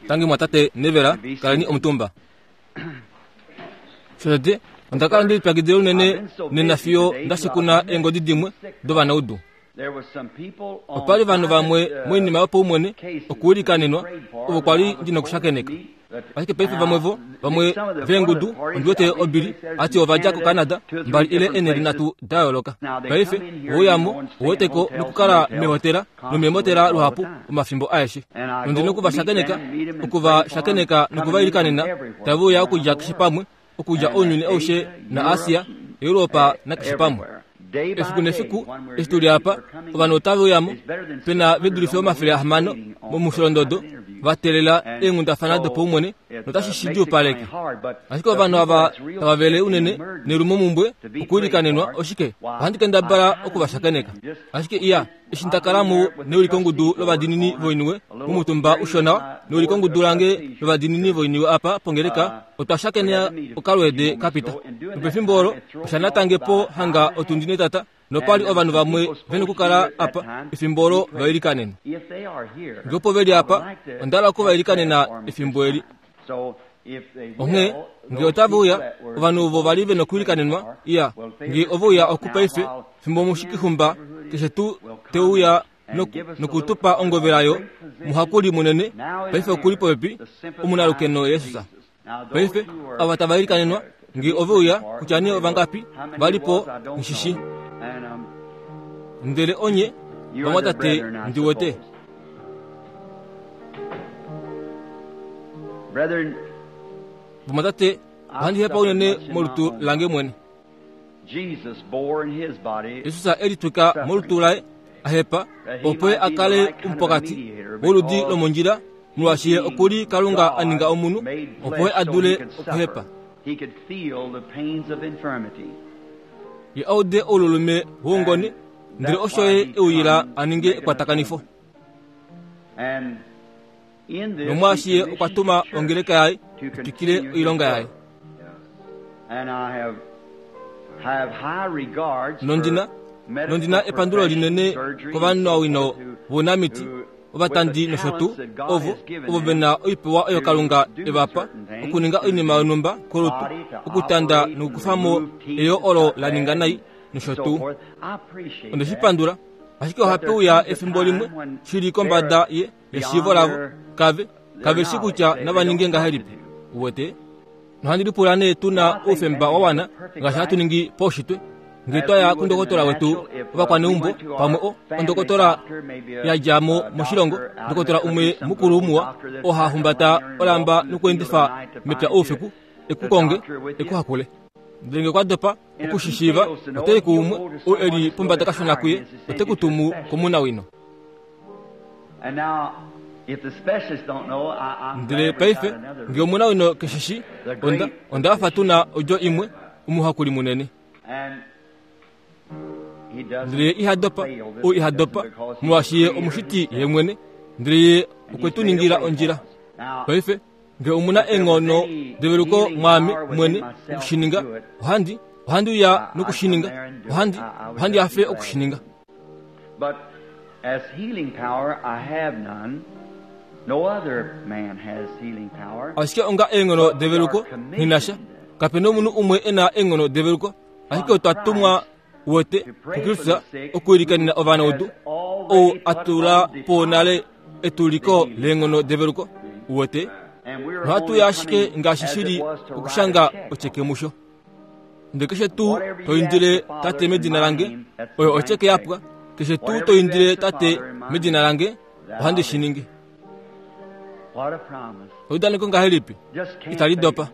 Tangi mwatate Nevera, kaleni omutumba. Shotete, onda kala ndi lipyakidila unene nena fiyo nda shikuna eengodi dimwe dovanaudu. Opa li ovanhu vamwe moinima yopaumwene okuwilikaninwa ovo kwa li ndi nokushakeneka. Ashike paife vamwe vo, vamwe veengudu, ondi wete obili, a ti ova dja koCanada, mbali ile eenhele nhatu da yooloka. Paife, ove uya mo, uwete ko, nokukala meehotela nomeemotela luhapu omafimbo aeshe. Nondi noku va shakeneka, oku va shakeneka noku va ilikanena, tave uya okudja keshe pamwe, okudja ounyuni aushe naAsia, Europa nakeshe pamwe. Efiku nefiku, eshi tu li apa, ovanhu otave uya mo, pe na ve dulife 600 momusholondodo va teelela eenghundafana dopaumwene notashi shi djuupaleke. Ashike ovanhu ava tava vele unene nelumomumbwe okuilikanenwa, oshike, ohandi kendabala oku va shakeneka. Ashike iya, eshi nda kala mo neulikongudu lovadiinini voiniwe momutumba ushona neulikongudu lange lovadiinini voiniwe apa pongeleka, otwa shakenea okalweede ka pita. Nopefimbo olo, osha natange po hanga otundi netata, nopa li ovanhu vamwe ve nokukala apa efimbo olo va ilikanenwa. Nge opo ve li apa, onda hala oku va ilikanena efimbo eli. Onghee, nge otave uya, ovanhu ovo va li ve nokuilikanenwa, iya, nge ove uya oku paife, fimbo omushikixumba keshe tuu te uya noku, noku tu pa ongovela yo muhakuli munene, paife oku li popepi, omunalukeno Jesus. Paife, ava tava ilikanenwa, nge ove uya, kutya nee ovangapi va li po, nghi shi. Ndele onye, vamwatate, ndi wete. Vamwatate, ohandi hepa unene molutu lange mwene. Jesus e litwika molutu laye a hepa, opo ye a kale omupokati woludi lomondjila, molwaashi ye oku li Kalunga a ninga omunhu, opo ye a dule okuhepa. Ye a ude oululume woungone, ndele osho ye e uyila a ninge ekwatakanifo. Nomwaashi ye okwa tuma ongeleka yaye i twikile oilonga yaye. Nondina, nondina epandulo linene kovanawino vounamiti, ovatandi nosho tuu, ovo, ovo ve na oipewa oyo Kalunga e va pa okuninga oinima yonhumba kolutu, okutanda nokukufa mo eyo olo la ninga nai nosho tuu. Onde shi pandula. Ashike ohape uya efimbo limwe shi li kombada ye, yeshiivo lavo, kave, kave shi kutya nava ninge ngahelipi. Uwete? Nohandi lipula nee tu na oufemba wa wana ngaashi hatu ningi paushitwe ngee twa ya kundokotola wetu ovakwaneumbo pamwe o ondokotola ya dja mo moshilongo ndokotola umwe mukulu muwa oo ha humbata olamba nokuendifa mepya oufiku e ku konge e ku hakule ndele ngee okwa dopa oku shi shiiva, ote i kuumwe ou e li pombada kashona kuye, ote ku tumu komunawino. Ndele paife, nge omunawino ke shi shi, onda, onda hafa tu na odjo imwe, omuhakuli munene. Ndele ye iha dopa, ou iha dopa, molwaashi ye omushiti ye mwene, ndele ye okwe tu ningila ondjila. Paife, Nge omu na eenghono develuko mwaame mwene oku shi ninga, ohandi, ohandi uya noku shi ninga. Ohandi, ohandi hafe oku shi ninga. But as healing power I have none. No other man has healing power. Ashike onga eenghono develuko nghi na sha. Kape na omunhu umwe e na eenghono develuko, ashike otwa tumwa wete kuKristus okuilikanena ovanaudu, ou a tula po nale etuliko leenghono develuko. Uwete, nohatu ya ashike ngaashi shi li okushanga otyeke musho. Ndele keshe tuu to indile Tate medina lange, oyo otyeke ya pwa. Keshe tuu to indile Tate medina lange, ohandi shi ningi. Eudaneko ngahelipi itali dopa!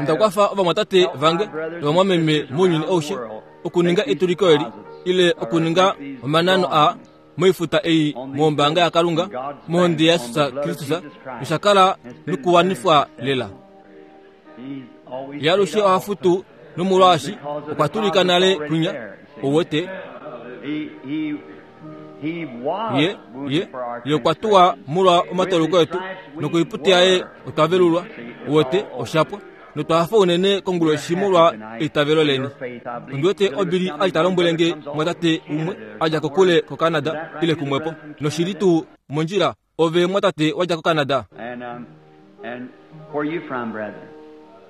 Onda kwafa ovamwatate vange novamwameme mounyuni aushe okuninga etuliko eli ile okuninga omanano aa moifuta ei mombaanga yaKalunga mohonde yaJesus Kristus nosha kala nokuwanifwa lela. Ye alushe oha futu nomolwaashi okwa tulika nale kwinya ouwete Ye, ye, ye okwa tuwa molwa omatauluko etu, nokoipute yaye otwa velulwa. Uwete, osha pwa. Notwa hafa unene konguloshi molwa eitavelo leni. Ondi wete Obili a li ta lombwele nge mwatate umwe a dja kokule koCanada ile kumwepo, noshi li tuu mondjila. Ove mwatate wa dja koCanada.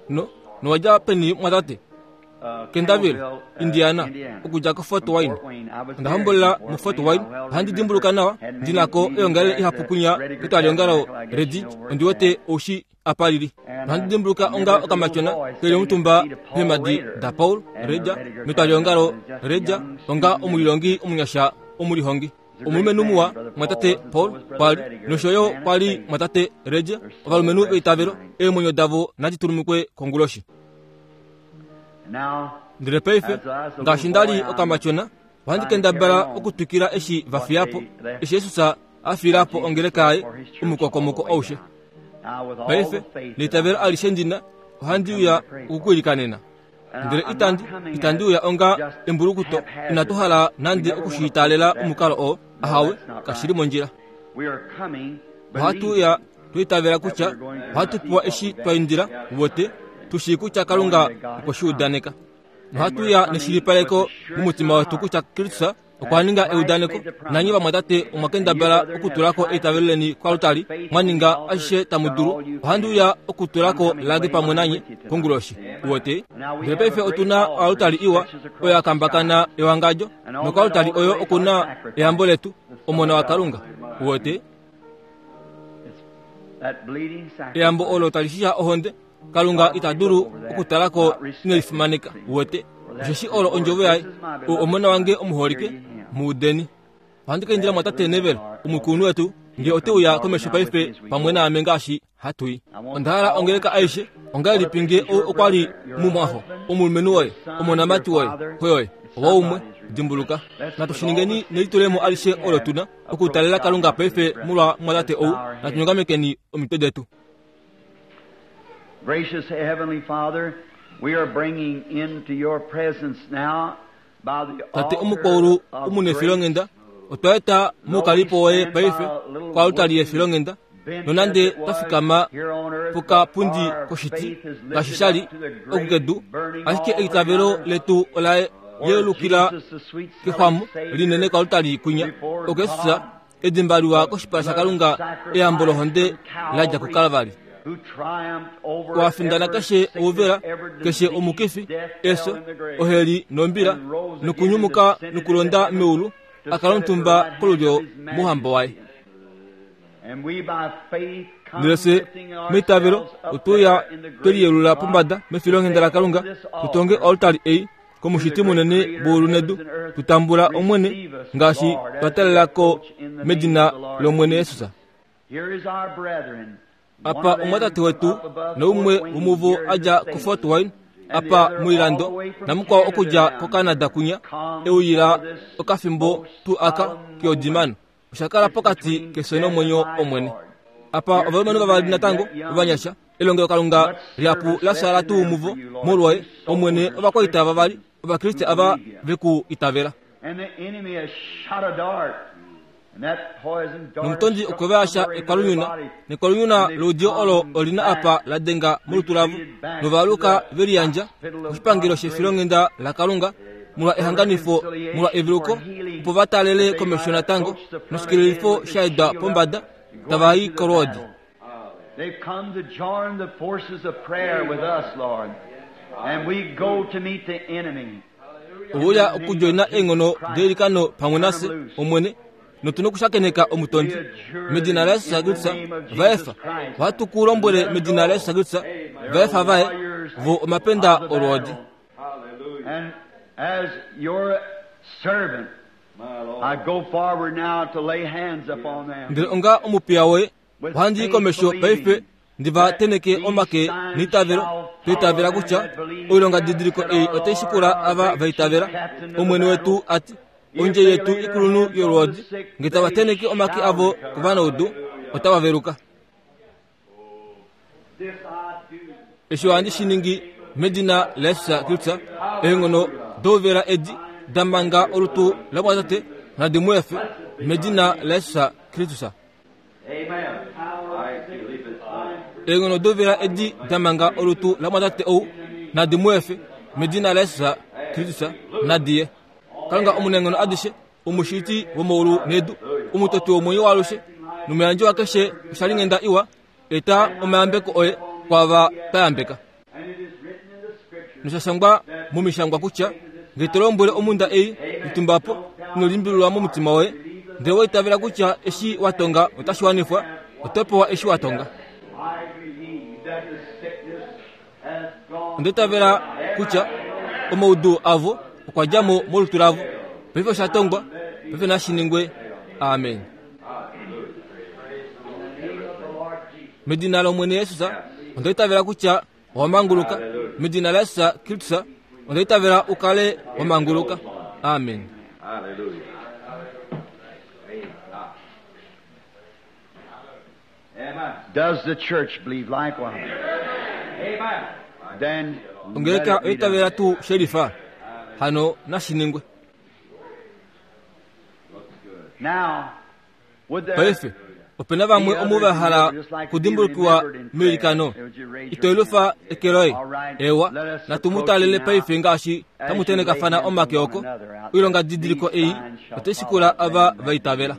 No, nowa dja peni mwatate? Kendaville, Indiana, okudja koFort Wayne. Onda hombolela muFort Wayne. Ohandi dimbuluka nawa ndi na ko eongalele ihapu kunya ketwaliongalo Redi, ondi wete oushi apa lili. Ohandi dimbuluka onga okamatyona ke li omutumba peemhadi daPaul Reja metwaliongalo Reja onga omulilongi omunyasha omulihongi. Omulumenhu muwa mwatate Paul kwa li nosho yo kwa li mwatate Reja, ovalumenhu veitavelo, eemwenyo davo nadi tulumukwe konguloshi. Ndele paife, ngaashi nda li okamatyona, ohandi kendabala okutwikila eshi va fiya po, eshi Jesus a fiila po ongeleka yaye omukokomoko aushe. Paife, neitavelo alishe ndi na, ohandi uya okukuilikanena. Ndele itandi, itandi uya onga embulukuto, inatu hala nande oku shi taalela omukalo oo, ahawe, kashi li mondjila. Ohatu uya twa itavela kutya ohatu pewa eshi twa indila, wote, tu shii kutya Kalunga okwe shi udaneka. Nohatu uya neshilipaleko momutima wetu kutya Kristus okwa ninga eudaneko, nanye vamwatate omwa kendabala okutula ko eitavelo leni koaltari, mwa ninga ashishe tamu dulu. Ohandi uya okutula ko lange pamwe nanye konguloshi. Uwete? Ndele paife otu na oaltari iwa oyo ya kambakana ewangadjo, nokoaltari oyo oku na eyambo letu, Omona waKalunga. Uwete? Eyambo olo tali shisha ohonde Kalunga ita dulu okutala ko inelifimaneka, uwete, osheshi olo ondjovo yaye. Ou omona wange omuholike, mu udeni. Ohandi ka indila mwatate Neville, omukulunhu wetu, nge ote uya komesho paife pamwe naame ngaashi hatu i. Onda hala ongeleka aishe, ongahelipi nge ou okwa li mumwaxo, omulumenhu woye, omonamati woye, xo yoye, owaumwe, dimbuluka. Natu shi ningeni nelitulemo alishe olo tu na, okutalela Kalunga paife molwa mwatate ou. Natu nyongamekeni omitwe detu. Gracious Heavenly Father, we are bringing into your presence now by the Tate omukwaulu omunefilonghenda, otwa eta moukalipo woye paife koaltari yefilonghenda, nonande twa fikama pokapundi koshiti ngaashi sha li oku kedu, ashike eitavelo letu ola yeulukila kexwamo linene koaltari kwinya, oko Jesus edimba liwa koshipala shaKalunga eyambo lohonde la dja kuKalvari. Wa findana keshe ouvela, keshe omukifi, efyo, oheli nombila, nokunyumuka nokulonda meulu, a kala omutumba kolulyo mouhamba waye. Ndele fye meitavelo otwe uya twe liyelula pombada mefilonghenda laKalunga, tu tonge oaltari ei kOmushiti munene woulu nedu, tu tambula Omwene ngaashi twa talela ko medina lOmwene Jesus. Apa omwatate wetu noumwe womuvo a dja kuFort Wayne apa moilando namukwao okudja koCanada kunya e uyila okafimbo tuu aka keodimano. Osha kala pokati kefyo nomwenyo Omwene. Apa ovalumenhu vavali natango ovanyasha Elongelokalunga lihapu la fyaala tuu muvo molwoye, Omwene, ovakwaita vavali Ovakriste ava ve ku itavela. Nomutondi okwe va yasha ekwalunyuna, nekwalunyuna loudiyo olo oli na apa la denga molutu lavo, nova aluka ve liyandja koshipangelo shefilonghenda laKalunga molwa ehanganifo, molwa eveluko, opo va taalele komesho natango noshikelelifo sha edwa pombada, tava i kolwoodi. They've come to join the forces of prayer with us, Lord. And we go to meet the enemy. Ouya okudjoina eenghono deilikano pamwe nafye, Omwene, notu nokushakeneka omutondi. Medina laJesus Kristus, va efa. Ohatu ku lombwele medina laJesus Kristus, va efa vaye, vo omapenda olwoodi. And as your servant, I go forward now to lay hands upon them. Ndele onga omupiya woye, Ohandi i komesho paife ndi va teneke omake neitavelo, twa itavela kutya oilongadidiliko ei otai shikula ava va itavela. Omwene wetu a ti, Ondje yetu ikulunhu yolwoodi, nge tava teneke omake avo kovanaudu, otava veluka. Eshi ohandi shi ningi medina laJesus Kristus, eenghono douvela edi da manga olutu lamwatate nadi mu efe, medina laJesus Kristus. Eenghono dovela edi da manga olutu lamwatate ou nadi mu efe, medina laJesus Kristus, nadi ye. Kalunga omunaenghono adishe, omushiti womaulu nedu, omutoti womwenyo waalushe, Nomuyandji wakeshe oshalinghenda iwa, eta omayambeko oye kwaava twa yambeka. Nosha shangwa momishangwa kutya, Nge to lombwele omhunda ei, Litumba po, ino limbililwa momutima woye, ndele wa itavela kutya eshi wa tonga otashi wanifwa, oto pewa eshi wa tonga. Onda itavela kutya omaudu avo okwa dja mo molutu lavo. Paife osha tongwa, paife nashi ningwe. Amen. Medina lOmwene Jesus, onda itavela kutya owa manguluka. Medina laJesus Kristus, onda itavela u kale wa manguluka. Amen. Does the church believe likewise? Then Ongeleka oya itavela tuu shelifa? Hano nashi ningwe. Now, would there Paife, ope na vamwe omu va hala okudimbulukiwa meilikano. Ito elufa eke loye. Ewa, natu mu talele paife ngaashi tamu tenekafana omake oko. Oilongadidiliko ei otai shikula ava va itavela.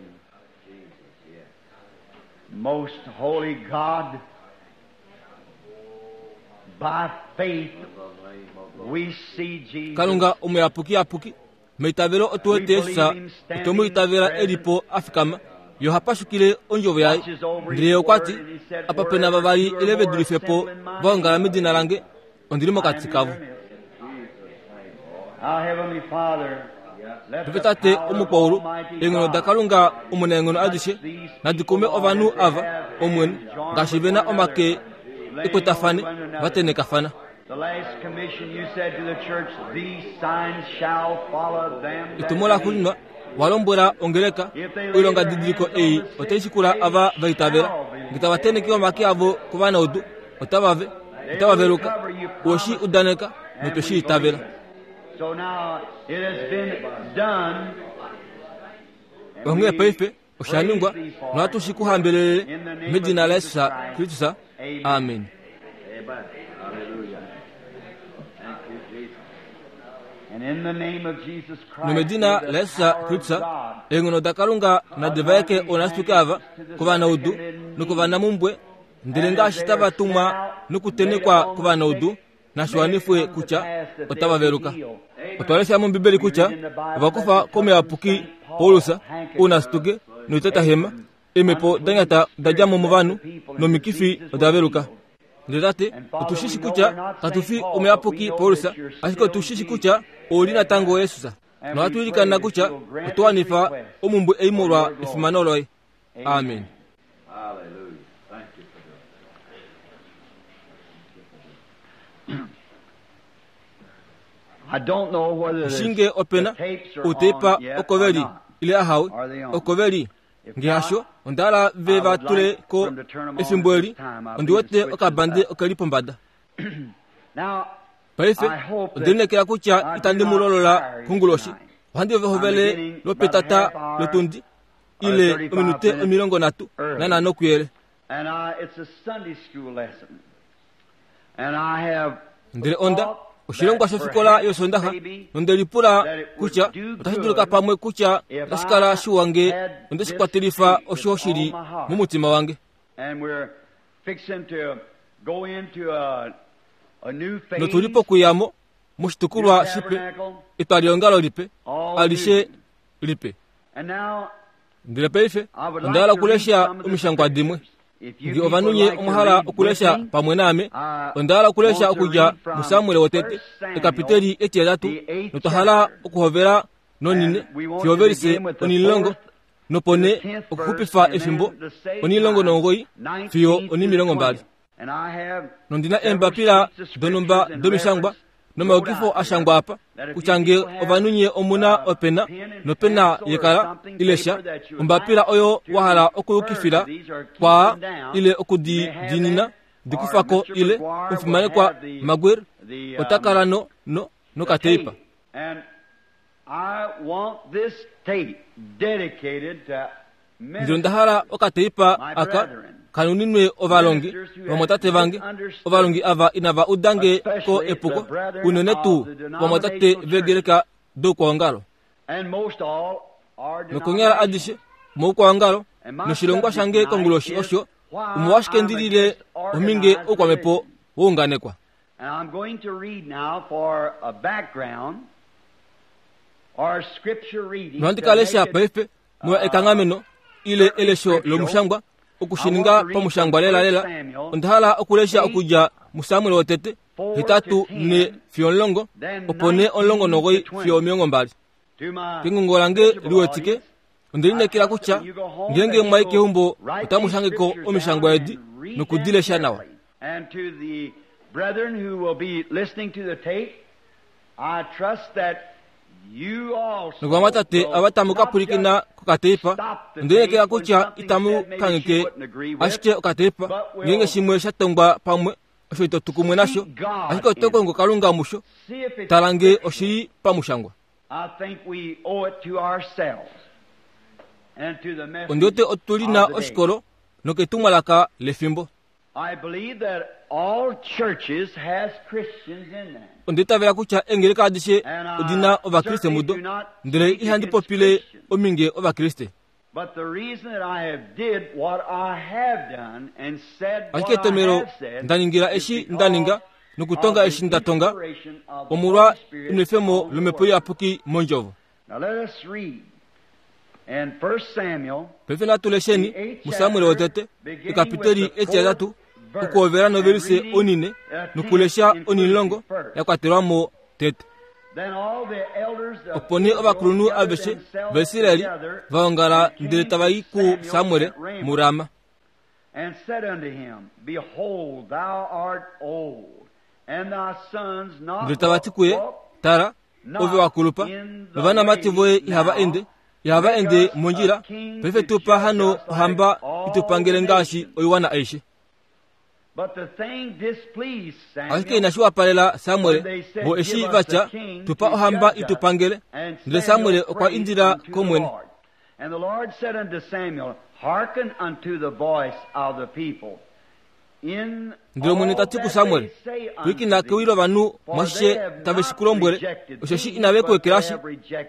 Most holy God, by faith we see Jesus. Kalunga omuyapukiyapuki, meitavelo otu wete Jesus, otwe mu itavela e li po a fikama. Ye oha pashukile ondjovo yaye. Ndele ye okwa ti, Apa pe na vavali ile ve dulife po va ongala medina lange, ondi li mokati kavo. Our Heavenly Father, let Paife the Tate power of omukwaulu, Almighty eenghono God daKalunga omunaenghono adishe nadi kume ovanhu ava, Omwene, ngaashi ve na omake ekwatafane, va tenekafana. The last commission you said to the church, these signs shall follow them that Etumo laxuuninwa wa lombwela ongeleka, oilongadidiliko ei otai shikula ava va itavela. Nge tava teneke omake avo kovanaudu, otava ve, otava veluka. Owe shi udaneka, notwe shi itavela. So now it has been done. Onghee paife osha ningwa, nohatu shi ku hambelelele medina laJesus Kristus. Amen. And in the name of Jesus Christ, Nomedina may the laJesus power of Kristus, God eenghono daKalunga nadi vaeke oonasituke ava kovanaudu nokovanamumbwe, ndele ngaashi tava tumwa nokutenekwa kovanaudu, nashi wanifwe kutya otava veluka. Otwa lesha mOmbibeli kutya ova kufa komuyapuki Paulus ounasituke noitatahema, eemhepo da nyata oda dja mo movanhu nomikifi oda veluka. Ndele Tate, otu shi shi kutya katu fi omuyapuki Paulus, ashike otu shi shi kutya ou li natango Jesus. Nohatu ilikana kutya oto wanifa omumbwe ei molwa efimano loye. Amen. I don't know whether the, Shinge opena the tapes are uteipa on yet oko or ve li not. ile ahawe Are they on? oko ve li If nge not, hasho onda hala ve I va would tule like ko for them to turn 'em on efimbo at eli this time. I ondi believe wete the switch is okabande up. oke li pombada Now, paife I hope ondi lineekela kutya that I itandi do mu not lolola tire you konguloshi tonight. ohandi I'm hovele beginning about a lwopetata half hour lotundi or ile 35 ominute minutes 30 early. nanhano kuyele And I, it's a Sunday school lesson. And I have ndele onda thought oshilongwa that shofikola perhaps yosondaxa maybe nonde lipula that it would kutya do otashi dulika good pamwe kutya if otashi kala I shiwa nge had onde shi this kwatelifa tape osho with shi li all my heart. momutima wange And we're fixing to go into a, a new phase, notu li pokuyamo new moshitukulwa shipe tabernacle, etwalihongalo lipe all alishe new. lipe And now ndele paife I would onda like hala to read okulesha some of the omishangwa dimwe scriptures. If you nge people ovanhu nye like to omwa hala read with okulesha me, pamwe naame I onda hala okulesha want to okudja read from muSamuel wotete 1 Samuel, ekapiteli etiheyatu the eighth notwa hala chapter. okuhovela nonine And we want to fiyovelise begin with the onilongo fourth nopone to the 10th verse, okuxupifa and efimbo then the same onilongo time, nomugoyi 19 fiyo to the onimilongo 20th. mbali And I have nondina several eembapila sheets of donhumba scriptures and domishangwa reference nomaukifo wrote out a shangwa apa here that if you kutya nge people have ovanhu nye omuna a opena pen and nopena pencil or yekala something, ilesha paper that you would ombapila like oyo to wa hala refer to okuyukifila these or keep kwaa them down, ile you okudi may have diinina that, di or kufako Mr. ile McGuire will omufimanekwa have the, Maguire the, ota kala no no the nokateipa tape. And I want this tape dedicated to ndele onda hala okateipa my aka brethren, kanuninwe ovalongi ministers who have vamwatate vange misunderstood, ovalongi ava inava udange ko especially the epuko brethren unene tuu of the vamwatate denominational churches, veegeleka doukwaongalo and most all our nokonyala denomination. adishe moukwaongalo noshilongwa shange konguloshi osho omolwashike ndi lile ominge oukwamhepo wounganekwa. Nohandi ka lesha paife molwa ekanghameno ile elesho lomushangwa oku shi ninga pamushangwa lelalela. Onda hala okulesha okudja muSamuel wotete 8 4 fiyo 10, opo nee 19 fiyo 20. Kengungo lange liwetike, onde lineekela kutya ngeenge mwa i keumbo otamu shange ko omishangwa edi noku di lesha nawa. Novamwatate ava tamu ka pwilikina kokateipa, onde lineekela kutya itamu kangheke ashike okateipa ngeenge shimwe sha tongwa pamwe osho ito tu kumwe nasho, ashike oto kongo Kalunga musho. Tala nge oshi li pamushangwa. Ondi wete otu li na oshikolo noketumwalaka lefimbo. Onda itavela kutya eengeleka adishe odi na Ovakriste mudo, ndele ihandi popile ominge Ovakriste. Ashike etomhelo nda ningila eshi nda ninga nokutonga eshi nda tonga, omolwa enwefemo lOmhepo Iyapuki mOndjovo. Paife natu lesheni muSamuel wotete, ekapiteli etihetatu, okuhovela novelise onine nokulesha onimulongo ya kwatelwa mo tete. Opo nee ovakulunhu aveshe vaIsrael va ongala ndele tava i kuSamuel muRama. Ndele tava ti kuye, Tala, ove wa kulupa, novanamati voye ihava ende, ihava ende mondjila, paife tu pa hano ohamba i tu pangele ngaashi oiwana aishe. Ashike inashi wapalela Samuel vo eshi va tya, Tu pa ohamba i tu pangele. Ndele Samuel okwa indila kOmwene. Ndele Omwene ta ti kuSamuel, Pwilikina kewi lovanhu mwashishe tave shi ku lombwele, osheshi inave ku ekelashi,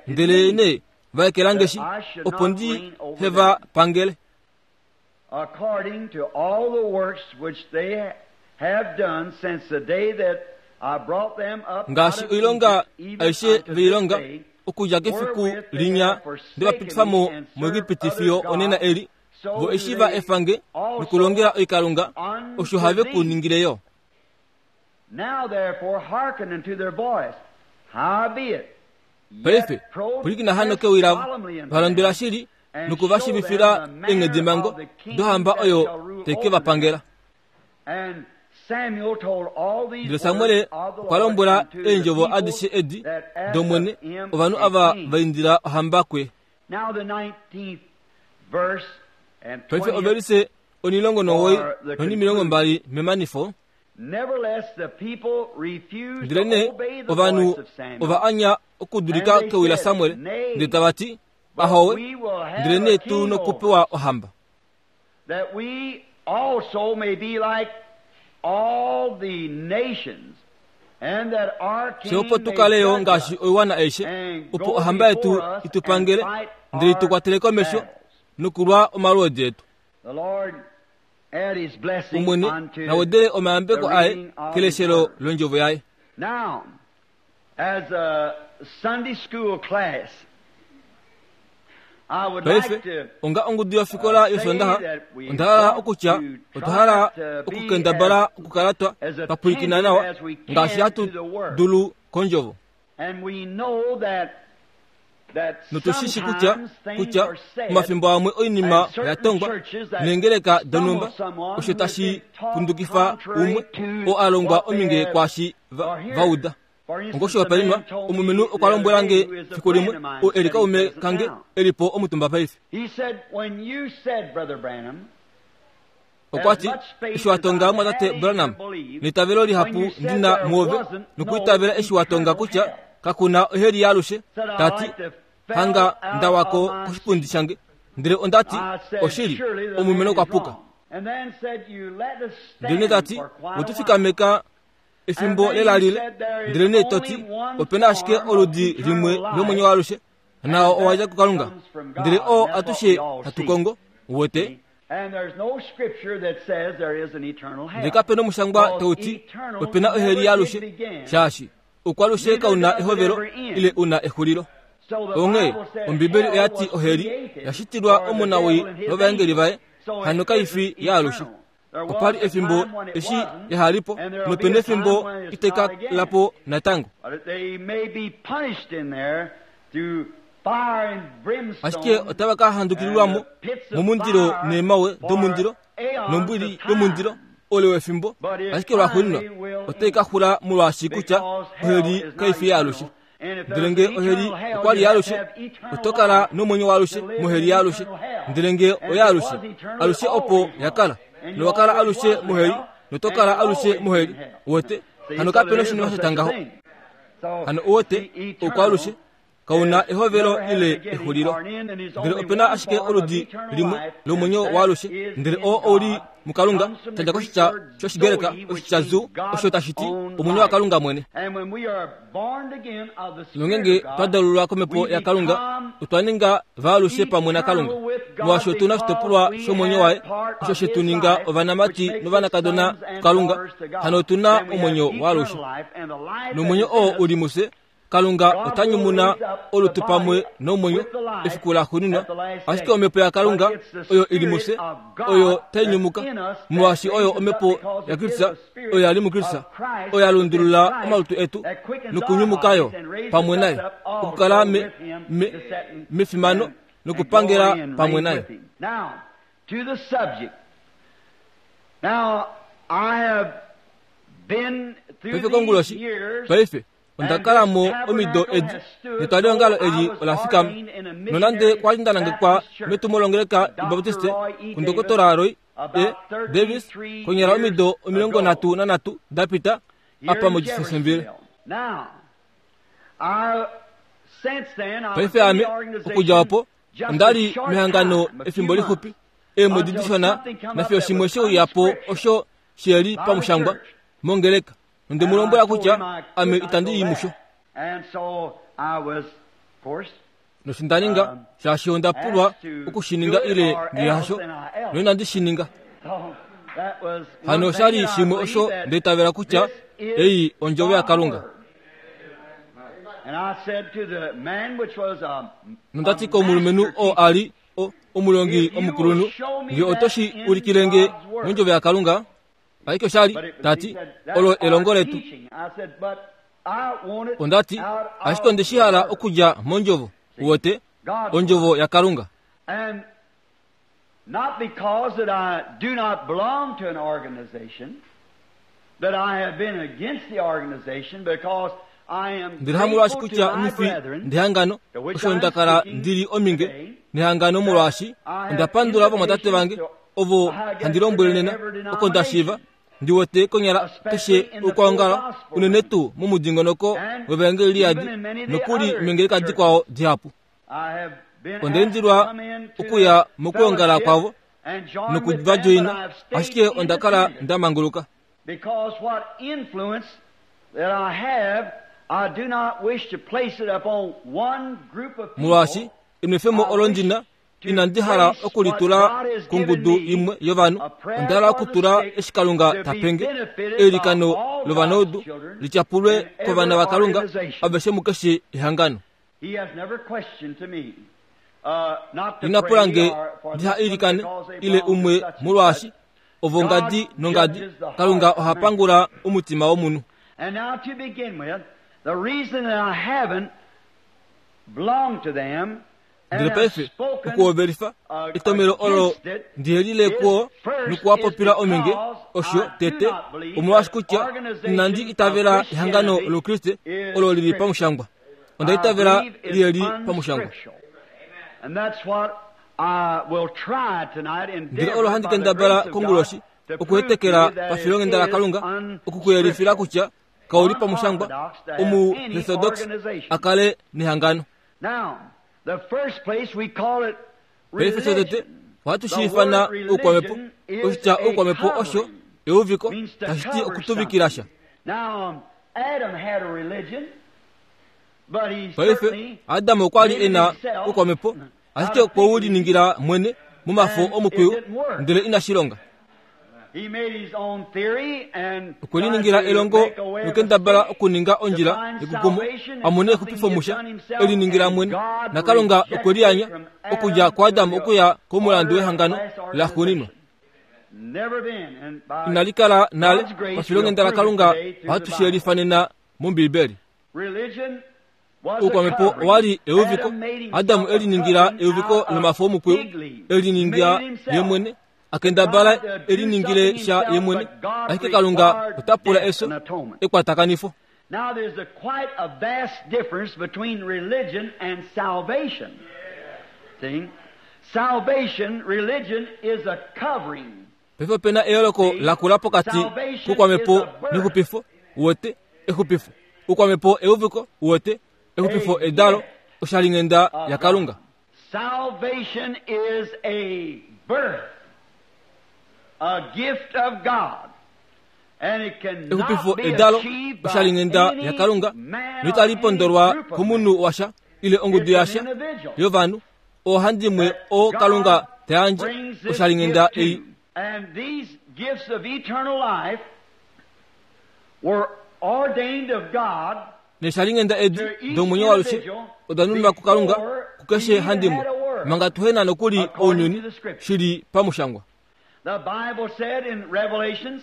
ndelenee va ekela nge shi, opo ndi he va pangele. According to all the works which they have done since the day that I brought them up Ngaashi oilonga aishe ve i longa, okudja kefiku linya nde va pitifa mo muEgipiti fiyo onena eli, vo eshi va efa nge nokulongela oikalunga, osho have ku ningile yo. Now therefore hearken unto their voice. Howbeit, Paife, pwilikina hano kewi lavo, va londwela shili noku va shiivifila eenghedimhango dohamba oyo tai ke va pangela. Ndele Samuel okwa lombwela eendjovo adishe edi dOmwene ovanhu ava va indila ohamba kuye. Paife ovelise 19 nonimilongo mbali memanifo. Ndelenee ovanhu ova anya okudulika kewi laSamuel, ndele tava ti, Ahowe, ndelenee tu nokupewa ohamba. Fye opo tu kale yo ngaashi oiwana aishe, opo ohamba yetu i tu pangele, ndele i tu kwatele komesho nokulwa omalwoodi etu. Omwene na wedele omayambeko aye keleshelo londjovo yaye. Now, as a Sunday school class, I would Paife, like to onga ongudu yofikola yOsoondaxa, onda hala okutya otwa hala okukendabala okukala twa twa pwilikina nawa ngaashi hatu dulu kondjovo. And we know that Notu shi shi kutya, kutya omafimbo amwe oinima oya tongwa neengeleka donhumba, osho tashi pundukifa umwe oo a longwa ominge kwaashi va, va uda. Ongoshihopaenenwa, omulumenhu okwa lombwela nge fiku limwe, oo e li kaume kange e li po omutumba paife. Okwa ti, Eshi wa tonga mumwatate Branham, neitavelo lihapu ndi na muove, nokuitavela eshi wa tonga kutya kaku na oheli yaalushe, ta ti, hanga nda wa ko koshipundi shange. Ndele onda ti, Oshili, omulumenhu okwa puka. Ndele ta ti, We tu fikameka efimbo lelalile, ndelenee to ti, ope na ashike oludi limwe lomwenyo waalushe. Nao owa dja kuKalunga, ndele oo atushe hatu kongo. Uwete? Ndele kape nomushangwa tau ti ope na oheli yaalushe, shaashi oukwalushe kau na ehovelo ile u na exulilo. Onghee Ombibeli oya ti oheli ya shitilwa omunawii novaengeli vaye, hano kai fi yaalushe. Opa li efimbo eshi yaha li po, nope nefimbo itai ka kala po natango. Ashike otava ka handukililwa mo momundilo neemawe domundilo nombwili yomundilo oule wefimbo, ashike lwaxuuninwa otai ka xula molwaashi kutya oheli kai fi yaalushe. Ndele nge oheli okwa li yaalushe, oto kala nomwenyo waalushe moheli yaalushe. Ndele nge oyaalushe, alushe opo ya kala, nowa kala alushe moheli, noto kala alushe moheli. Uwete? Hano kape noshinima sha tya ngaho. Hano uwete, oukwaalushe kau na ehovelo ile exulilo. Ndele ope na ashike oludi limwe lomwenyo waalushe, ndele oo ou li muKalunga, sha dja koshitya shOshigreka oshitya zoo, osho tashi ti omwenyo waKalunga mwene. Nongenge twa dalulwa komhepo yaKalunga, otwa ninga vaalushe pamwe naKalunga. Molwaashi otu na oshitopolwa shomwenyo waye, osho she tu ninga ovanamati novanakadona kuKalunga, hano otu na omwenyo waalushe. Nomwenyo oo u li mufye, Kalunga ota nyumuna olutu pamwe nomwenyo efiku laxuuninwa, ashike omhepo yaKalunga oyo i li mufye oyo tai nyumuka, molwaashi oyo omhepo yaKristus oyo ya li muKristus, oyo ya lundulula omalutu etu nokunyumuka yo pamwe naye, okukala me, me, mefimano nokupangela pamwe naye. Paife konguloshi, paife onda kala mo omido edi netwaliongalo eli ola fikama. Nonande kwa li nda nangekwa metumo longeleka yObaptiste kuNdokotola Roy E. Davis konyala omido 33 da pita apa moJeffersonville. Paife ame, okudja opo, onda li mehangano efimbo lixupi, eemwedi dishona, nafiyo shimwe she uya po osho she li pamushangwa mongeleka. Onde mu lombwela kutya ame itandi i musho. Nosho nda ninga, shaashi onda pulwa oku shi ninga ile ngee hasho, noinandi shi ninga. Hano osha li shimwe osho nda itavela kutya ei ondjovo yaKalunga. Nonda ti komulumenhu oo a li o, omulongi omukulunhu, Nge oto shi ulikile nge mondjovo yaKalunga, Ashike osha li, ta ti, olo elongo letu. Onda ti, ashike onde shi hala okudja mOndjovo, uwete, Ondjovo yaKalunga. Not because that I do not belong to an organization, that I have been against the organization, because I am Ndele hamolwaashi grateful to kutya my nghi fi brethren, ndehangano, osho nda kala ndi li ominge nehangano molwaashi onda pandula ovamwatate vange ovo handi lombwele nena oko nda shiiva ndi wete konyala keshe okwoongala unene tuu momudingonoko wevaengeli liyadi nokuli meengeleka dikwao dihapu. Onda indilwa okuya mokwoongala kwavo noku va djoina, ashike onda kala nda manguluka. Because what influence that I have, I do not wish to place it upon one group of people. Molwaashi enwefemo olo ndi na, inandi hala oku li tula kongudu imwe yovanhu. Onda hala okutula eshi Kalunga ta penge, eilikano lovanaudu li tyapulwe kovana vaKalunga aveshe mukeshe ehangano. He has never questioned to me, not to Ina pula pray nge or for ndiha this one ilikane because they ile belong to umwe such and molwaashi such. ovo ngadi nongadi Kalunga oha pangula omutima womunhu. And now to begin with, the reason that I haven't belonged to them and Ndele have paife spoken okuhovelifa etomhelo olo against it ndihelile is kuo first nokuwapopila is ominge because osho I do tete not believe omolwaashi that kutya organization inandi of itavela ehangano Christianity loukriste is olo li li scriptural. pamushangwa. Onda I itavela believe it's li li pamushangwa. unscriptural. And that's what I will try tonight, Ndele endeavor olo handi by the kendabala grace of God konguloshi to prove to okuhetekela you that it pafilonghenda is laKalunga okukuyelifila unscriptural. kutya kau li pamushangwa Unorthodox to have any omuorthodox organization. a kale nehangano. Now, the first place we call it Paife shotete religion. ohatu The shi ifana word oukwamhepo. religion is Oshitya a oukwamhepo osho covering, euviko, means to tashi ti cover okutuvikila sha. something. Now, Adam had a religion. Paife, Adam okwa li e na oukwamhepo, ashike okwe u liningila mwene momafo omukwiyu, ndele inashi longa. Okwe liningila elongo nokendabala okuninga ondjila yekukumo a mone exupifo musha, e liningila mwene, naKalunga okwe liyanya okudja kuAdam okuya komulandu wehangano laxuuninwa. Inali kala nale pafilonghenda laKalunga ohatu shi yelifa nena mOmbiibeli. Oukwamhepo owa li euviko. Adam e liningila euviko lomafo omukwiyu, e lininga ye mwene, a kendabala e liningile sha ye mwene, ashike Kalunga ota pula efyo, ekwatakanifo. Now there's a quite a vast difference between religion and salvation. See? Salvation, religion is a covering. Paife ope na eyooloko lakula pokati koukwamhepo nexupifo, uwete, exupifo. Oukwamhepo euviko, uwete, exupifo edalo, oshalinghenda yaKalunga. Salvation is a birth, a gift of God. Exupifo edalo, oshalinghenda yaKalunga, noitali pondolwa komunhu washa ile ongudu yasha yovanhu. Oohandimwe oo Kalunga ta yandje oshalinghenda ei. And these gifts of eternal life were ordained of God Neeshalinghenda edi domwenyo waalushe oda nuninwa kuKalunga kukeshe handimwe manga tuhe na nokuli ounyuni, shi li pamushangwa. The Bible said in Revelations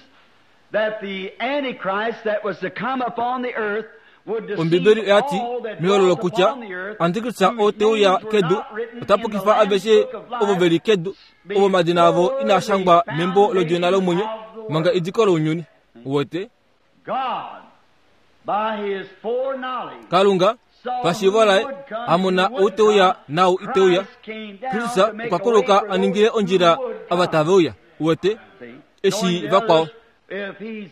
that the Antichrist that was to come upon the earth Ombibeli oya ti mehololo kutya Antikrista oo te uya kedu ota pukifa aveshe ovo ve li kedu, ovo omadina avo inaa shangwa membo lOdjona lomwenyo manga ediko lounyuni. Uwete? Kalunga, pashiivo laye, a mona ou te uya naau ite uya, Kristus okwa kuluka a ningile ondjila ava tave uya. Uwete? Eshi vakwao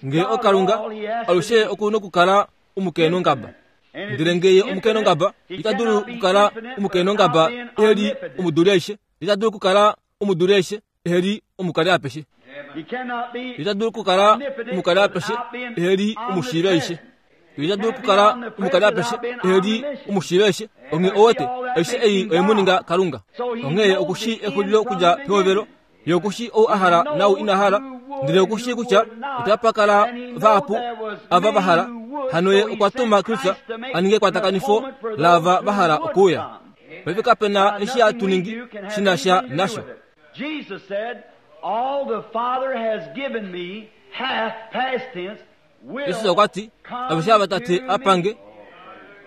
Nge oKalunga, alushe oku nokukala omukeenongaba. Ndele nge ye omukeenongaba, ita dulu okukala omukeenongaba ehe li omuduli aishe. Ita dulu okukala omuduli aishe ehe li omukali apeshe. Ita dulu okukala omukali apeshe ehe li omushiivi aishe. Ita dulu okukala omukali apeshe ehe li omushiivi aishe. Onghee owete, aishe ei oye mu ninga Kalunga. Onghee oku shii exulilo okudja pehovelo Ye oku shii ou a hala naau ina hala, ndele oku shii kutya otapa kala vahapu ava va hala. Hano ye okwa tuma Kristus a ninge ekwatakanifo laava va hala okuuya. Paife kape na eshi hatu ningi shi na sha nasho. Jesus okwa ti, Aveshe ava Tate a pange,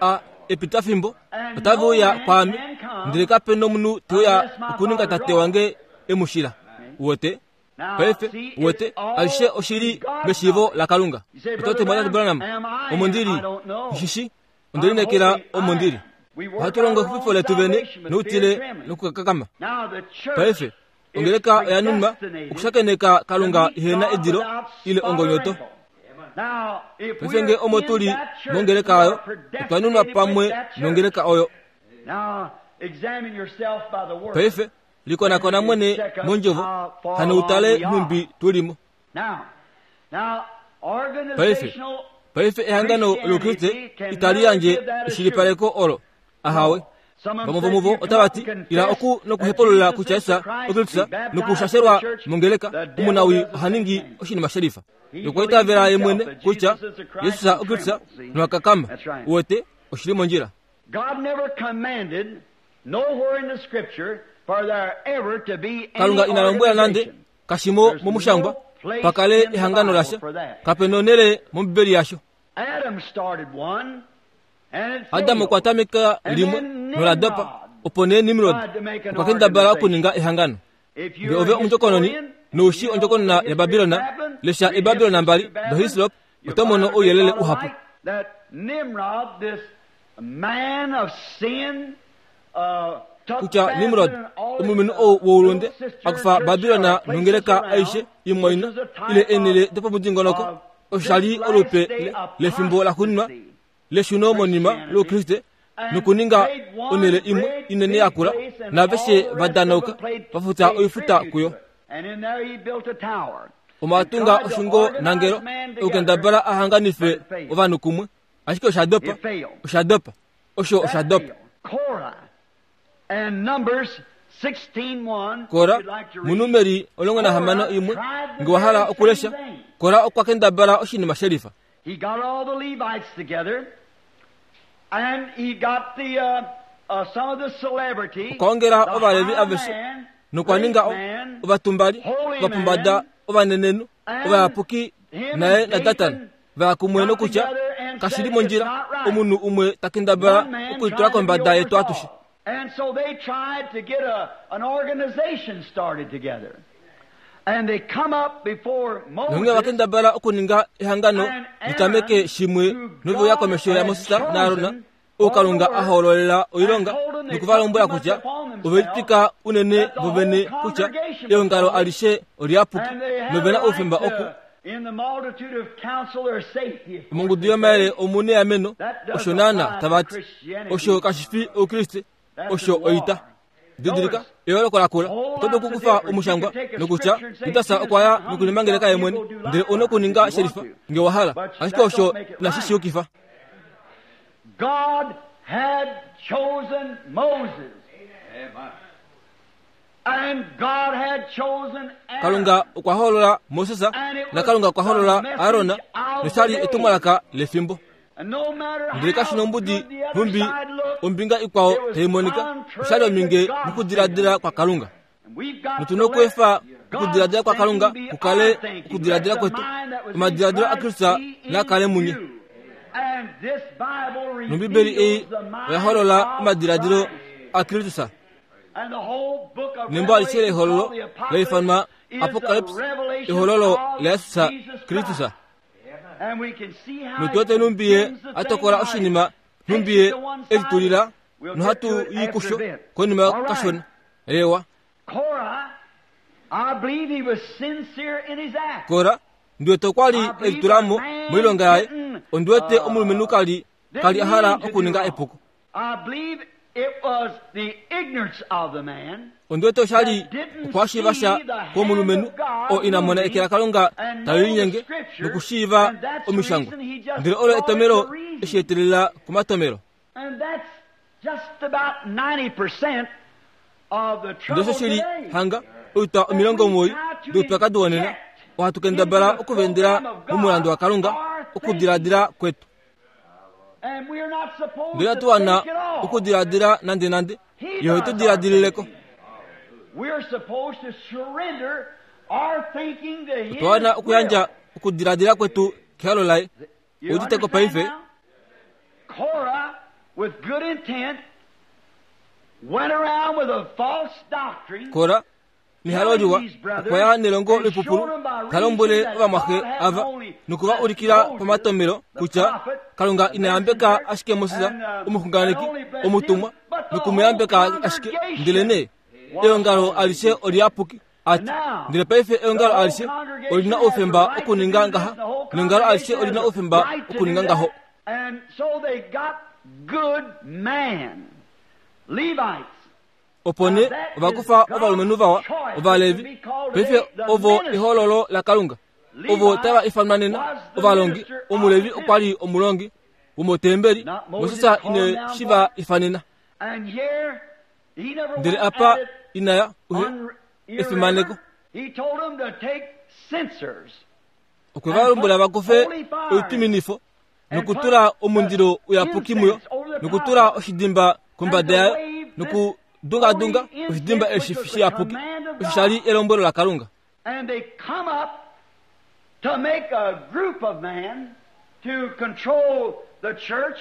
a epitafimbo, otave uya kwaame, ndele kape nomunhu te uya okuninga Tate wange e mu shila. Uwete? Paife, uwete, aishe oshi li meshiivo laKalunga. Oto ti, Mwatate Branham, omo ndi li, nghi shi shii. Onde lineekela omo ndi li. Ohatu longo exupifo letu vene noutile nokukakama. Paife, Ongeleka oya nunwa okushakeneka Kalunga ihe na edilo ile ongonyoto. Paife nge omo tu li mongeleka oyo, otwa nunwa pamwe nongeleka oyo. Paife, likonakona mwene mondjovo, hano utale nhumbi tu li mo. Paife, paife ehangano lOukriste itali yandje eshilipaleko olo. Ahawe. Vamwe vomuvo otava ti, Ila oku nokuhepulula kutya Jesus oKristus nokushashelwa mongeleka, omunawii oha ningi oshinima shelifa. Nokwa itavela ye mwene kutya Jesus oKristus noha kakama. Uwete, oshi li mondjila. Kalunga ina lombwela nande kashimo momushangwa pa kale ehangano lasha. Kape nonhele mOmbibeli yasho. Adam okwa tameka limwe nola dopa, opo nee Nimrod okwa kendabala okuninga ehangano. Nge ove omundjokononi nou shii ondjokonona yaBabilon, lesha Eebabilon mbali doHislop, oto mono ouyelele uhapu. Kutya Nimrod, omulumenhu ou woulunde, a kufa Babilon nongeleka aishe imwaina ile eenhele dopomudingonoko, osho sha li olupe lefimbo laxuuninwa leshuno monima lOukriste nokuninga onhele imwe inene yakula naaveshe va danauka va futa oifuta kuyo. Omo a tunga oshungo nangelo okukendabala a hanganife ovanhu kumwe, ashike osha dopa, osha dopa. Osho osha dopa. Kora, muNumeri 16:1, nge wa hala okulesha, Kora okwa kendabala oshinima shelifa. He got all the Levites together, and he got the some of the celebrity, Okwa ongela Ovalevi aveshe nokwa ninga ovatumbali, ovapombada, ovanenenhu, ovayapuki naye naDatan va ya kumwe nokutya, Kashi li mondjila omunhu umwe ta kendabala okulitula kombada yetu atushe. And so they tried to get an organization started together. And they come up before Nonghee va Moses kendabala okuninga ehangano litameke shimwe nove uya komesho yaMoses naAron, oo Kalunga a hoololela oilonga, noku va lombwela kutya ove litwika unene vovene kutya eongalo alishe oliyapuki and they had nove na a right oufemba oku to, in the multitude of counsel or safety. Of course, mongudu they yomayele say. omu neameno osho naana tava ti osho kashi fi oukriste osho oita. Didilika eyooloko lakula. Oto dulu okukufa omushangwa nokutya Judas okwa ya nokulimangeleka ye mwene, ndele ou na okuninga shelifa nge wa hala, ashike osho inashi shi yukifa. God had chosen Moses. And God had chosen Aaron. Kalunga okwa hoolola Moses naKalunga okwa hoolola Aron, nosha li etumwalaka lefimbo. And no matter Ndele kashi how nombudi good the other nhumbi side looked, ombinga ikwao it was tai monika, osha li ominge contrary to God's mokudiladila thinking. kwa Kalunga. And we've got Notu to na okuefa let God's okudiladila kwa Kalunga thinking be kukale our thinking. okudiladila Let the kwetu. mind that was in Omadiladilo Christ aKristus be in naa kale munye. you. And this Bible Nombibeli ei reveals the mind oya holola of omadiladilo Christ. aKristus. And the whole book of Nembo alishe Revelation lehololo called the Apocalypse leifanwa is the Apocalypse, revelation ehololo of laYesus Jesus Kristus. Christ. And we can see how Notu wete he nhumbi ye condemns the a tokola thing, how he oshinima, takes nhumbi ye it to one e side. litulila We'll get nohatu to it yi after kusho a bit. konima All right. kashona. Ewa, Korah, I believe he was sincere in his act. Kora ndi wete okwa li e litula mo moilonga yaye. Ondi wete omulumenhu kali kali a hala Didn't mean to do okuninga wrong. epuko. I believe it was the ignorance of the man Ondi wete osha li that didn't okwashiiva see sha the hand kwomulumenhu of God oo ina mona eke moving laKalunga and tali know the linyenge scripture, nokushiiva and that's the omishangwa. reason he just Ndele olo brought it etomelo to reason. eshi etelela komatomelo. And that's just about 90% of the Ndele trouble osho shili today. hanga oitwa That we 90 try to doupyakadi wonena inject ohatu into kendabala the okuvendela program of momulandu God waKalunga our thinking. okudiladila kwetu. And we are not supposed Ndele to inatu wana think at all. okudiladila nande nande, He ye ohe does tu our diladilileko. thinking. We're supposed to surrender our thinking to His Otwa wana okuyandja will. okudiladila kwetu kehalo laye. You Uditeko understand paife? now? Korah, with good intent, went around with a false doctrine, Kora nehalo telling liwa these brothers okwa ya nelongo and lipupulu showed them by ta lombwele reason that ovamwaxe God hadn't ava only nokuva blessed ulikila Moses, pamatomelo the kutya prophet, Kalunga the ina yambeka messenger, ashike Moses and omuxunganeki and only blessed him, omutumwa but the nokumuyambeka whole ashike congregation ndelenee was eongalo holy. alishe oliyapuki ati And now, ndele paife the eongalo whole alishe congregation olina has the oufemba right to okuninga do this, ngaha the whole neongalo alishe congregation has olina the oufemba right to do okuninga ngaho. that. And so they got good man, Levites. Opo Now nee that ova is kufa God's ovalumenhu vawa choice to Ovalevi be called paife today the ovo minister. ehololo laKalunga ovo Levi tava ifanwa nena was the ovalongi. minister of the Omulevi okwa temple. li omulongi womotembeli. Not Moses Moses called ine him down shi for va it. ifanena. And here he never Ndele went apa at it inaya uhe efimaneko. irreverent. He told them to take censers Okwe va and lombwela put va kufe holy fire oituminifo and put nokutula the omundilo uyapuki muyo incense over the top nokutula of it oshidimba and kombada to yayo wave this nokudungadunga holy oshidimba incense, eshi which was the shiyapuki command of osho sha li God. elombwelo laKalunga. And they come up to make a group of men to control the church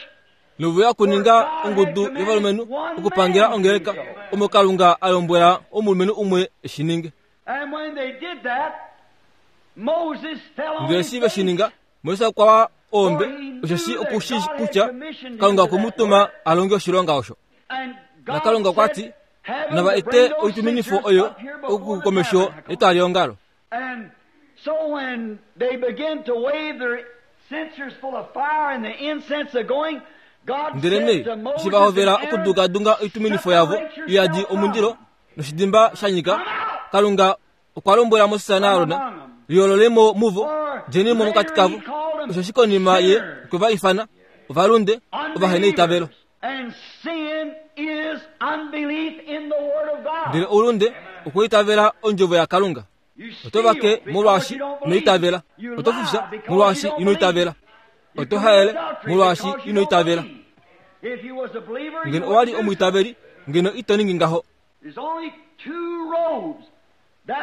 Nove ya where kuninga God had ongudu commanded yovalumenhu one okupangela man to do ongeleka so. omo Kalunga a lombwela omulumenhu umwe e shi ninge. And when they did that, Moses fell on Ndele his shi ve shi face, ninga, Moses okwa wa oombe for he osheshi knew that oku shi God had kutya commissioned him Kalunga to okwe mu that tuma work. a longe oshilonga osho. And God NaKalunga okwa said, ti, Have them nava to ete bring those oituminifo censers oyo up here before the okukomesho tabernacle. yetwaliongalo. And so when they begin to wave their censers full of fire and the incense are going, God Ndele said nee to eshi Moses va and hovela Aaron, okudugadunga oituminifo yavo separate iyadi yourself omundilo from. noshidimba sha nyika, Come out Kalunga okwa lombwela Moses from naAron, among them. liyoololemo muvo, For djenimo mokati later kavo he called them osheshi konima ye sinners, okwe va ifana ovalunde ovaheneitavelo. unbelievers. Ndele oulunde okweitavela ondjovo yaKalunga. Oto vake molwaashi ino itavela. Oto fufya molwaashi ino itavela. Oto haele molwaashi ino itavela. Ngeno owa li omwiitaveli, ngeno ito ningi ngaho.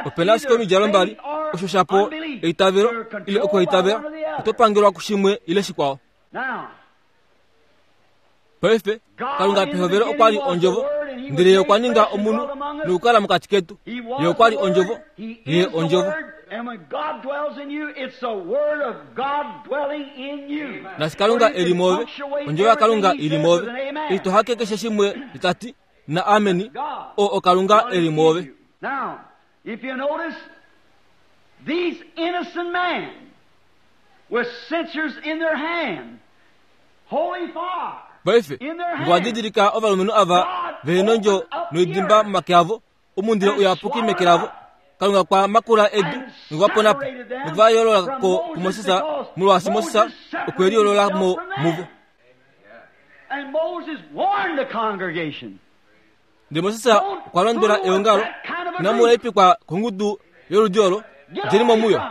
Ope na ashike omidjalo mbali, osho shapo eitavelo ile okuhaitavela. Oto pangelwa kushimwe ile shikwao. Paife, Kalunga pehovelo okwa li Ondjovo, ndele Ye okwa ninga omunhu nokukala mokati ketu. Ye okwa li Ondjovo. Ye Ondjovo. Naashi Kalunga e li moove, Ondjovo yaKalunga i li moove, eshi to hake keshe shimwe ta ti, na ameni, oo oKalunga e li mwoove. Now, if you notice, these innocent men with censers in their hand, holy fire Paife, in their nge wa hand, didilika ovalumenhu ava ve nondjo noidimba momake avo, omundilo uyapuki meke lavo, Kalunga kwa makula edu noku va pona po, noku va yoolola ko kuMoses, molwaashi Moses okwe liyoolola mo muvo. And Moses warned the congregation. Ndele Moses okwa londwela eongalo, inamu laipikwa kongudu yoludi olo, djeni mo muyo.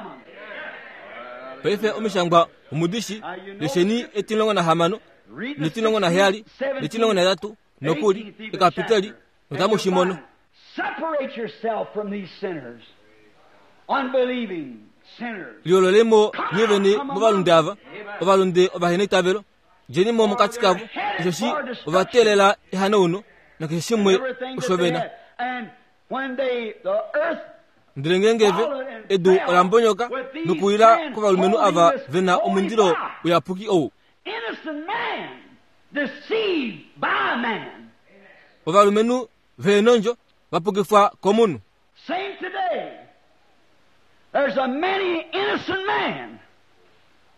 Paife omishangwa omudishi, lesheni etilongo nahamano, netilongo naheyali, netilongo nahetatu, nokuli, ekapiteli, notamu shi mono. Separate yourself from these sinners, unbelieving sinners. Liyoololei mo nye vene movalunde ava, ovalunde ovaheneitavelo, Djeni mo mokati kavo, osheshi ova teelela ehanauno nakeshe shimwe osho ve na. Ndele ngeenge ve, edu ola mbonyoka nokuwila kovalumenhu ava ve na omundilo uyapuki ou. Ovalumenhu ve nondjo va pukifwa komunhu. Same today. There's a many innocent man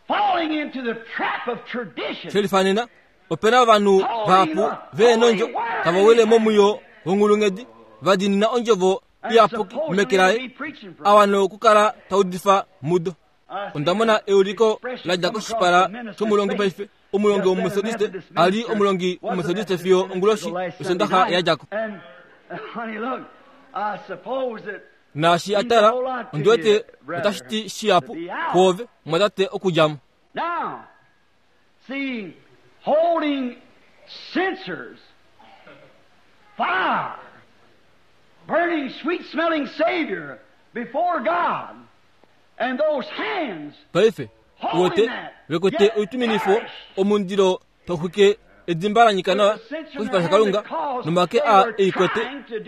falling into the trap of tradition. Shelifanena, ope na ovanhu vahapu ve nondjo tava wile momwiyo wonghulunghedi va diinina ondjovo iyapuki meke laye a wana okukala ta udifa mudo. Onda mona euliko la dja koshipala shomulongi paife, omulongi wOmumethodiste, a li omulongi wOmumethodiste fiyo onguloshi yOsondaxa ya dja ko. Naashi a tala, ondi wete otashi ti shihapu kwoove, mumwatate, okudja mo. Now, see, holding censers, fire, burning sweet-smelling Savior before God. Paife, uwete, ve kwete oituminifo, omundilo tau xwike edimba la nyika nawa koshipala shaKalunga, nomake aa ei kwete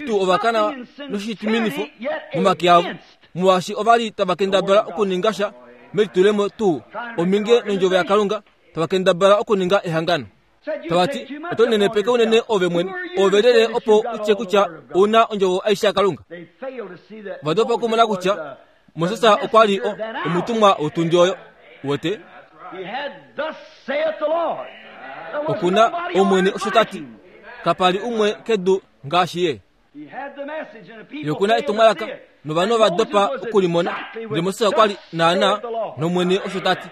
tuu ova kana noshituminifo momake avo, molwaashi ova li tava kendabala okuninga sha melitulemo tuu omhinge nondjovo yaKalunga, tava kendabala okuninga ehangano. Tava ti, Oto nenepeke unene ove mwene, ove lyelye opo u tye kutya ou na ondjovo aishe yaKalunga? Ova dopa okumona kutya Moses okwa li o, omutumwa wotundi oyo. Uwete? Oku na Omwene osho ta ti. Kapa li umwe kedu ngaashi ye. Ye oku na etumwalaka, novanhu ova dopa oku li mona. Ndele Moses okwa li naanaa nOmwene osho ta ti.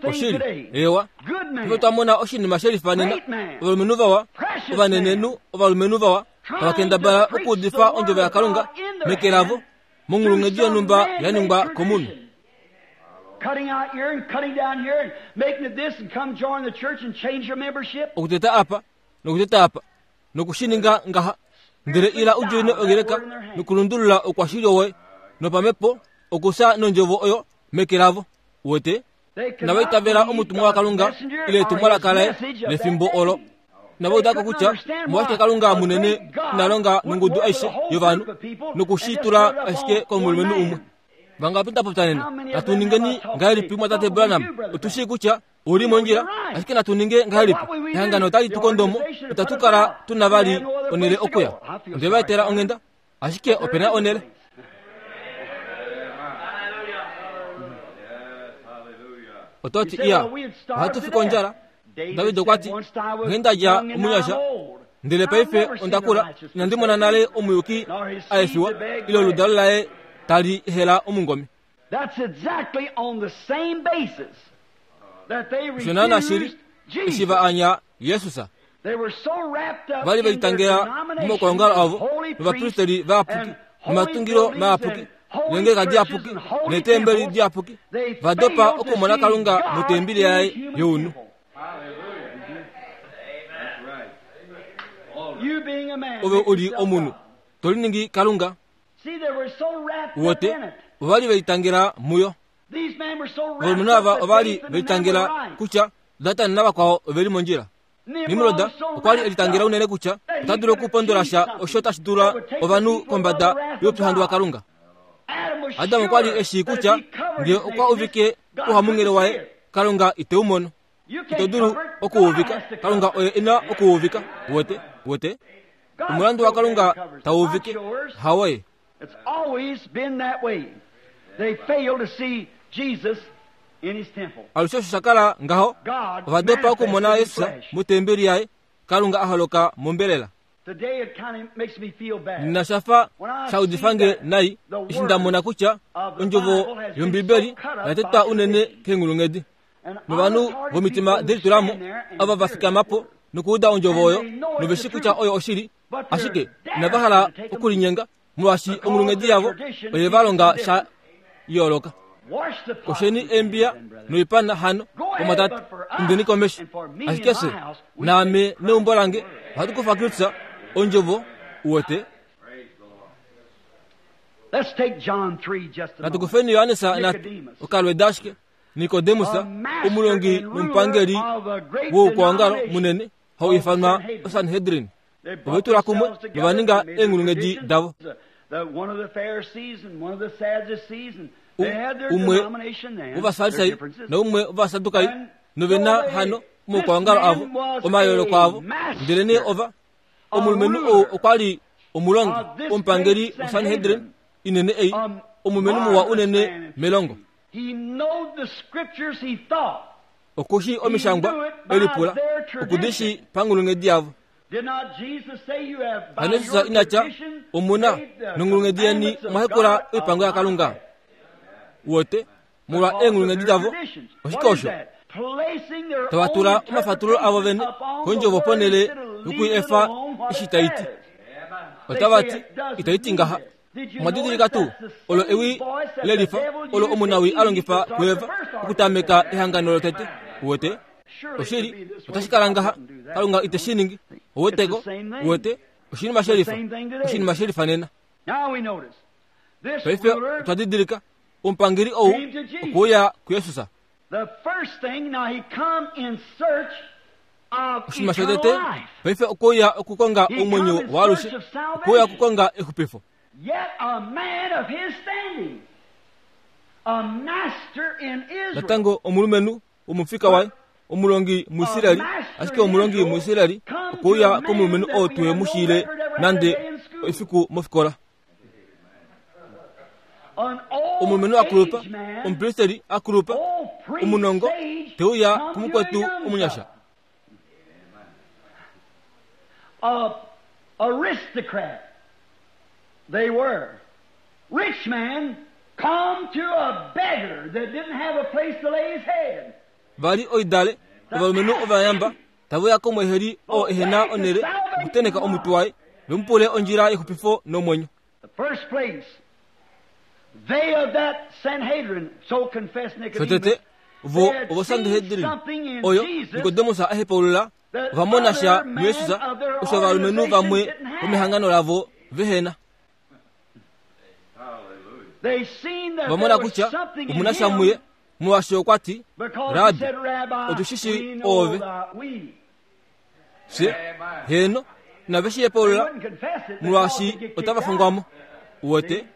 Oshili, eewa. Paife twa mona oshinima she lifanena, ovalumenhu vawa, ovanenenhu, ovalumenhu vawa, tava kendabala okuudifa ondjovo yaKalunga meke lavo, monghulunghedi yonhumba ya ningwa komunhu. Okuteta apa, nokuteta apa, noku shi ninga ngaha, ndele ila u djoine ongeleka nokulundulula oukwashilyo woye nopamhepo okufya nondjovo oyo meke lavo. Uwete? Inava itavela omutumwa waKalunga ile etumwalaka laye lefimbo olo. Inava uda ko kutya omolwashike Kalunga munene ina longa nongudu aishe yovanhu noku shi tula ashike komulumenhu umwe. Vangapi nda popya nena? Natu ningeni ngahelipi, Mwatate Branham? Otu shii kutya ou li mondjila, ashike natu ninge ngahelipi? Ehangano otali tu kondo mo, itatu kala tu na vali onhele okuya. Onde va etela onghenda, ashike ope na onhele. Oto ti, Iya, ohatu fi kondjala. David okwa ti, Nghee nda dja omunyasha, ndele paife onda kula, inandi mona nale omuyuki a efiwa, ile oludalo laye tali hela omungome. That's exactly on the same basis. Osho naana shili eshi va anya Jesus. Ova li ve litangela momaukwaongalo avo novapristeri vayapuki nomatungilo mayapuki neengeleka diyapuki neetembeli diyapuki, va dopa okumona Kalunga motembeli yaye younhu. Ove u li omunhu, to liningi Kalunga. Wote, ova li ve litangela muyo. Ovalumenhu ava ova li ve litangela kutya Datan navakwao ove li mondjila. Nimrod okwa li e litangela unene kutya ota dulu okupondola sha osho tashi dula ovanhu kombada youpyuhandu waKalunga. Adam okwa li e shii kutya ngee okwa uvike ouhamunghele waye, Kalunga ite u mono. Ito dulu okuuvika, Kalunga oye e na okuuvika. Wote, wote. Omulandu waKalunga tau uvike, hawoye. It's always been that way. They failed to see Jesus in his temple. Alushe osho sha kala ngaho, ova dopa okumona Jesus motembeli yaye, Kalunga a holoka mombelela. Today it kind of makes me feel bad. Nena sha fa sha udifa nge nai eshi nda mona kutya ondjovo yOmbibeli oya tetwa unene keenghulunghedi. Novanhu vomitima de litula mo, ava va fikama po nokuuda ondjovo oyo nove shi kutya oyo oshili, ashike inava hala okulinyenga molwaashi onghulunghedi yavo oye va longa sha yooloka. Kosheni eembiya noipana hano, omwatate, indeni komesho. Ashike fye, naame neumbo lange, ohatu kufa Kristus, Ondjovo, uwete. Let's take John 3 just a Natu moment. kufeni Johannes natu okalweda ashike Nikodemus, omulongi nomupangeli woukwaongalo munene, hau ifanwa oSanhedrin. Ove tula kumwe nova ninga eenghulunghedi davo. Umwe wovafarisai naumwe wovasadukai, nove na hano omaukwaongalo avo, omayooloko avo. Ndelenee ova, omulumenhu ou okwa li omulongi, omupangeli woSanhedrin inene ei, omulumenhu muwa unene melongo. Oku shii Omishangwa, e lipula, oku di shii panghulunghedi yavo. Hano Jesus ina tya, Omu na, nonghulunghedi yeni omwa hekula oipango yaKalunga. Wote, molwa eenghulunghedi davo, oshike osho? Tava tula omafatululo avo vene kondjovo ponhele yoku i efa eshi tai ti. Otava ti, Itai ti ngaha. Omwa didilika tuu olo ewi lelifa olo omunawii a longifa kuEva okutameka ehangano lotete? Uwete? Oshili, otashi kala ngaha. Kalunga ite shi ningi. Ouweteko? Uwete? Oshinima shelifa. Oshinima shelifa nena. Paife otwa didilika omupangeli ou okwe uya kuJesus. Oshinima shotete, paife okwe uya okukonga omwenyo waalushe, okwe uya okukonga exupifo. Natango omulumenhu womufika waye, omulongi muIsraeli, ashike omulongi muIsraeli okwe uya komulumenhu oo tuhe mu shiile nande efiku mofikola. Omulumenhu a kulupa, omupristeri a kulupa, omunongo, te uya kumukwetu omunyasha. Aristocrat they were. Rich man come to a beggar that didn't have a place to lay his head. Va li oidale, ovalumenhu ovayamba, tave uya komweeheli oo ehe na onhele okutenheka omutwe waye, ve mu pule ondjila yexupifo nomwenyo. Shotete, vo ovoSanhedrin, oyo Nikodemus a hepaulula, ova mona sha muJesus osho ovalumenhu vamwe vomehangano lavo vehe na. Ova mona kutya omu na sha muye Molwaashi okwa ti, Rabbi, otu shi shii oove. Fye, heeno, inave shi hepaulula, molwaashi otava fongwa mo. Uwete?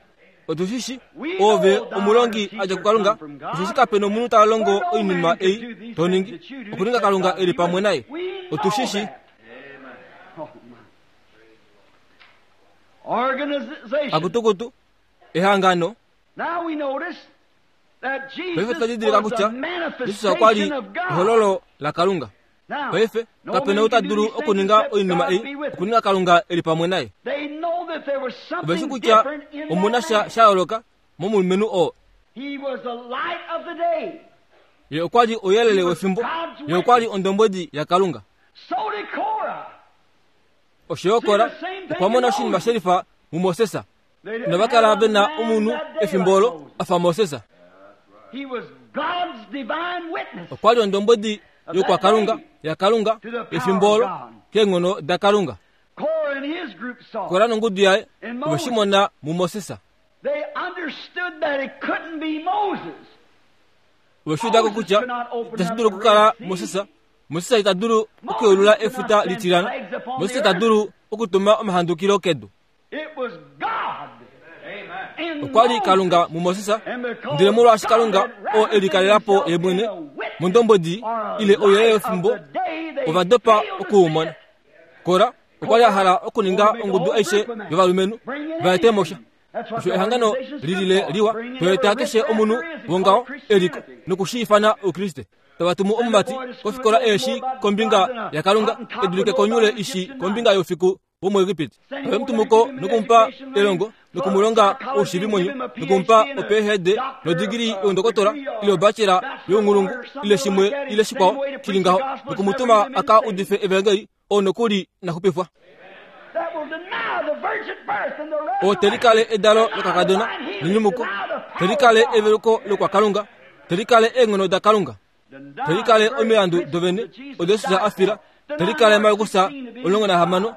Otu shi shii oove omulongi a dja kuKalunga, osheshi kape nomunhu ta longo oinima ei to ningi, okuninga Kalunga e li pamwe naye. Otu shi shii. Akutukutu, ehangano. Paife otwa didilika kutya Jesus okwa li ehololo laKalunga. Paife kape na ou ta dulu okuninga oinima ei okuninga Kalunga e li pamwe naye. Ove shi kutya omu na sha sha yooloka momulumenhu oo. Ye okwa li ouyelele wefimbo. Ye okwa li ondombwedi yaKalunga. Osho yo Kora okwa mona oshinima shelifa muMoses. Inava kala ve na omunhu efimbo olo a fa Moses. Okwa li ondombwedi yokwakalunga yaKalunga efimbo olo keenghono daKalunga. Kora nongudu yaye ove shi mona muMoses. Ove shi uda ko kutya itashi dulu okukala Moses. Moses ita dulu okuyeulula efuta litilana. Moses ita dulu okutuma omahandukilo kedu. Okwa li Kalunga muMoses, ndele molwaashi Kalunga oo e likalela po ye mwene mondombwedi ile ouyelele wefimbo, ova dopa oku u mona. Kora okwa li a hala okuninga ongudu aishe yovalumenhu va ete mo sha. Osho ehangano li lile liwa, to eta keshe omunhu wongaho e li ko noku shi ifana Oukriste. Tava tumu omumati kofikola eeshi kombinga yaKalunga e dulike konyule ishi kombinga youfiku womuEgipiti. Ove mu tumu ko noku mu pa elongo noku mu longa oushivimwenyo noku mu pa oPhD nodigili youndokotola ile obachelor younghulungu ile shimwe ile shikwao shi li ngaho noku mu tuma a ka udife evangeli oo nokuli na xupifwa. Oo te likale edalo lokakadona nenyumuko, te likale eveluko lokwakalunga, te likale eenghono daKalunga, te likale omilandu dovene odo Jesus a fila, te likale Markus 16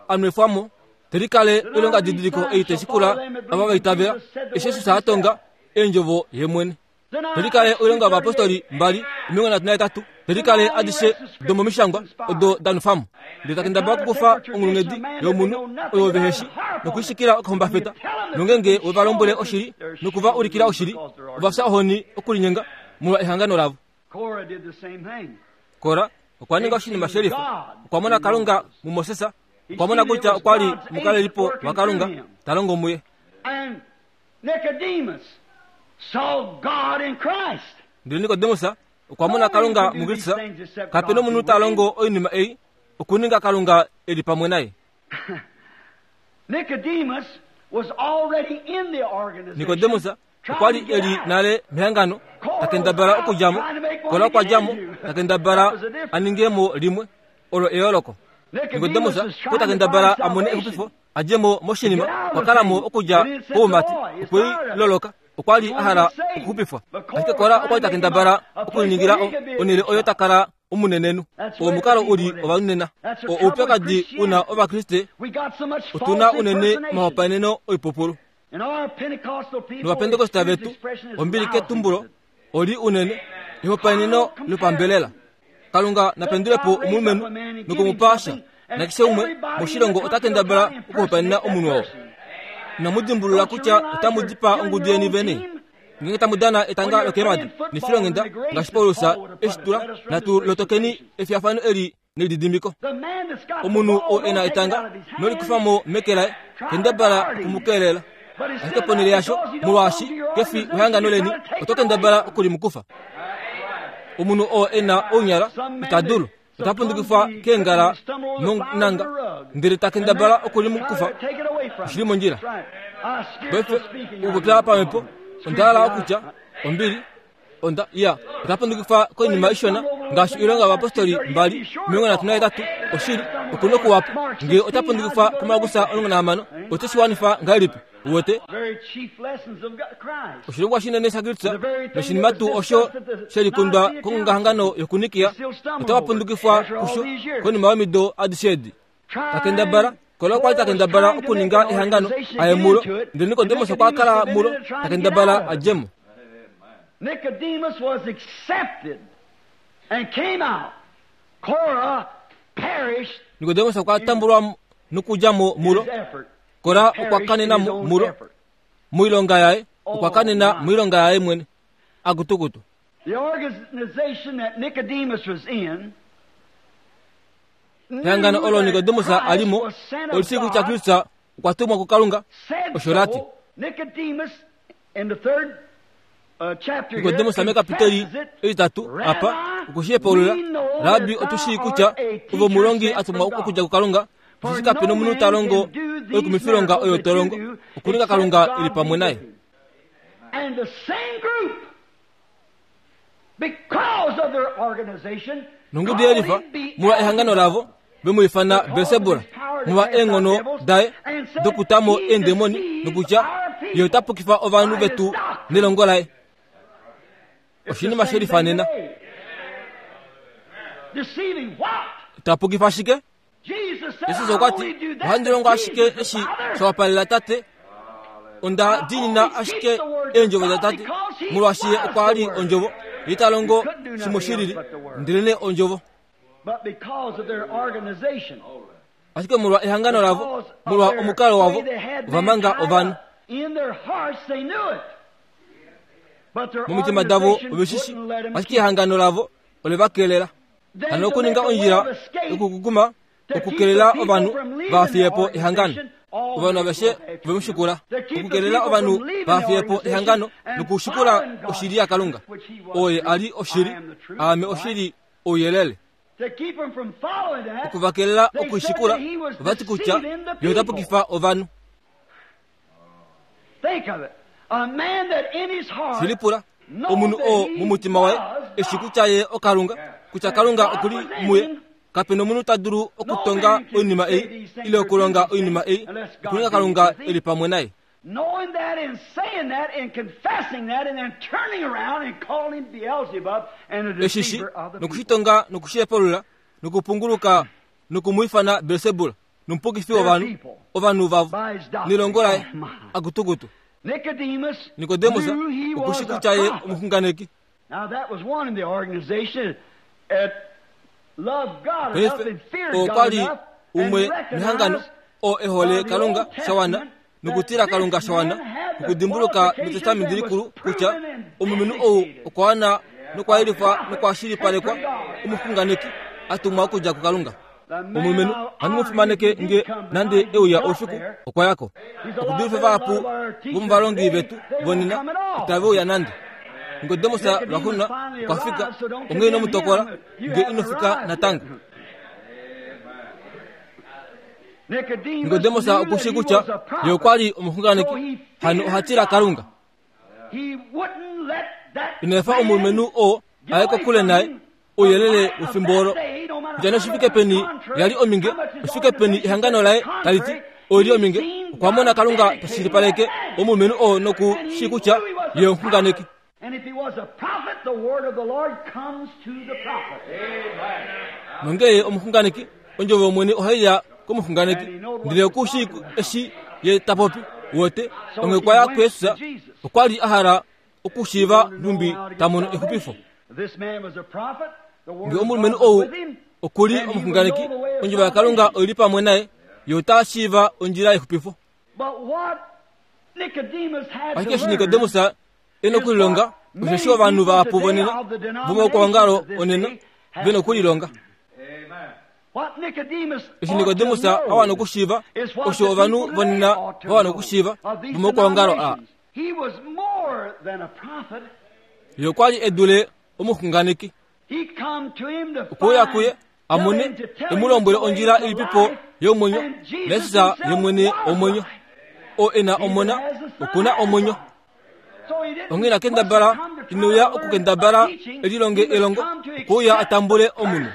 a nwefwa mo, te likale oilongadidiliko ei tai shikula ava va itavela, eshi Jesus a tonga eendjovo ye mwene. Te likale oilonga yovayapostoli 2 38, te likale adishe domomishangwa odo da nwefwa mo. Ndele ta kendabala okukufa onghulunghedi yomunhu oyo vehe shi nokuishikila okahumbafeta, nongeenge we va lombwele oshili noku va ulikila oshili, ova fya ohoni okulinyenga molwa ehangano lavo. Kora okwa ninga oshinima shelifa. Okwa mona Kalunga muMoses. Okwa mona kutya okwa li omukalelipo waKalunga ta longo muye. Ndele Nikodemus okwa mona Kalunga muKristus. Kape nomunhu ta longo oinima ei okuninga Kalunga e li pamwe naye. Nikodemus okwa li e li nale mehangano, ta kendabala okudja mo. Kora okwa dja mo, ta kendabala a ninge mo limwe. Olo eyooloko. Nikodemus okwa ta kendabala a mone exupifo, a dje mo moshinima. Okwa kala mo okudja koumati, okwe i loloka. Okwa li a hala okuxupifwa. Ashike Kora okwa li ta kendabala okuliningila onhele oyo ta kala omunenenhu. Oo omukalo u li ovanhu nena. Oo oupyakadi u na Ovakriste. Otu na unene omahopaeneno oipupulu. Novapentekosta vetu, ombili ketumbulo, oli unene ehopaeneno lopambelela. Kalunga na pendule po omulumenhu noku mu pa sha, nakeshe umwe moshilongo ota kendabala okuhopaenena omunhu oo. Inamu dimbulula kutya otamu dipaa ongudu yeni vene? Ngeenge tamu dana etanga lokeemhadi nefilonghenda ngaashi Paulus e shi tula, natu lotokeni efiyafano eli nelididimiko. Omunhu oo e na etanga nolikufa mo meke laye, kendabala oku mu keelela. Ashike ponhele yasho, molwaashi ke fi wehangano leni, oto kendabala oku li mu kufa. Omunhu oo e na ounyala ita dulu, ota pundukifwa keengala nonanga, ndele ta kendabala oku li mu kufa. Oshi li mondjila. Paife, okupopya pamhepo, onda hala okutya, ombili, Onda ya ota pundukifa koinima ishona ngaashi oilonga yovapostoli 2 38 oshili oku nokuwapa ngee ota pundukifwa kuMarkus 16 ote shi wanifa ngahelipi uwete oshilongwa shinene shaKristus noshinima tuu osho she likundwa kongongahangano yokuNikia otava pundukifwa kusho konima yomido adishe edi ta kendabala Kora okwa li ta kendabala okuninga ehangano a ye mulo, ndele Nikodemus okwa kala mulo ta kendabala a dje mo. Nicodemus was accepted and came out. Korah perished Nikodemus okwa tambulwa nokudja mo mulo. his effort. Kora okwa Perished in kanena his mo own mulo effort. moilonga yaye, okwa kanena moilonga yaye mwene. Akutukutu. The organization that Nicodemus was in Ehangano olo Nikodemus a li mo oli shii kutya Kristus okwa tumwa kuKalunga, osho la ti. Nikodemus mekapiteli etitatu apa okwe shi hepaulula, Rabbi, otu shii kutya ove omulongi a tumwa okudja kuKalunga, osheshi kape nomunhu ta longo oikumifilonga oyo to longo, okuninga Kalunga e li pamwe naye. Nongudu yelifa, molwa ehangano lavo, ve mu ifana Belsebula, molwa eenghono daye dokuta mo eendemoni, nokutya ye ota pukifa ovanhu vetu nelongo laye. Oshinima she lifanena. Ta pukifa shike? Jesus okwa ti, Ohandi longo ashike eshi sha wapalela Tate. Onda diinina ashike eendjovo daTate, molwaashi Ye okwa li Ondjovo. Ye ta longo shimwe shi lili, ndelenee Ondjovo. Ashike molwa ehangano lavo, molwa omukalo wavo, ova manga ovanhu. Momitima davo ove shi shi, ashike ehangano lavo ole va kelela. Hano okuninga ondjila yokukukuma okukelela ovanhu va fiye po ehangano. Ovanhu aveshe ove mu shikula okukelela ovanhu va fiye po ehangano nokushikula oshili yaKalunga. Oye a li oshili, aame oshili ouyelele. Oku va kelela okushikula, ova ti kutya ye ota pukifa ovanhu. Shi lipula, omunhu oo momutima waye e shi kutya ye oKalunga, kutya Kalunga oku li muye. Kape nomunhu ta dulu okutonga oinima ei ile okulonga oinima ei okuninga Kalunga e li pamwe naye. Eshi shi noku shi tonga noku shi hepalula nokupunguluka noku mu ifana Belsebul nomupukifi wovanhu, ovanhu vavo, nelongo laye, akutukutu. Nikodemus oku shi kutya ye omuxunganeki. Paife, oo kwa li umwe mehangano oo e hole Kalunga sha wana nokutila Kalunga sha wana okudimbuluka mEtestamenti Likulu kutya omulumenhu ou okwa wana nokwa yelifwa nokwa shilipalekwa omuxunganeki a tumwa okudja kuKalunga. Omulumenhu ohandi mu fimaneke nge nande e uya oufiku, okwa ya ko. Okudulifa vahapu vomovalongi vetu vonena itave uya nande. Nikodemus lwaxuuninwa okwa fika, onghee ino mu tokola nge ino fika natango. Nikodemus oku shii kutya ye okwa li omuxunganeki, hano oha tila Kalunga. Ina efa omulumenhu oo a ye kokule naye ouyelele wefimbo olo. Kutya nee oshifike peni ya li ominge, oshifike peni ehangano laye tali ti oi li ominge, okwa mona Kalunga ta shilipaleke omulumenhu oo noku shii kutya ye omuxunganeki. Nongee ye omuxunganeki, ondjovo yOmwene ohai ya komuxunganeki, ndele oku shii eshi ye ta popi. Uwete, onghee okwa ya kuJesus, okwa li a hala okushiiva nhumbi ta mono exupifo. Nge omulumenhu ou oku li omuxunganeki, ondjovo yaKalunga oi li pamwe naye, ye ota shiiva ondjila yexupifo. Ashike eshi Nikodemus e nokulilonga, osheshi ovanhu vahapu vonena vomaukwaongalo onena ve nokulilonga. Eshi Nikodemus a wana okushiiva, osho ovanhu vonena va wana okushiiva vomaukwaongalo aa. Ye okwa li e dule omuxunganeki. Okwe uya kuye a mone e mu lombwele ondjila ilipipo yomwenyo, naJesus ye mwene omwenyo. Oo e na Omona oku na omwenyo. Onghee ina kendabala, ine uya okukendabala e lilonge elongo, okwe uya a tambule omunhu.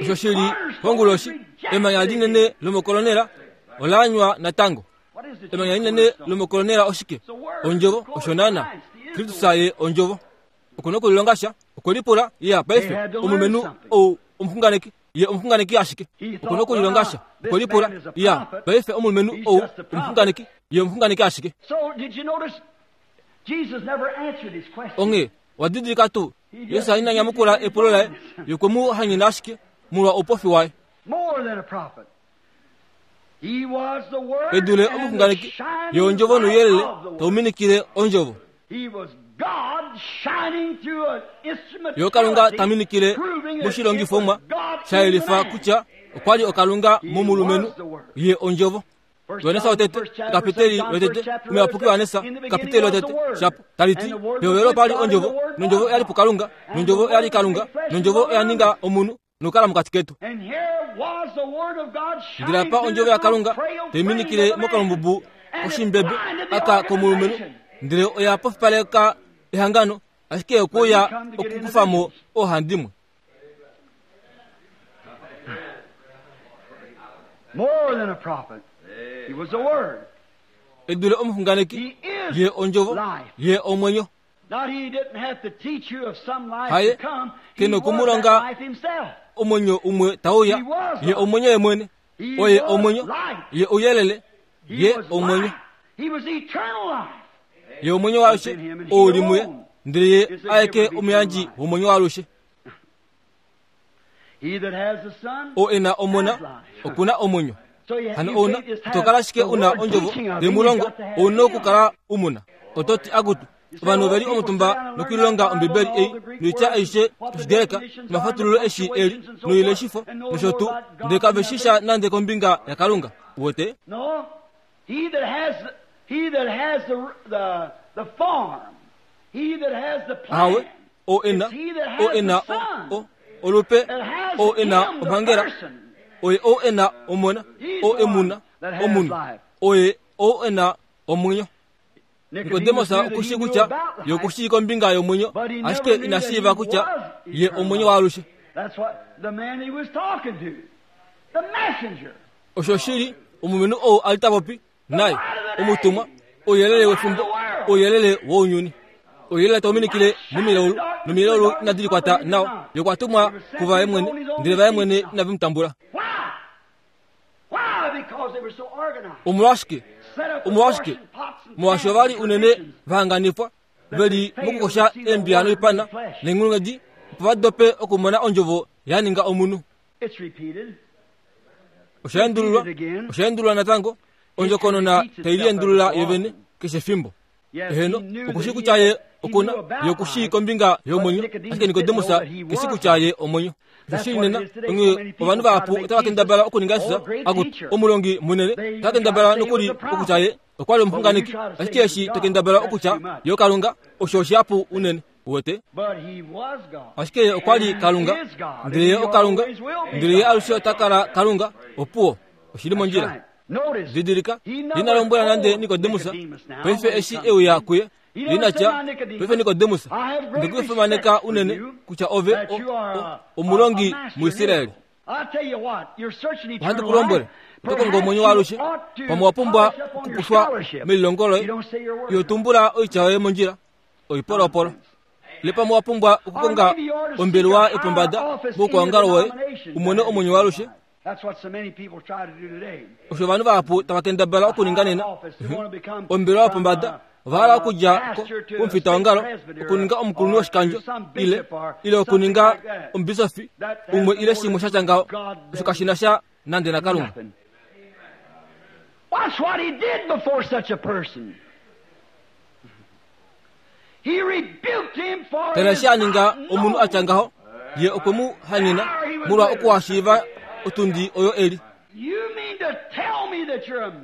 Osho shi li konguloshi, emanya linene lomokolonela ola anywa natango. Emanya linene lomokolonela oshike? Ondjovo, osho naana. Kristus ye Ondjovo. Oku na okulilonga sha. Okwe lipula, Ya, paife, omulumenhu ou omuxunganeki. Ye omuxunganeki ashike. Oku na okulilonga sha. Okwe lipula, Ya, paife, omulumenhu ou omuxunganeki. Ye omuxunganeki ashike. Onghee, owa didilika tuu, Jesus ina nyamukula epulo laye, ye okwe mu hanyena ashike molwa oupofi waye. E dule omuxunganeki, ye ondjovo nouyelele tau minikile ondjovo. Ye oKalunga ta minikile moshilongifomwa sha yelifa kutya okwa li oKalunga momulumenhu, ye ondjovo. Johannes wotete, okapiteli lotete, omuyapuki Johannes, okapiteli lotete, shapo, tali ti, Pehovelo opa li ondjovo, nondjovo oya li puKalunga, nondjovo oya li Kalunga, nondjovo oya ninga omunhu nokukala mokati ketu. Ndele apa ondjovo yaKalunga tai minikile mokalumbubu koshimbebe aka komulumenhu, Ndele oya pofipaleka ehangano, ashike okwe uya okukufa mo oohandimwe. More than a prophet. He was a word. E dule omuxunganeki, ye ondjovo, ye omwenyo. Haye ke noku mu longa omwenyo umwe tau uya, ye omwenyo ye mwene. Oye omwenyo, ye ouyelele, ye omwenyo. Ye omwenyo waalushe ou li muye, ndele ye aeke omuyandji womwenyo waalushe. Oo e na Omona oku na omwenyo. Hano ouna ito kala ashike u na ondjovo yemulongo, ou na okukala u mu na. Oto ti, Akutu, ovanhu ove li omutumba nokulilonga Ombibeli ei noitya aishe yOshigreka nomafatululo eshi e li noileshifo nosho tuu, ndele kave shi sha nande kombinga yaKalunga. Uwete? Ahawe, oo e na, oo e na o, o, olupe, oo e na omhangela, oye oo e na omona, oo e mu na, omunhu, oye oo e na omwenyo. Nikodemus oku shii kutya ye oku shii kombinga yomwenyo, ashike ina shiiva kutya ye omwenyo waalushe. Osho shili omulumenhu ou a li ta popi naye, omutumwa, ouyelele wefimbo, ouyelele wounyuni. Ouyelele tau minikile momilaulu, nomilaulu inadi likwata nawa. Ye okwa tumwa kuvaye mwene, ndele vaye mwene inave mu tambula. Omolwashike? Omolwashike? Molwaashi ova li unene va hanganifwa, ve li mokukosha eembiya noipana neenghulunghedi, opo va dope okumona ondjovo ya ninga omunhu. Osha endululwa, osha endululwa natango, ondjokonona tai liendulula yovene keshe efimbo. Eheno, oku shii kutya ye oku na, ye oku shii kombinga yomwenyo, ashike Nikodemus ke shii kutya ye omwenyo. Oshoshili nena, onghee ovanhu vahapu otava kendabala okuninga Jesus akutu omulongi munene, otava kendabala nokuli okutya ye okwa li omuxunganeki, ashike eshi to kendabala okutya ye oKalunga, osho oshihapu unene. Uwete? Ashike ye okwa li Kalunga, ndele ye oKalunga, ndele ye alushe ota kala Kalunga, opuwo, oshi li mondjila. Didilika, ina lombwela nande Nikodemus, paife eshi e uya kuye, ina tya, paife Nikodemus, nde ku fimaneka unene kutya ove o, o, omulongi muIsraeli. Ohandi ku lombwele, oto kongo omwenyo waalushe, pamwe wa pumbwa okupushwa melilongo loye, iho tumbula oitya yoye mondjila, oipolopolo. Ile pamwe wa pumbwa okukonga ombelewa yopombada moukwaongalo woye u mone omwenyo waalushe. Osho ovanhu vahapu tava kendabala okuninga nena. Ombelewa yopombada ova hala okudja komufitaongalo okuninga omukulunhu woshikandjo ile ile okuninga omubisofi umwe ile shimwe sha tya ngaho. Osho kashi na sha nande naKalunga. Watch what he did before such a person. Tala eshi a ninga omunhu a tya ngaho, ye okwe mu hanyena molwa okuhashiiva otundi oyo e li.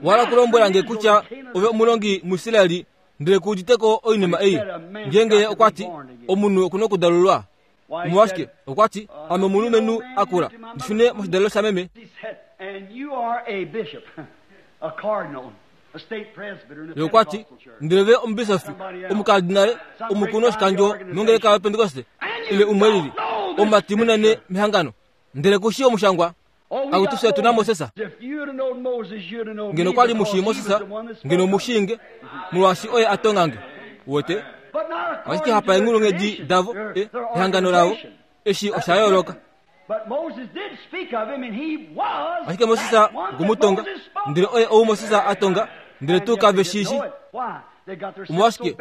Wa hala okulombwela nge kutya ove omulongi muIsraeli ndele ku udite ko oinima ei? Ngeenge ye okwa ti, Omunhu oku na okudalululwa. Omolwashike, okwa ti, Ame omulumenhu a kula, ndi shune moshidalelo shameme. Ye okwa ti, Ndele ve omubisofi, omukardinale, omukulunhu woshikandjo mongeleka yoPentekoste, ile umwe lili, omumati munene mehangano, ndele ku shii omushangwa. Akutu fye otu na Moses. Ngeno kwa li mu shii Moses, ngeno omu shii nge, molwaashi oye a tonga nge. Uwete? Ashike hapa eenghulunghedi davo, e, ehangano lavo, eshi osha yooloka. Ashike Moses okwe mu tonga, ndele oye ou Moses a tonga, ndele tuu kave shi shi. Omolwashike?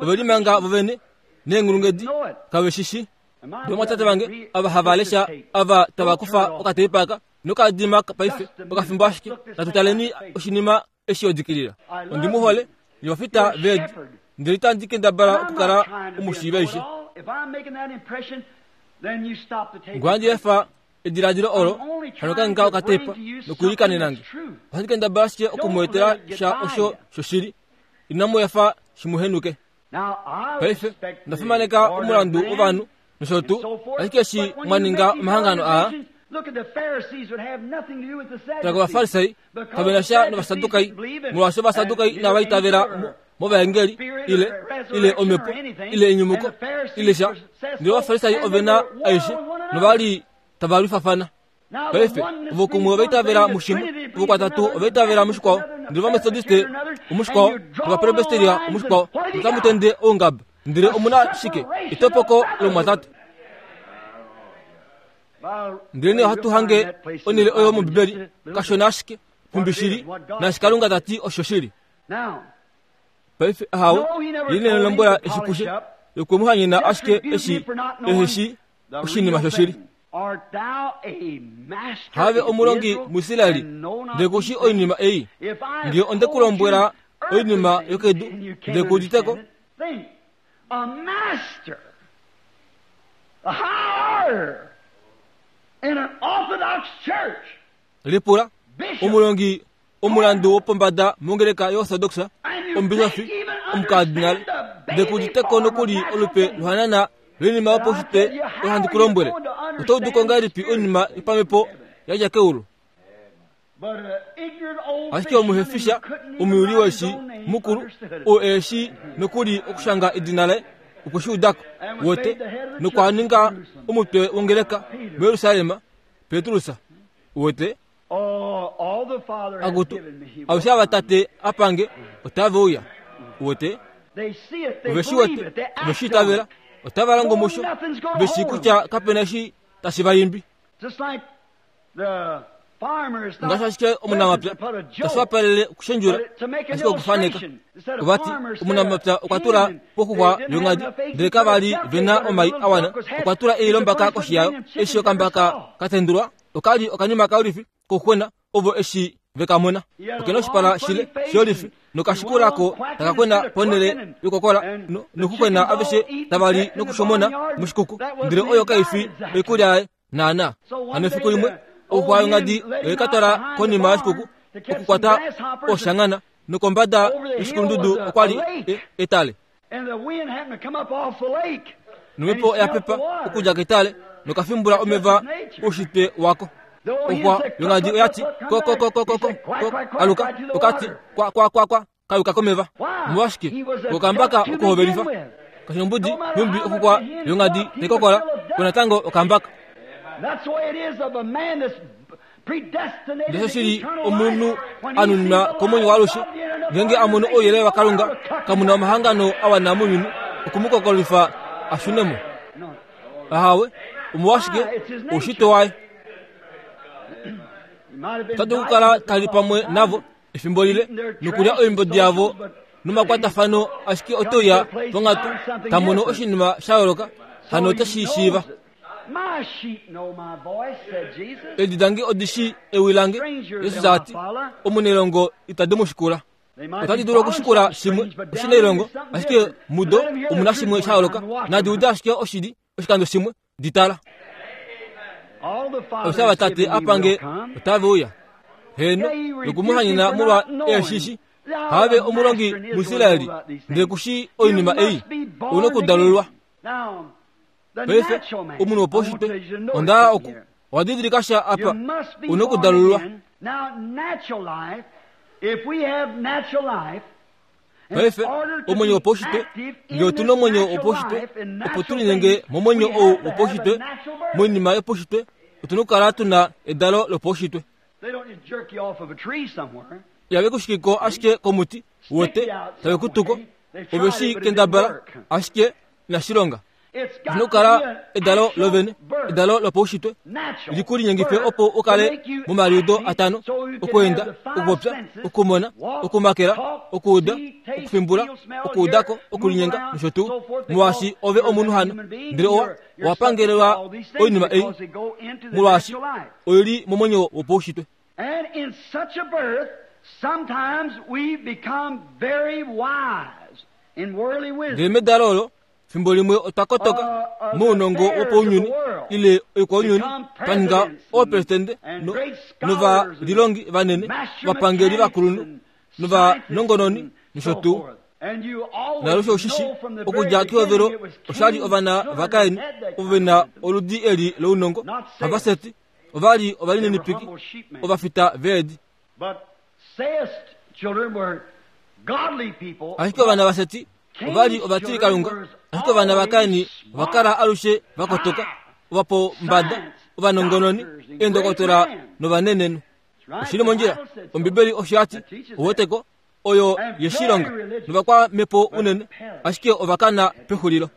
Ove limanga vovene neenghulunghedi, kave shi shi. Ovamwatate vange ava hava lesha ava tava kufa okateipa aka nokadima paife okafimbo ashike natu taleni oshinima eshi odikilila ondi mu hole nye ovafita veedi ndele itandi kendabala okukala omushiivi aishe ngohandi efa ediladilo olo hano kange okateipa nokuilikanena nge ohandi kendabala ashike oku mu etela sha osho shoshili inamu efa shi mu henuke Paife, onda fimaneka omulandu wovanhu nosho tuu, ashike eshi mwa ninga omahangano aa, tala kovafarisai, kave na sha novasadukai, molwaashi ovasadukai inava itavela mu. movaengeli ile ile omhepo ile enyumuko ile sha. Ndele Ovafarisai ove na aishe nova li tava lwifafana. Paife ovo kumwe ova itavela mushimwe, ovo kwatatu ova itavela mushikwao, ndele Ovametodiste omushikwao, nOvapresbiteria omushikwao, notamu tende oungaba. Ndele omu na shike? Etopoko lomwatate. Ndele nee ohatu hange onhele oyo mOmbibeli, kashona ashike, nhumbi shili, naashi Kalunga ta ti osho shili. Paife, ahawe, ye ine lombwela eshi kushe, okwe mu hanyena ashike eshi ehe shii oshinima shoshili. Have omulongi muIsraeli, ndele ku shii oinima ei? Nge onde ku lombwela oinima yokedu, ndele ku udite ko? A master, a high order in an Orthodox church. Lipula omulongi omulandu wopombada mongeleka yoOrthodox, omubishofi, omukardinal, ndele ku udite ko nokuli olupe lohanana loinima yopaushitwe oyo handi ku lombwele. Oto udu ko ngahelipi oinima yopamhepo ya dja keulu? Ashike omuhefisha omuyuli weeshi mukulu, oo e shii nokuli okushanga edina laye, okwe shi uda ko, wote, nokwa ninga omutwe wongeleka muJerusalem, Petrus. Wote? Akutu, aveshe ava Tate a pange, otave uya. Wote? Ove shi wete, ove shi itavela, otava longo musho, ve shii kutya kape na eshi tashi va imbi. Ngaashi ashike omunamapya tashi wapalele okushendjula ashike okufaneka. Ova ti omunamapya okwa tula poxuxwa yongadi ndele kava li ve na omai a wana. Okwa tula ei lombaka koshi yayo. Eshi okambaka ka tendulwa, oka li okanima kaulifi kouxwena ovo eshi ve ka mona. Oke na oshipala shile sholifi nokashikula ko taka kwena ponhele yokokola nokukwena aveshe tava li nokushomona moshikuku. Ndele oyo kai fi oikulya yaye. Naana, hano efiku limwe ouxwa yongadi oye ka twala konima yoshikuku okukwata oshangana nokombada yoshikulundudu okwa li etale. Nomhepo oya pepa okudja ketale nokafimbula omeva oushitwe wako. Oxwa yongadi oya ti ko ko ko ko ko ko aluka okati kwa kwa kwa kwa kayuka komeva. Omolwashike okambaka okuhovelifa? Kashimbudi nhumbi okukwa yongadi taikokola ko natango okambaka. Ndele shili omunhu a nuninwa komwenyo waalushe, ngeenge a mono ouyelele waKalunga, kamu na omahangano a wana mounyuni oku mu kokolifa a shune mo. Ahawe, omolwashike? Oushitwe waye. Ota dulu okukala ta li pamwe navo efimbo lile nokulya oimbodi yavo nomakwatafano ashike ote uya ponghatu ta mono oshinima sha yooloka hano ote shi shiiva. Eedi dange odi shii ewi lange, Jesus a ti. Omunailongo itadi mu shikula. Otadi dulu okushikula shimwe oshinailongo, ashike mudo omu na shimwe sha yooloka. Nadi ude ashike oshili oshikando shimwe, di tala. Osha vatate apange otave uya. Heeno, noku mu hanyena molwa eeshishi. Have omulongi muIsraeli, ndele ku shii oinima ei. Ou nokudalulwa. Paife, omunhu wopaushitwe, onda hala oku owa didilika sha apa. Ou nokudalulwa. Paife, omwenyo wopaushitwe, nge otu na omwenyo wopaushitwe, opo tu linyenge momwenyo ou wopaushitwe, moinima yopaushitwe, otu na okukala tu na edalo lopaushitwe. Ihave ku shiki ko ashike komuti, wote, tave ku tuko, ove shi kendabala, ashike inashi longa. Oshi na okukala edalo lovene, edalo lopaushitwe, li ku linyengife opo u kale momaliudo atano, okweenda, okupopya, okumona, okumakela, okuuda, okufimbula, okuuda ko, okulinyenga nosho tuu. Molwaashi ove omunhu hano, ndele owa, owa pangelelwa oinima ei, molwaashi oi li momwenyo wopaushitwe. And in such a birth, sometimes we become very wise in worldly wisdom. Ndele medalo olo, fimbo limwe otwa kotoka mounongo wopaunyuni ile oikwaunyuni, twa ninga oopresidente no, novalilongi vanene, ovapangeli vakulunhu novanongononi nosho tuu. Naalushe oshishi okudja kehovelo osha li ovana vaKain ovo ve na oludi eli lounongo, havaSeti, ova li ovalininipiki, ovafita veedi. Ashike ovana vaSeti ova li ovatilikalunga, ashike ovana vaKain ova kala alushe va kotoka, ovapombada, ovanongononi, eendokotola novanenenhu. Oshi li mondjila. Ombibeli osho ya ti, Ouweteko, oyo ye shi longa, novakwamhepo unene, ashike ova kana pexulilo.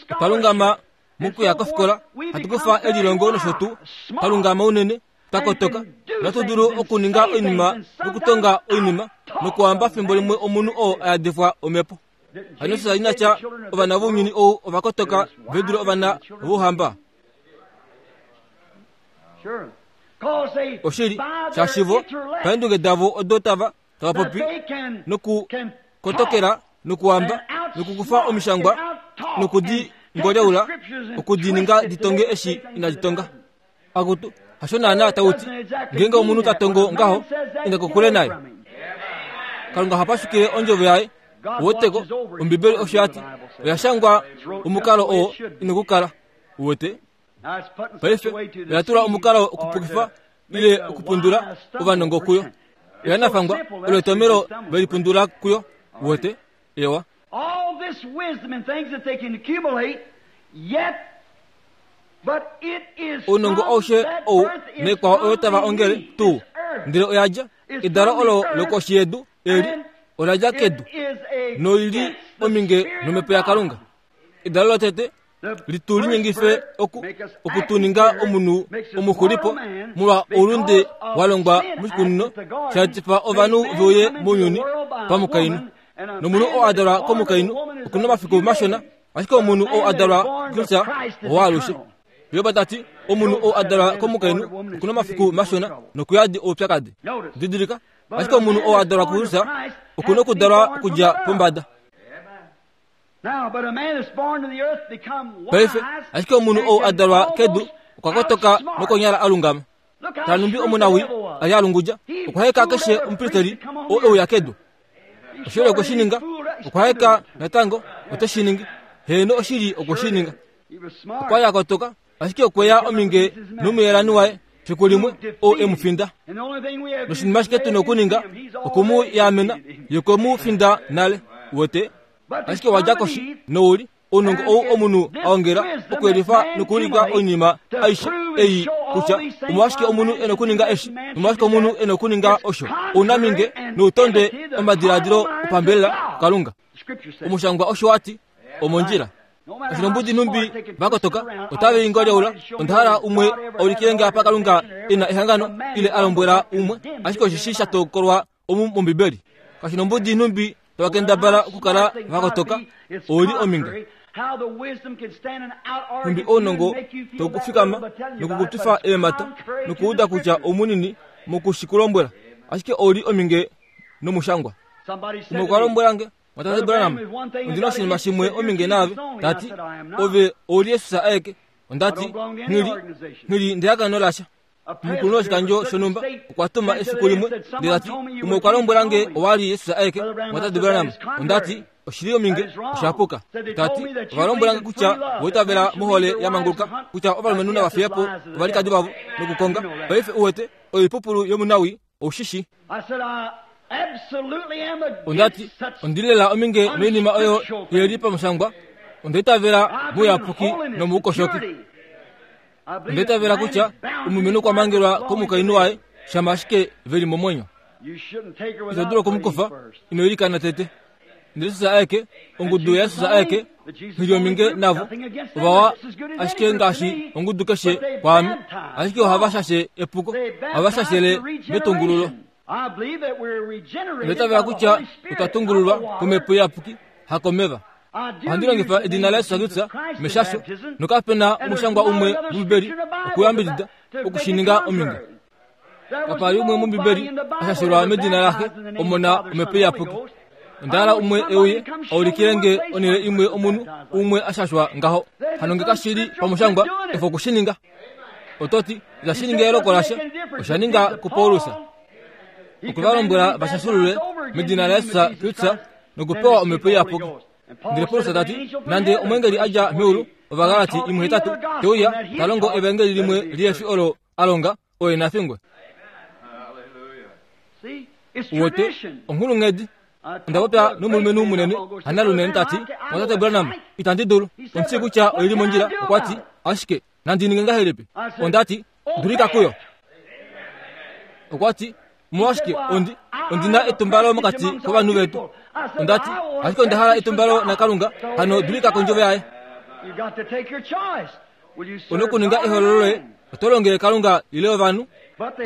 Otwa lungama mokuya kofikola, hatu kufa elilongo nosho tuu, twa lungama unene, twa kotoka, nohatu dulu okuninga oinima nokutonga oinima nokuhamba fimbo limwe omunhu oo a yadifwa omhepo. Hano sha ina tya ovana vounyuni ou ova kotoka ve dule ovana vouhamba. Oshili, shaashi vo paendunge davo odo tava tava popi nokukotokela nokuhamba nokukufa omishangwa noku di ngolyaula oku di ninga di tonge eshi inadi tonga. Akutu, hasho naanaa tau ti, ngeenge omunhu ta tongo ngaho, inda kokule naye. Kalunga oha pashukile ondjovo yaye. Uweteko, Ombibeli osho ya ti, oya shangwa omukalo oo ina okukala. Uwete? Paife oya tula omukalo okupukifa ile okupundula ovanongo kuyo. Oya nafangwa, olo etomelo ve lipundula kuyo. Uwete? Ewa. Ounongo aushe ou naikwao oyo tava ongele tuu, ndele oya dja edalo olo lokoshi yedu eli ola dja kedu noi li ominge nomhepo yaKalunga. Edalo lotete li tu linyengife oku oku tu ninga omunhu omuxulipo molwa oulunde wa longwa moshikunino sha etifa ovanhu ve uye mounyuni pamukainhu. Nomunhu oo a dalwa komukainhu oku na omafiku mashona, ashike omunhu oo a dalwa kuKristus owaalushe. Job ta ti, omunhu oo a dalwa komukainhu oku na omafiku mashona nokuyadi oupyakadi. Didilika, ashike omunhu oo a dalwa kuKristus oku na okudalwa okudja pombada. Paife, ashike omunhu ou a dalwa kedu okwa kotoka nokonyala a lungama. Tala nhumbi omunawii a li a lungudja, okwa heka keshe omupristeli oo e uya kedu. Oshili okwe shi ninga, okwa heka natango ote shi ningi. Heeno, oshili okwe shi ninga. Okwa li a kotoka, Ashike okwe ya ominge nomuyelani waye fiku limwe oo e mu finda. Noshinima ashike tu na okuninga oku mu yaamena, ye okwe mu finda nale. Uwete? Ashike owa dja koshi, nou li ounongo ou omunhu a ongela okuyelifa nokuulika oinima aishe ei kutya omolwashike omunhu e na okuninga eshi nomolwashike omunhu e na okuninga osho, ounaminge noutondwe omadiladilo opambelela kuKalunga. Omushangwa osho wa ti, Omondjila. Oshinombudi nhumbi va kotoka, otave i ngolyaula. Onda hala umwe a ulikile nge apa Kalunga e na ehangano ile a lombwela umwe, ashike osheshi sha tokolwa omu mOmbibeli. Kashinombudi nhumbi tava kendabala okukala va kotoka, ou li ominge. Nhumbi ounongo tau ku fikama noku ku twifa eemhata nokuuda kutya oumunini moku shi ku lombwela, ashike ou li ominge nomushangwa. Umwe okwa lombwela nge, Mwatate Branham, ondi na oshinima shimwe ominge naave, ta ti, ove ou li Jesus aeke. Onda ti, Nghili, nghili ndehangano lasha. Omukulunhu woshikandjo shonhumba okwa tuma efiku limwe ndele ta ti, umwe okwa lombwela nge owa li Jesus aeke, Mwatate Branham. Onda ti, Oshi li ominge, osha puka. Ta ti, ova lombwela nge kutya owa itavela mohole ya manguluka, kutya ovalumenhu nava fiye po ovalikadi vavo nokukonga. Paife uwete, oipupulu yomunawii. Ou shi shii? Onda ti, Ondi li lela ominge noinima oyo ye li pamushangwa. Onda itavela mouyapuki nomoukoshoki. Onda itavela kutya omulumenhu okwa mangelwa komukainhu waye shama ashike ve li momwenyo. Ito dulu oku mu kufa ino ilikana tete. Ndele Jesus aeke, ongudu yaJesus aeke, nghi li ominge navo, ovawa ashike ngaashi ongudu keshe kwaame, ashike ohava shashe epuko, ohava shashele metungululo. Onda itavela kutya otwa tungululwa komhepo iyapuki, hakomeva. Ohandi longifa edina laJesus Kristus meshasho, nokape na omushangwa umwe mOmbibeli okuyambidida oku shi ninga ominge. Kapa li umwe mOmbibeli a shashelwa medina laXe, Omona, Omhepo Iyapuki. Onda hala umwe e uye a ulikile nge onhele imwe omunhu umwe a shashwa ngaho. Hano nge kashi li pamushangwa, efa oku shi ninga. Oto ti, Itashi ningi eyooloko lasha. Osha ninga kuPaulus. Okwe va lombwela va shashulule medina laJesus Kristus nokupewa Omhepo Iyapuki. Ndele Paulus ta ti, Nande omweengeli a dja meulu, Ovagalati 1:8, te uya ta longo evangeli limwe lihe fi olo a longa, oye na fingwe. Uwete, onghulunghedi. Onda popya nomulumenhu munene, hanalunene, ta ti, Mwatate Branham, itandi dulu. Ondi shii kutya oi li mondjila. Okwa ti, Ashike nandi ninge ngahelipi? Onda ti, Dulika kuyo. Okwa ti, Omolwashike ondi, ondi na etumbalo mokati kovanhu vetu. Onda ti, Ashike onda hala etumbalo naKalunga, hano dulika kondjovo yaye. U nokuninga ehoololo loye, oto longele Kalunga ile ovanhu.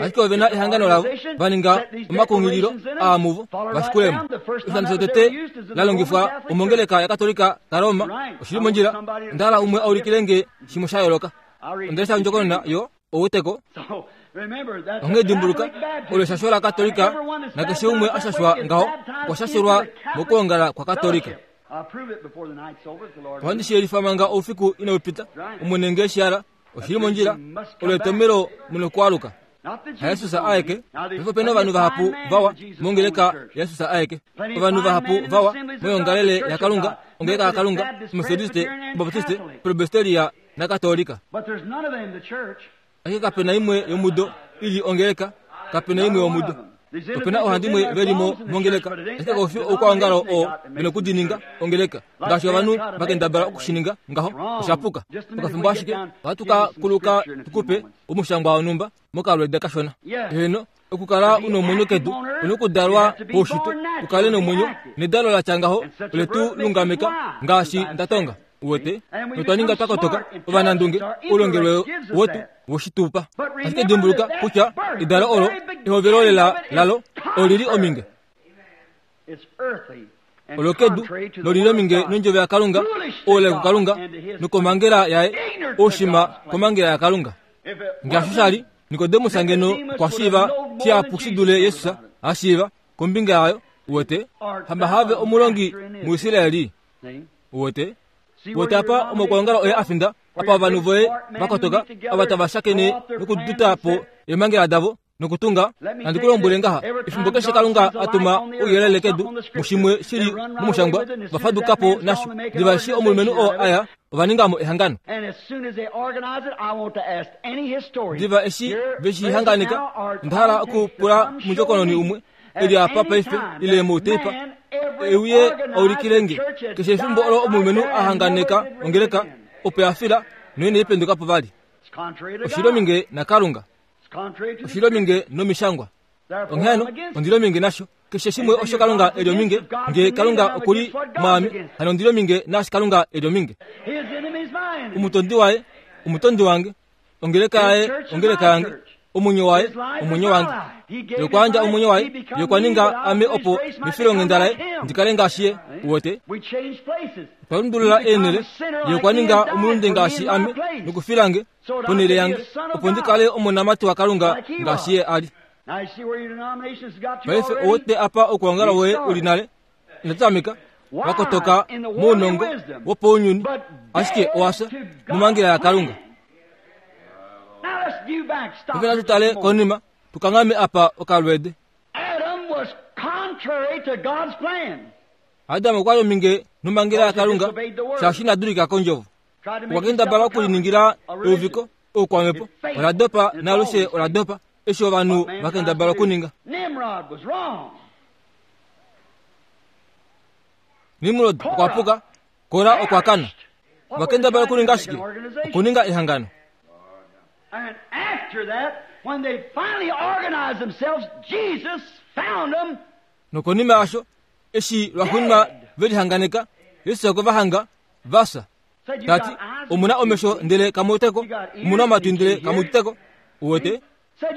Ashike ove na ehangano lavo, va ninga omakunghililo aa muvo, va shikulemo. Oshikando shotete la longifwa omongeleka yaKatolika kaRoma, oshi li mondjila. Onda hala umwe a ulikile nge shimwe sha yooloka. Onda lesha ondjokonona yo outeko. Onghee dimbuluka, olo eshasho laKatolika, nakeshe umwe a shashwa ngaho okwa shashelwa mokwoongala kwaKatolika. Ohandi shi yelifa manga oufiku inau pita, Omwene nge shi hala, oshi li mondjila, olo etomelo mu nokwaaluka. HaJesus aeke, paife ope na ovanhu vahapu vawa mongeleka yaJesus aeke, ovanhu vahapu vawa moyoongalele yaKalunga, ongeleka yaKalunga, Ometodiste, Obaptiste, Presbyteria naKatolika. Ashike kape na imwe yomudo i li ongeleka, kape na imwe yomudo. Ope na oohandimwe ve li mo mongeleka, ashike kau fi oukwaongalo oo ve na okudininga ongeleka, ngaashi ovanhu va kendabala oku shi ninga ngaho. Osha puka. Okafimbo ashike, ohatu ka kuluka tu ku pe omushangwa wonhumba mokalweeda kashona. Heeno, okukala u nomwenyo kedu, u nokudalwa poushitwe u kale nomwenyo, nedalo la tya ngaho ole tu lungameka ngaashi nda tonga. Uwete, notwa ninga twa kotoka, ovanandunge, oulongelwe wetu woshitupa. Ashike dimbuluka kutya edalo olo, ehovelo lela lalo, oli li ominge. Olo kedu, noli li ominge nondjovo yaKalunga, oulai kuKalunga, nokomhangela yaye, oushima komhangela yaKalunga. Ngaashi sha li, Nikodemus ngeno okwa shiiva shihapu shi dule Jesus a shiiva kombinga yayo, uwete, hamba have omulongi muIsraeli. Uwete? Uwete apa omaukwaongalo oye a finda, apa ovanhu voye va kotoka, ava tava shakene nokuduta po eemhangela davo nokutunga. Nandi ku lombwele ngaha, efimbo keshe Kalunga a tuma ouyelele kedu mushimwe shi li momushangwa, va faduka po nasho. Diva eshi omulumenhu oo a ya, ova ninga mo ehangano. Diva eshi ve shi hanganeka, onda hala okupula omundjokononi umwe e li apa paife ile mouteipa e uye a ulikile nge keshe efimbo olo omulumenhu a hanganeka ongeleka opo ya fila noinai penduka po vali. Oshi li ominge naKalunga. Oshi li ominge nomishangwa. Onghee hano, ondi li ominge nasho. Keshe shimwe osho Kalunga e li ominge, nge Kalunga oku li mwaame, hano ondi li ominge naashi Kalunga e li ominge. Omutondi waye, omutondi wange. Ongeleka yaye, ongeleka yange. Omwenyo waye, omwenyo wange. Ye okwa yandja omwenyo waye, ye okwa ninga ame opo mefilonghenda laye ndi kale ngaashi ye. Uwete? Otwa lundulula eenhele. Ye okwa ninga omulunde ngaashi ame, nokufila nge ponhele yange, opo ndi kale omonamati waKalunga ngaashi ye a li. Paife ouwete apa okwoongala woye u li nale? Ino tameka wa kotoka mounongo wopounyuni, ashike owa fya momangela yaKalunga. Paife natu tale konima, tu kanghame apa okalweede. Adam okwa li ominge nomangela yaKalunga, shaashi ina dulika kondjovo. Okwa kendabala okuliningila euviko, oukwamhepo. Ola dopa naalushe ola dopa, eshi ovanhu va kendabala okuninga. Nimrod okwa puka, Kora okwa kana. Ova kendabala okuninga shike? Okuninga ehangano. And after that, when they finally organized themselves, Jesus found them. Nokonima yasho, eshi lwaxuuninwa ve lihanganeka, Jesus okwe va hanga va fya. Ta ti, Omu na omesho ndele kamu wete ko, omu na omatwi ndele kamu udite ko. Uwete?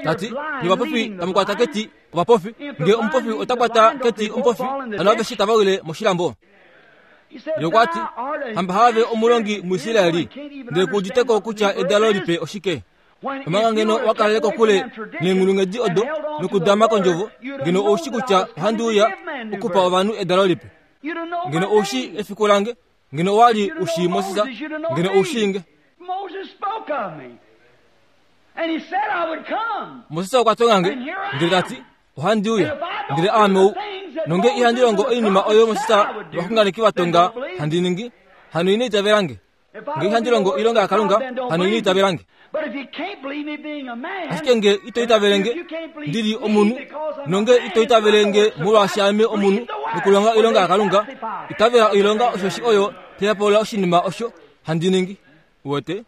Ta ti, Nye ovapofi tamu kwata keti ovapofi, nge omupofi ota kwata keti omupofi, hano aveshe tava wile moshilambo. Ye okwa ti, Hamba haave omulongi muIsraeli, ndele ku udite ko kutya edalo lipe oshike? Omanga ngeno wa kalele kokule neenghulunghedi odo nokudama kondjovo, ngeno ou shi kutya ohandi uya okupa ovanhu edalo lipe. Ngeno ou shii efiku lange, ngeno owa li u shii Moses, ngeno ou shii nge. Moses okwa tonga nge, ndele ta ti, Ohandi uya, ndele aame ou. Nonge ihandi longo oinima oyo Moses novaxunganeki va tonga handi ningi, hano ino itavela nge. Nge ihandi longo oilonga yaKalunga, hano ino itavela nge. Ashike nge ito itavele nge ndi li omunhu, nonge ito itavele nge molwaashi ame omunhu nokulonga oilonga yaKalunga, itavela oilonga osheshi oyo tai hepaulula oshinima osho handi ningi. Uwete?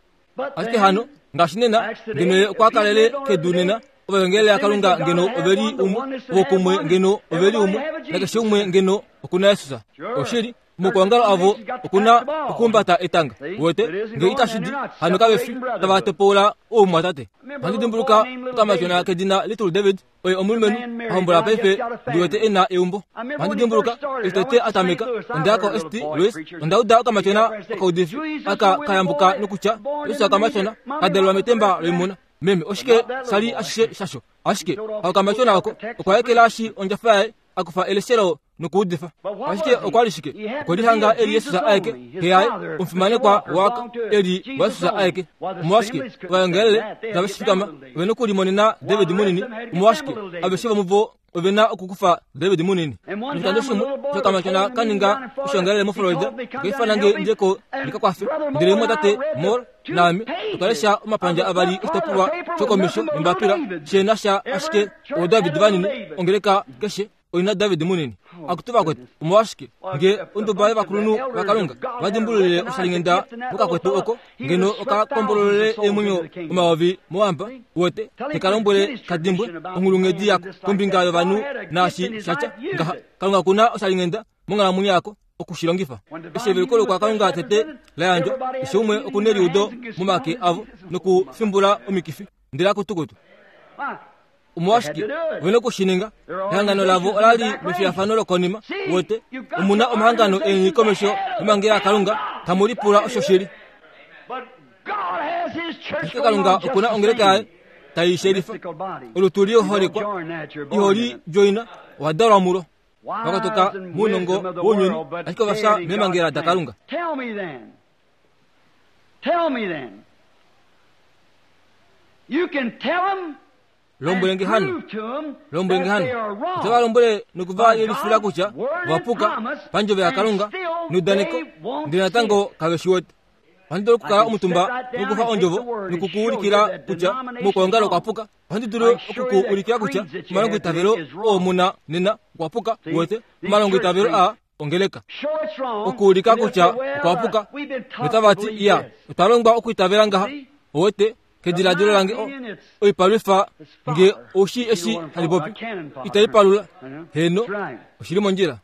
Ashike hano, ngaashi nena, ngeno ye okwa kalele kedu nena, ovaengeli yaKalunga ngeno ove li umwe, vokumwe ngeno ove li umwe, nakeshe umwe ngeno oku na Jesus. Oshili, Mokuongalo avo oku na okuhumbata etanga. Uwete, nge itashi di, hano kave fi tava topoula oumwatate. Ohandi dimbuluka okamatyona kedina Little David, oye omulumenhu a hombola paife, ndi wete e na eumbo. Ohandi dimbuluka eshi tete a tameka, onda ya koSt. Louis, onda uda okamatyona okaudifi aka ka yambuka nokutya, Jesus okamatyona ka dalelwa metemba loimuna. Meme, oshike sha li ashishe shasho? Ashike okamatyona oko okwa ekelashi ondjafa yaye, a kufa eleshelo nokuudifa. Ashike okwa li shike? Okwe lihanga e li Jesus aeke, xe yaye, omufimanekwa waaka, e li waJesus aeke. Omolwashike ovaengelele tave shi fikama? Ove nokulimonena David munini. Omolwashike aveshe vomuvo ove na okukufa David munini? Noshikando shimwe shokamatyona ka ninga oshoongalele moFlorida, okwa ifana nge ndje ko ndi ka kwafe. Ndele mumwatate Moore naame otwa lesha omapandja avali oshitopolwa shokomesho nombapila she na sha ashike ooDavid vanini, ongeleka keshe oi na David munini. Akutu vakwetu, omolwashike nge onduba yovakulunhu vaKalunga va dimbululile oshalinghenda mokakwetu oko, ngeno oka kombololele eemwenyo omayovi mowamba, uwete, te ka lombwele ka dimbwe onghulunghedi yako kombinga yovanhu naashi sha tya ngaha. Kalunga oku na oshalinghenda monghalamwenyo yako oku shi longifa. Eshi eveluko lokwakalunga tete la yandjwa, keshe umwe oku neliudo momake avo nokufimbula omikifi, ndele akutukutu. Omolwashike ove na oku shi ninga? Ehangano lavo ola li mefiyafano lokonima. Wote, omu na omahangano eni komesho yomangela aKalunga, tamu lipula osho shi li. Ashike Kalunga oku na ongeleka yaye tai shelifa. Olutu liholekwa, iho li djoina, owa dalwa mulo. Vakatuka mounongo wounyuni, ashike ova fya meemhangela daKalunga. Tell me then. You can tell them Lombwele nge hano, lombwele nge hano, ote va lombwele noku va yelifila kutya ova puka pandjovo yaKalunga neudaneko, ndele natango kave shi wete. Ohandi dulu okukala omutumba nokufa ondjovo noku ku ulikila kutya mokwoongala okwa puka. Ohandi dulu oku ku ulikila kutya omalongoitavelo oo mu na nena okwa puka, wete, omalongoitavelo aa ongeleka okuulika kutya okwa puka notava ti iya otwa longwa okuitavela ngaha owete kediladilo lange oipalwifa nge oushi eshi handi popi itai palula heno oshili mondjila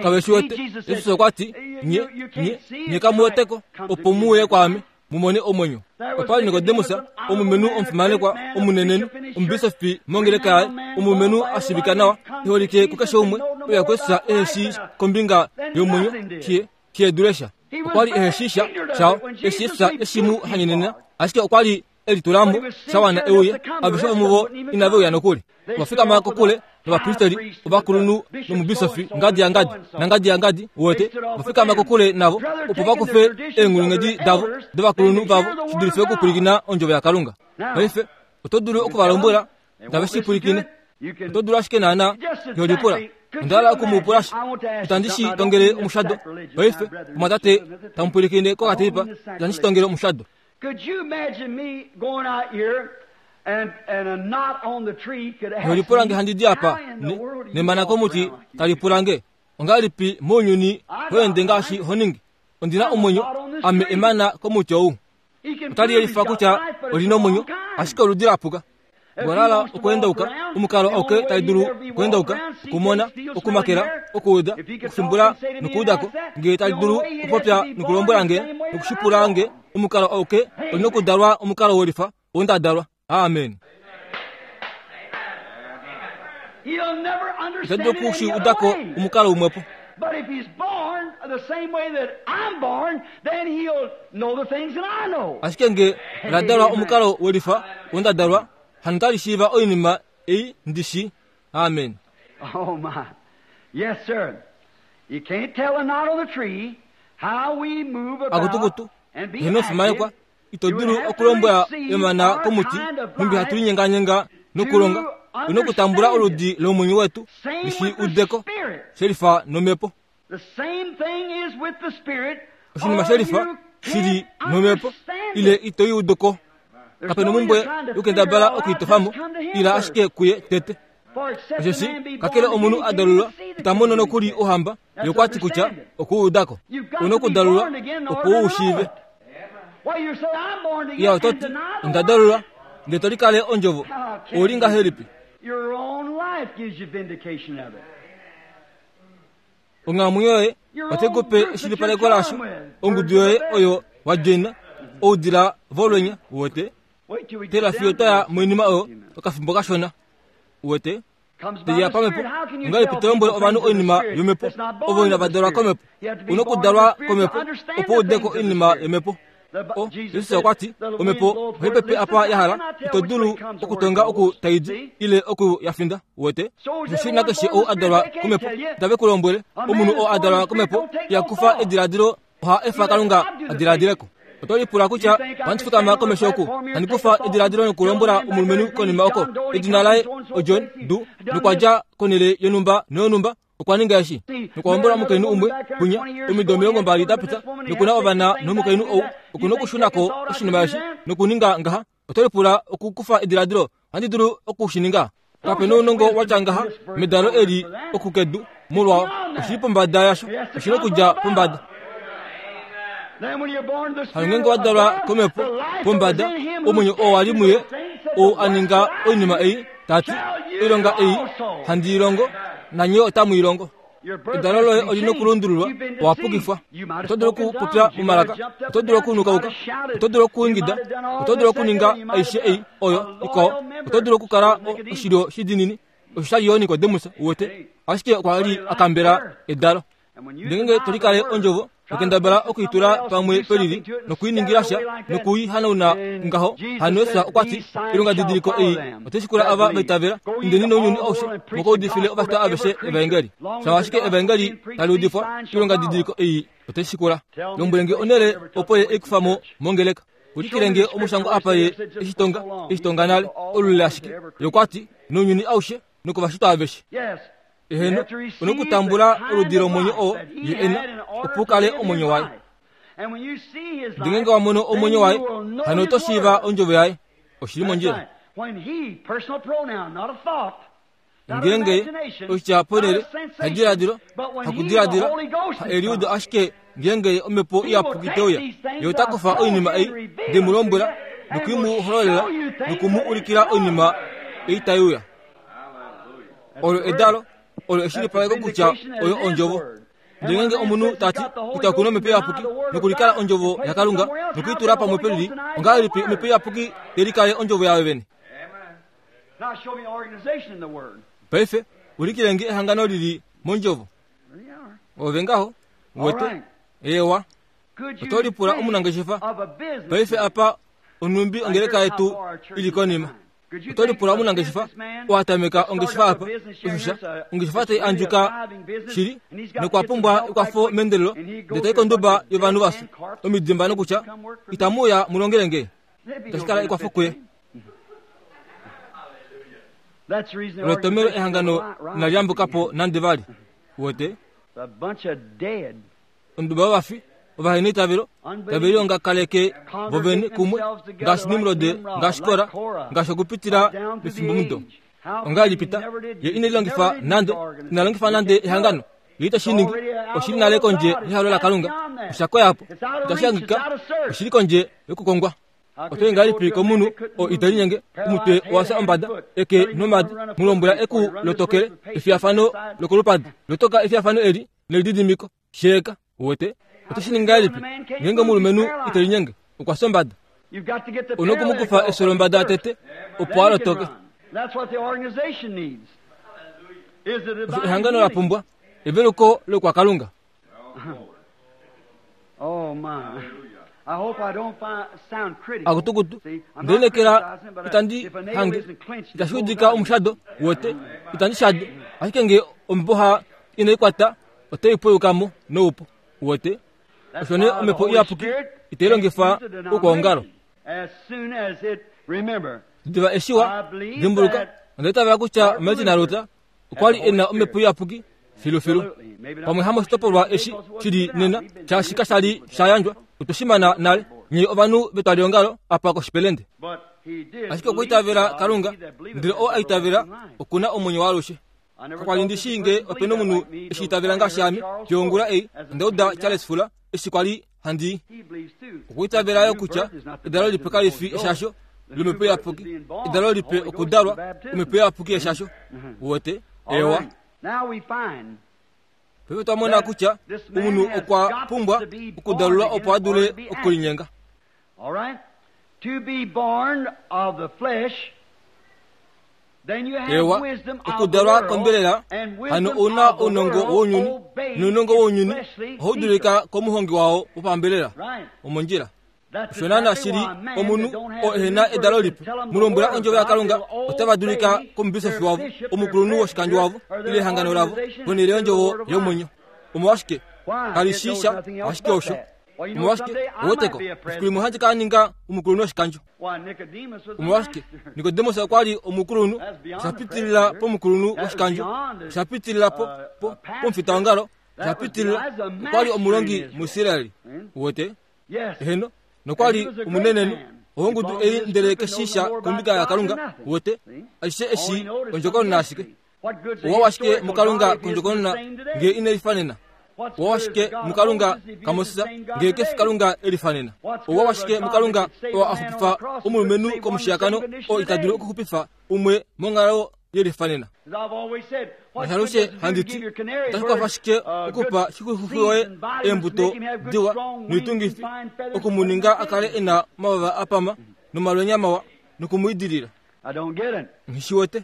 kave shi wete jesus okwa ti nye nye nye kamu weteko opo mu uye kwaame mu mone omwenyo. Opa li Nikodemus, omulumenhu omufimanekwa, omunenenhu, omubisofi mongeleka yaye, omulumenhu a shiivika nawa, e holike kukeshe umwe, uya kuJesus ehe shii kombinga yomwenyo, she, she dule sha. Okwa li ehe shii sha shao, eshi Jesus eshi mu hanyenena, ashike okwa li e litula mo sha wana e uye. Aveshe vomuvo inave uya nokuli. Ova fikama kokule novapristeri ovakulunhu nomubisofi ngadi yangadi nangadi yangadi uwete ova fikama kokule navo opo va kufe eenghulunghedi davo dovakulunhu vavo shi dulife okupwilikina ondjovo yaKalunga. Paife oto dulu oku va lombwela tave shi pwilikine. Oto dulu ashike naana yolipula. Onda hala oku mu pula sha. Itandi shi tongele omushado. Paife omwatate tamu pwilikine kokateipa, itandi shi tongele omushado. Could you imagine me going out here and, and a knot on the tree could ask Nolipula nge me, handi di apa how in the ne- world do you nemana walk komuti around like you tali do? pula nge ongahelipi mounyuni ho ende ngaashi ho ningi ondi na omwenyo ame emana komuti ou He can otali prove he's yelifa got kutya life, but it's oli the nomwenyo wrong kind. ashike oludi la puka If he walala wants to walk okuendauka around, omukalo the auke only way tali he'd dulu ever be walk okuendauka around, see okumona things, feel, smell, and okumakela hear. okuuda If he could talk okufimbula and say to me and nokuudako ask that, ngee tali the dulu only way he'd have okupopya to be born nokulombwela the nge same way that nokushipula I'm nge born. omukalo auke oli nokudalwa omukalo welifa oo nda dalwa amen He'll never ita understand dulu it any okushi other udako way. omukalo umwepo But if he's born the same way that I'm born, then he'll know the things that I know. ashike nge la dalwa omukalo welifa oo nda dalwa hano tali shiiva oinima ei ndi shi amen Oh my. Yes, sir. You can't tell a knot on the tree how we move about akutukutu and be heno fimanekwa active. ito You would dulu have to okulombwela receive emana our komuti kind of nhumbi hatu life linyenganyenga nokulonga to una okutambula understand oludi it. lomwenyo wetu Same lishi with the udeko Spirit. shelifa nomhepo The same thing is with the Spirit. oshinima Or shelifa you shili nomhepo ile ito i udu ko. Kape nomumbwe yokukendabala okuitofa mo, ila ashike kuye tete. Osheshi kakele omunhu a dalulwa ita mono nokuli Ouhamba, ye okwa ti kutya oku u uda ko. U nokudalulwa opo u u shiive. Iya, oto ti, Onda dalulwa, ndele to likale Ondjovo. Ou li ngahelipi? Onghalamwenyo yoye otai ku pe eshilipaleko laasho, ongudu yoye oyo wa djoina, oudila volwenya, uwete. Tela fiyo twa ya moinima oyo okafimbo kashona, uwete. Teya pamhepo, ongahelipi to lombwele ovanhu oinima yomhepo ovo inava dalwa komhepo? U nokudalwa komhepo opo u ude ko oinima yomhepo. O, Jesus okwa ti, Omhepo ohai pepe apa ya hala, ito dulu okutonga oku tai di ile oku ya finda. Uwete? Oshoshili nakeshe ou a dalwa komhepo, itave ku lombwele. Omunhu oo a dalwa komhepo iha kufa ediladilo, oha efa Kalunga a diladile ko. Oto lipula kutya ohandi fikama komesho oku, handi kufa ediladilo nokulombwela omulumenhu konima oko, edina laye oJohn Doe, nokwa dja konhele yonhumba noyonhumba, okwa ninga eshi nokwa hombola omukainhu umwe kwinya omido 20 da pita noku na ovana nomukainhu ou oku nokushuna ko oshinima eshi nokuninga ngaha. Oto lipula okukufa ediladilo, ohandi dulu oku shi ninga? Kape nounongo wa tya ngaha medalo eli oku kedu molwao. Oshi li pombada yasho, oshi nokudja pombada. Hano ngeenge wa dalwa komhepo pombada, omwenyo oo wa li muye ou a ninga oinima ei, ta ti, Oilonga ei handi i longo, nanye otamu i longo. Edalo loye oli nokulundululwa, owa pukifwa. Oto dulu okupopya momalaka, oto dulu okunukauka, oto dulu okuingida, oto dulu okuninga aishe ei oyo ikwao, oto dulu okukala oshilyo shidinini. Osho sha li yo Nikodemus, uwete, ashike okwa li a kambela edalo. Ngeenge to likale ondjovo, nokendabala oku i tula pamwe pelili, noku i ningila sha, noku i hanauna ngaho, hano Jesus okwa ti, Oilongadidiliko ei otai shikula ava va itavela, indeni nounyuni aushe, mu ka udifile ovashitwa aveshe evaengeli. Shava ashike evaengeli tali udifwa, oilongadidiliko ei otai shikula. Lombwele nge onhele opo ye e i kufa mo mongeleka. Ulikile nge omushangwa apa ye e shi tonga, e shi tonga nale, olule ashike. Ye okwa ti, Nounyuni aushe, nokovashitwa aveshe. Eheno, u nokutambula oludi lomwenyo oo ye e na, opo u kale omwenyo waye. Ndele ngeenge wa mono omwenyo waye, hano oto shiiva ondjovo yaye. Oshi li mondjila. Ngeenge oshitya ponhele hadiladilo, hakudiladila, ha eliudo ashike ngeenge omhepo iyapuki te uya, ye ota kufa oinima ei nde mu lombwela noku i mu hololela noku mu ulikila oinima ei tai uya. Olo edalo, olo eshilipaleko kutya oyo Ondjovo. Ndele ngeenge omunhu ta ti kutya oku na Omhepo Iyapuki nokulikala Ondjovo yaKalunga noku i tula pamwe pelili, ongahelipi Omhepo Iyapuki te likale Ondjovo yayo vene? Paife, ulikile nge ehangano li li mOndjovo. Ove ngaho, uwete? Eewa. Oto lipula omunangeshefa. Paife apa onhumbi ongeleka yetu i li konima. Oto lipula omunangeshefa oo a tameka ongeshefa apa, osho sha, ongeshefa tai andjuka shili, nokwa pumbwa ekwafo meendelelo, ndele tai konduba yovanhu va fya omidimba nokutya, Itamu uya mu longele nge? Itashi kala ekwafo kuye. Olo etomhelo ehangano inali yambuka po nande vali. Uwete? Onduba yovafi, ovaheneitavelo, tave liongakaleke vovene kumwe, ngaashi Nimrod, ngaashi Kora, ngaashi okupitila mefimbomudo. Ongahelipi ta? Ye ine lilongifa nande, ina longifa nande ehangano. Ye ite shi ningi. Oshi li nale kondje yehalo laKalunga. Osha koya po. Itashi hangika. Oshi li kondje yokukongwa. Oto yi ngahelipi komunhu oo ite linyenge, omutwe owa fya ombada, eke nomadi, mu lombwela e ku lotokele efiyafano lokolupadi. Lotoka efiyafano eli nelididimiko. Sheeka, uwete. Oto shi ningi ngahelipi ngeenge omulumenhu ite linyenge, okwa fya ombada? U na oku mu kufa efyo lombada tete opo a lotoke. Osho ehangano la pumbwa, eveluko lokwakalunga. Oh my. I hope I don't sound critical. Akutukutu, ndelinekela itandi hange itashi udika omushado wote itandi shade ashike nge omboha inai kwata otai pweyuka mo noupu wote. Osho nee omhepo iyapuki itai longifa oukwaongalo. Diva eshi wa dimbuluka, onda itavela kutya Martin Luther okwa li e na omhepo iyapuki filufilu. Pamwe hamoshitopolwa eshi shi li nena, shaashi kasha li sha yandjwa. Otwe shi mana nale, nye ovanhu vetwaliongalo apa koshipelende. Ashike okwa itavela Kalunga, ndele oo a itavela oku na omwenyo waalushe. Kakwa li ndi shii nge ope na omunhu e shi itavela ngaashi ame. Fiyo ongula ei, onda uda Charles Fuller eshi kwa li handi i. Okwa itavela yo kutya edalo lipe kali fi eshasho lomhepo iyapuki. Edalo lipe okudalwa omhepo iyapuki yeshasho. Uwete? Eewa. Paife otwa mona kutya omunhu okwa pumbwa okudalulwa opo a dule okulinyenga. Ewa, okudalwa kombelela hano ou na ounongo wounyuni, nounongo wounyuni ohau dulika komuhongi wao wopambelela. Omondjila. Osho naana shi li omunhu oo ehe na edalo lipe. Mu lombwela ondjovo yaKalunga, otava dulika komubisofi wavo, omukulunhu woshikandjo wavo, ile ehangano lavo, ponhele yondjovo yomwenyo. Omolwashike? Kali shii sha, ashike osho. Omolwashike? Ouweteko, efiku limwe ohandi ka ninga omukulunhu woshikandjo. Omolwashike? Nikodemus okwa li omukulunhu, osha pitilila pomukulunhu woshikandjo, osha pitilila po, po, pomufitaongalo, osha pitilila, okwa li omulongi muIsraeli. Uwete? Eheno, nokwa li omunenenhu owongudu ei ndele keshisha kombinga yaKalunga, uwete, aishe eshi ondjokonona ashike. Owa washike muKalunga kondjokonona nge ine lifanena? Owa washike muKalunga kaMoses nge kefi Kalunga e lifanena? Owa washike muKalunga oo a xupifa omulumenhu komushiyakano oo ita dulu okuxupifa umwe monghalo ye lifanena? Ngaashi alushe handi ti, otashi kwafa shike okupa shikuxuxwi woye eembuto diwa noitungifi, oku mu ninga a kale e na omavava a pama nomalwenya mawa noku mu idilila? Nghi shi wete.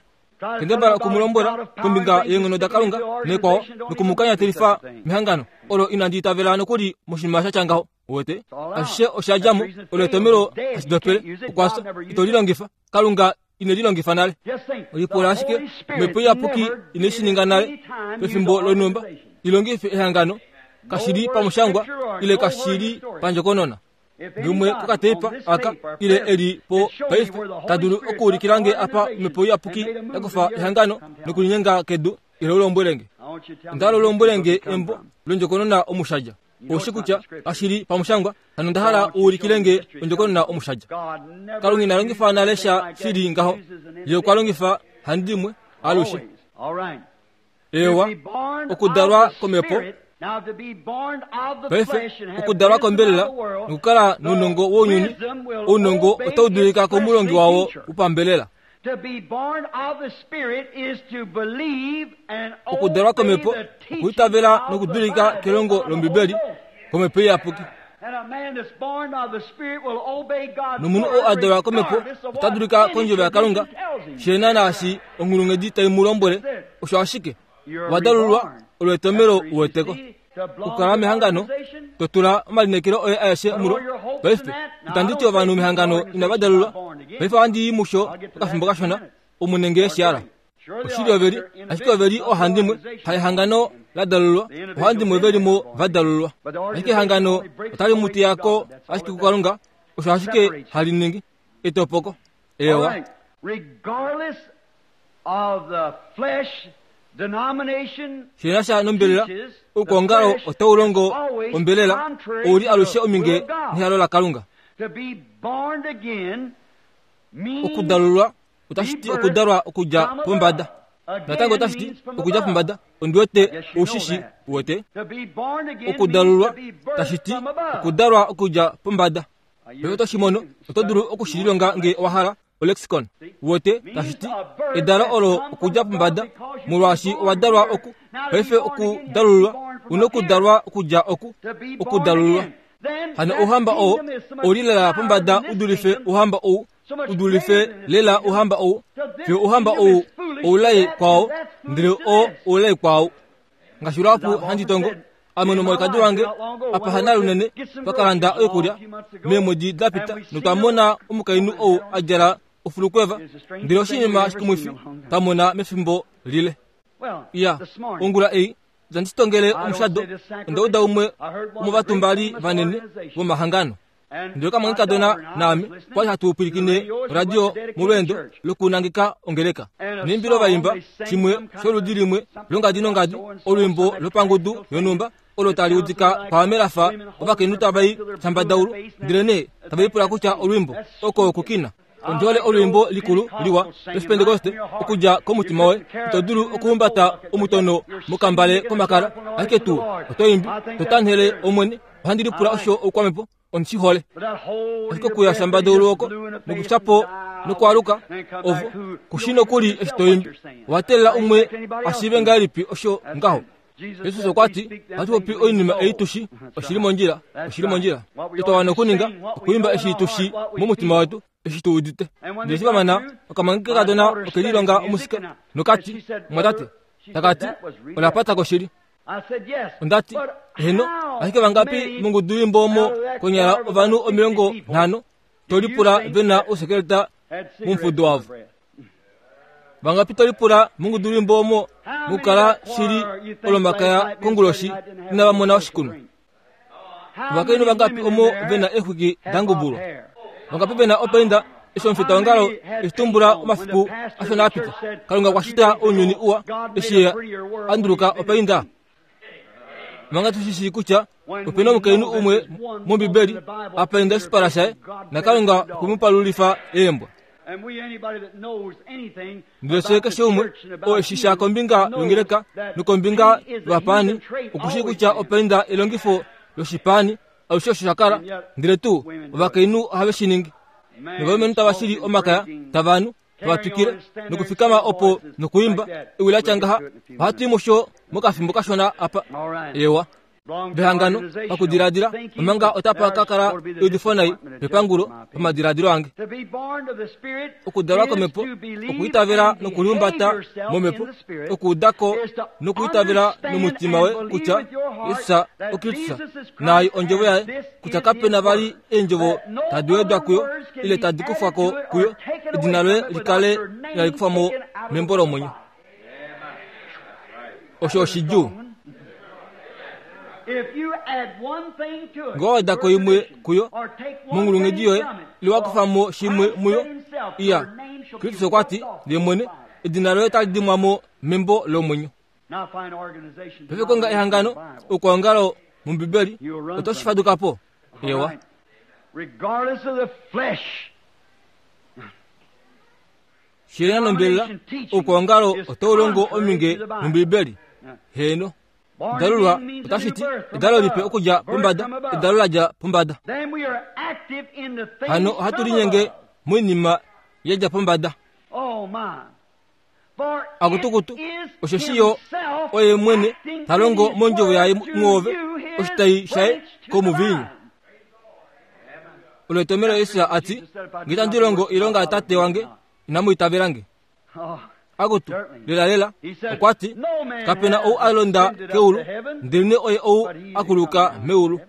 Kendabala oku mu lombwela kombinga yeenghono daKalunga nekwao noku mu kanyatelifa mehangano olo inandi itavela nokuli moshinima sha tya ngaho. Uwete? Ashishe osha dja mo, olo etomhelo hashi dopele, okwa fya. Ito li longifa. Kalunga ine li longifa nale. Lipula ashike, Omhepo Iyapuki ine shi ninga nale pefimbo lonhumba i longife ehangano, kashi li pamushangwa ile kashi li pandjokonona. Lumwe kokateipa aka ile e li po paife ta dulu okuulikila nge apa omhepo iyapuki ya kufa ehangano nokulinyenga kedu ile u lombwele nge. Onda hala u lombwele nge embo londjokonona omushadja. Ou shi kutya kashi li pamushangwa, hano onda hala u ulikile nge ondjokonona omushadja. Kalunga ina longifa nale sha shi li ngaho. Ye okwa longifa handimwe alushe. Eewa, okudalwa komhepo. Paife, okudalwa kombelela nokukala nounongo wounyuni, ounongo otau dulika komulongi wawo wopambelela. Okudalwa komhepo okuitavela nokudulika kelongo lOmbibeli komhepo iyapuki. Nomunhu oo a dalwa komhepo ota dulika kondjovo yaKalunga, she naashi onghulunghedi tai mu lombwele, osho ashike wa dalulwa olo etomhelo u weteko. Okukala mehangano, to tula omalineekelo oye aeshe mulo. Paife, itandi ti ovanhu mehangano inava dalulwa. Paife ohandi i musho okafimbo kashona, omu nge shi hala. Oshili ove li, ashike ove li oohandimwe, haehangano la dalulwa, oohandimwe ve li mo va dalulwa. Ashike ehangano otali mu teya ko ashike kuKalunga, osho ashike hali ningi, etopoko. Ewa. Shi na sha nombelela, oukwaongalo otau longo ombelela, ou li alushe ominge nehalo laKalunga. Okudalulwa otashi ti okudalwa okudja pombada. Natango otashi ti okudja pombada. Ondi wete ou shi shi wete. Okudalulwa tashi ti okudalwa okudja pombada. Paife oto shi mono, oto dulu oku shi lilonga nge owa hala, olexicon. Uwete, tashi ti, edalo olo okudja pombada, molwaashi owa dalwa oku. Paife okudalululwa, u nokudalwa okudja oku, okudalululwa. Hano ouhamba oo ou li lela pombada u dulife ouhamba ou, u dulife lela ouhamba ou, fiyo ouhamba ou oulai kwao, ndele oo oulai kwaau. Ngaashi luhapu handi tongo, ame nomwalikadi wange apa hana lunene twa ka landa oikulya meemwedi da pita notwa mona omukainhu ou a djala ofulukweva, ndele oshinima shikumwifi twa mona mefimbo lile. Iya, ongula ei itandi shi tongele omushado, onda uda umwe womovatumbali vanene vomahangano. Ndele okamwanekadona naame kwali hatu pwilikine oradio molweendo lokunangeka ongeleka. Neimbilo va imba shimwe sholudi limwe longadi nongadi, olwiimbo lopangudu yonhumba. olo tali udika kwaame la fa ovakainhu tava i shambadaulu, ndelenee tave lipula kutya olwiimbo oko okukina. Ondi hole olwiimbo likulu liwa lOshipentekoste okudja komutima woye. Ito dulu okuhumbata omutono mokambale komakala, ashike tuu oto imbi to tanhele Omwene. Ohandi lipula osho oukwamhepo. Ondi shi hole. Ashike okuya shambadaulu oko nokufya po nokwaluka ovo ku shii nokuli eshi to imbi. Owa teelela umwe a shiive ngahelipi osho ngaho? Jesus okwa ti, Ohatu popi oinima ei tu shi, oshi li mondjila, oshi li mondjila. Otwa wana okuninga, okuimba eshi tu shi momutima wetu, eshi tu udite. Ndele eshi va mana, okamange kekadona oke lilonga omusika, nokati, Mumwatate, taka ti, ola pata ko shili. Onda ti, Eheno, ashike vangapi mongudu yeimbo omo konyala ovanhu 50 to lipula ve na ousekeleta momufudo wavo? Vangapi to lipula mongudu yeimbo omo mokukala shili olomakaya konguloshi inava mona oshikunwa? Ovakainhu vangapi omo ve na eexwiki da ngubulwa? Vangapi ve na opainda eshi omufitaongalo eshi tumbula omafiku ashona a pita? Kalunga okwa shita ounyuni uwa eshi ye a nduluka opainda. Manga tu shi shii kutya ope na omukainhu umwe mOmbibeli a painda oshipala shaye, naKalunga okwe mu palulifa eembwa. Ndele fye keshe umwe oo e shi sha kombinga yongeleka nokombinga yovapaani oku shii kutya opainda elongifo loshipaani alushe osho sha kala, ndele tuu ovakainhu ohave shi ningi. Novalumenhu tava shili omakaya, tava nu, tava twikile nokufikama opo nokuimba ewi la tya ngaha. Ohatu i musho mokafimbo kashona apa. Ewa. Vehangano, pakudiladila, omanga otapa ka kala eudifo nai pepangulo pamadiladilo ange. Okudalwa komhepo, okuitavela nokulihumbata momhepo, okuuda ko nokuitavela nomutima we kutya Jesus oKristus naai ondjovo yaye, kutya kape na vali eendjovo tadi wedwa kuyo ile tadi kufwa ko kuyo, edina loye li kale inali kufwa mo membo lomwenyo. Osho oshidjuu. Ngee owa weda ko imwe kuyo, monghulunghedi yoye, ile wa kufa mo shimwe muyo, iya, Kristus okwa ti, ye mwene, edina loye otali dimwa mo membo lomwenyo. Paife konga ehangano, okwoongalo mOmbibeli, oto shi faduka po. Ewa. Shilena nombelela, oukwaongalo otau longo ominge nOmbibeli. Heeno. Dalulwa otashi ti edalo lipe okudja pombada, edalo la dja pombada. Hano ohatu linyenge moinima ya dja pombada. Akutukutu, osheshi yo oye mwene ta longo mondjovo yaye mwoove oshitai shaye komuviinyu. Olo etomhelo Jesus a ti, Nge itandi longo oilonga yaTate wange, inamu itavela nge. Akutu, lelalela, okwa ti, Kape na ou a londa keulu, ndelenee oye ou a kuluka meulu.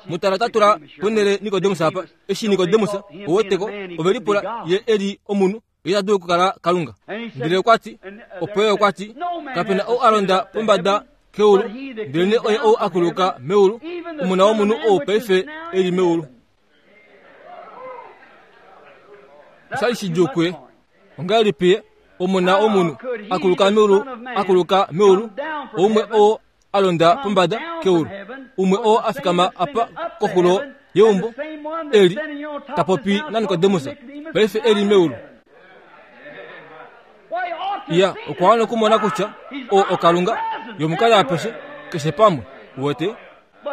Mutala ta tula ponhele Nikodemus apa. Eshi Nikodemus, ou weteko, ove lipula ye e li omunhu, ye ita dulu okukala Kalunga. Ndele okwa ti, opo ye okwa ti, Kape na ou a londa pombada keulu, ndelenee oye ou a kuluka meulu, Omona wOmunhu ou paife e li meulu. Osha li shidjuu kuye. Ongahelipi ye, Omona wOmunhu, a kuluka meulu, a kuluka meulu, oumwe oo a londa pombada keulu, umwe oo a fikama apa koxulo yeumbo, e li ta popi naNikodemus, paife e li meulu. Iya, okwa wana okumona kutya oo oKalunga, ye omukali apeshe, keshe pamwe. Uwete?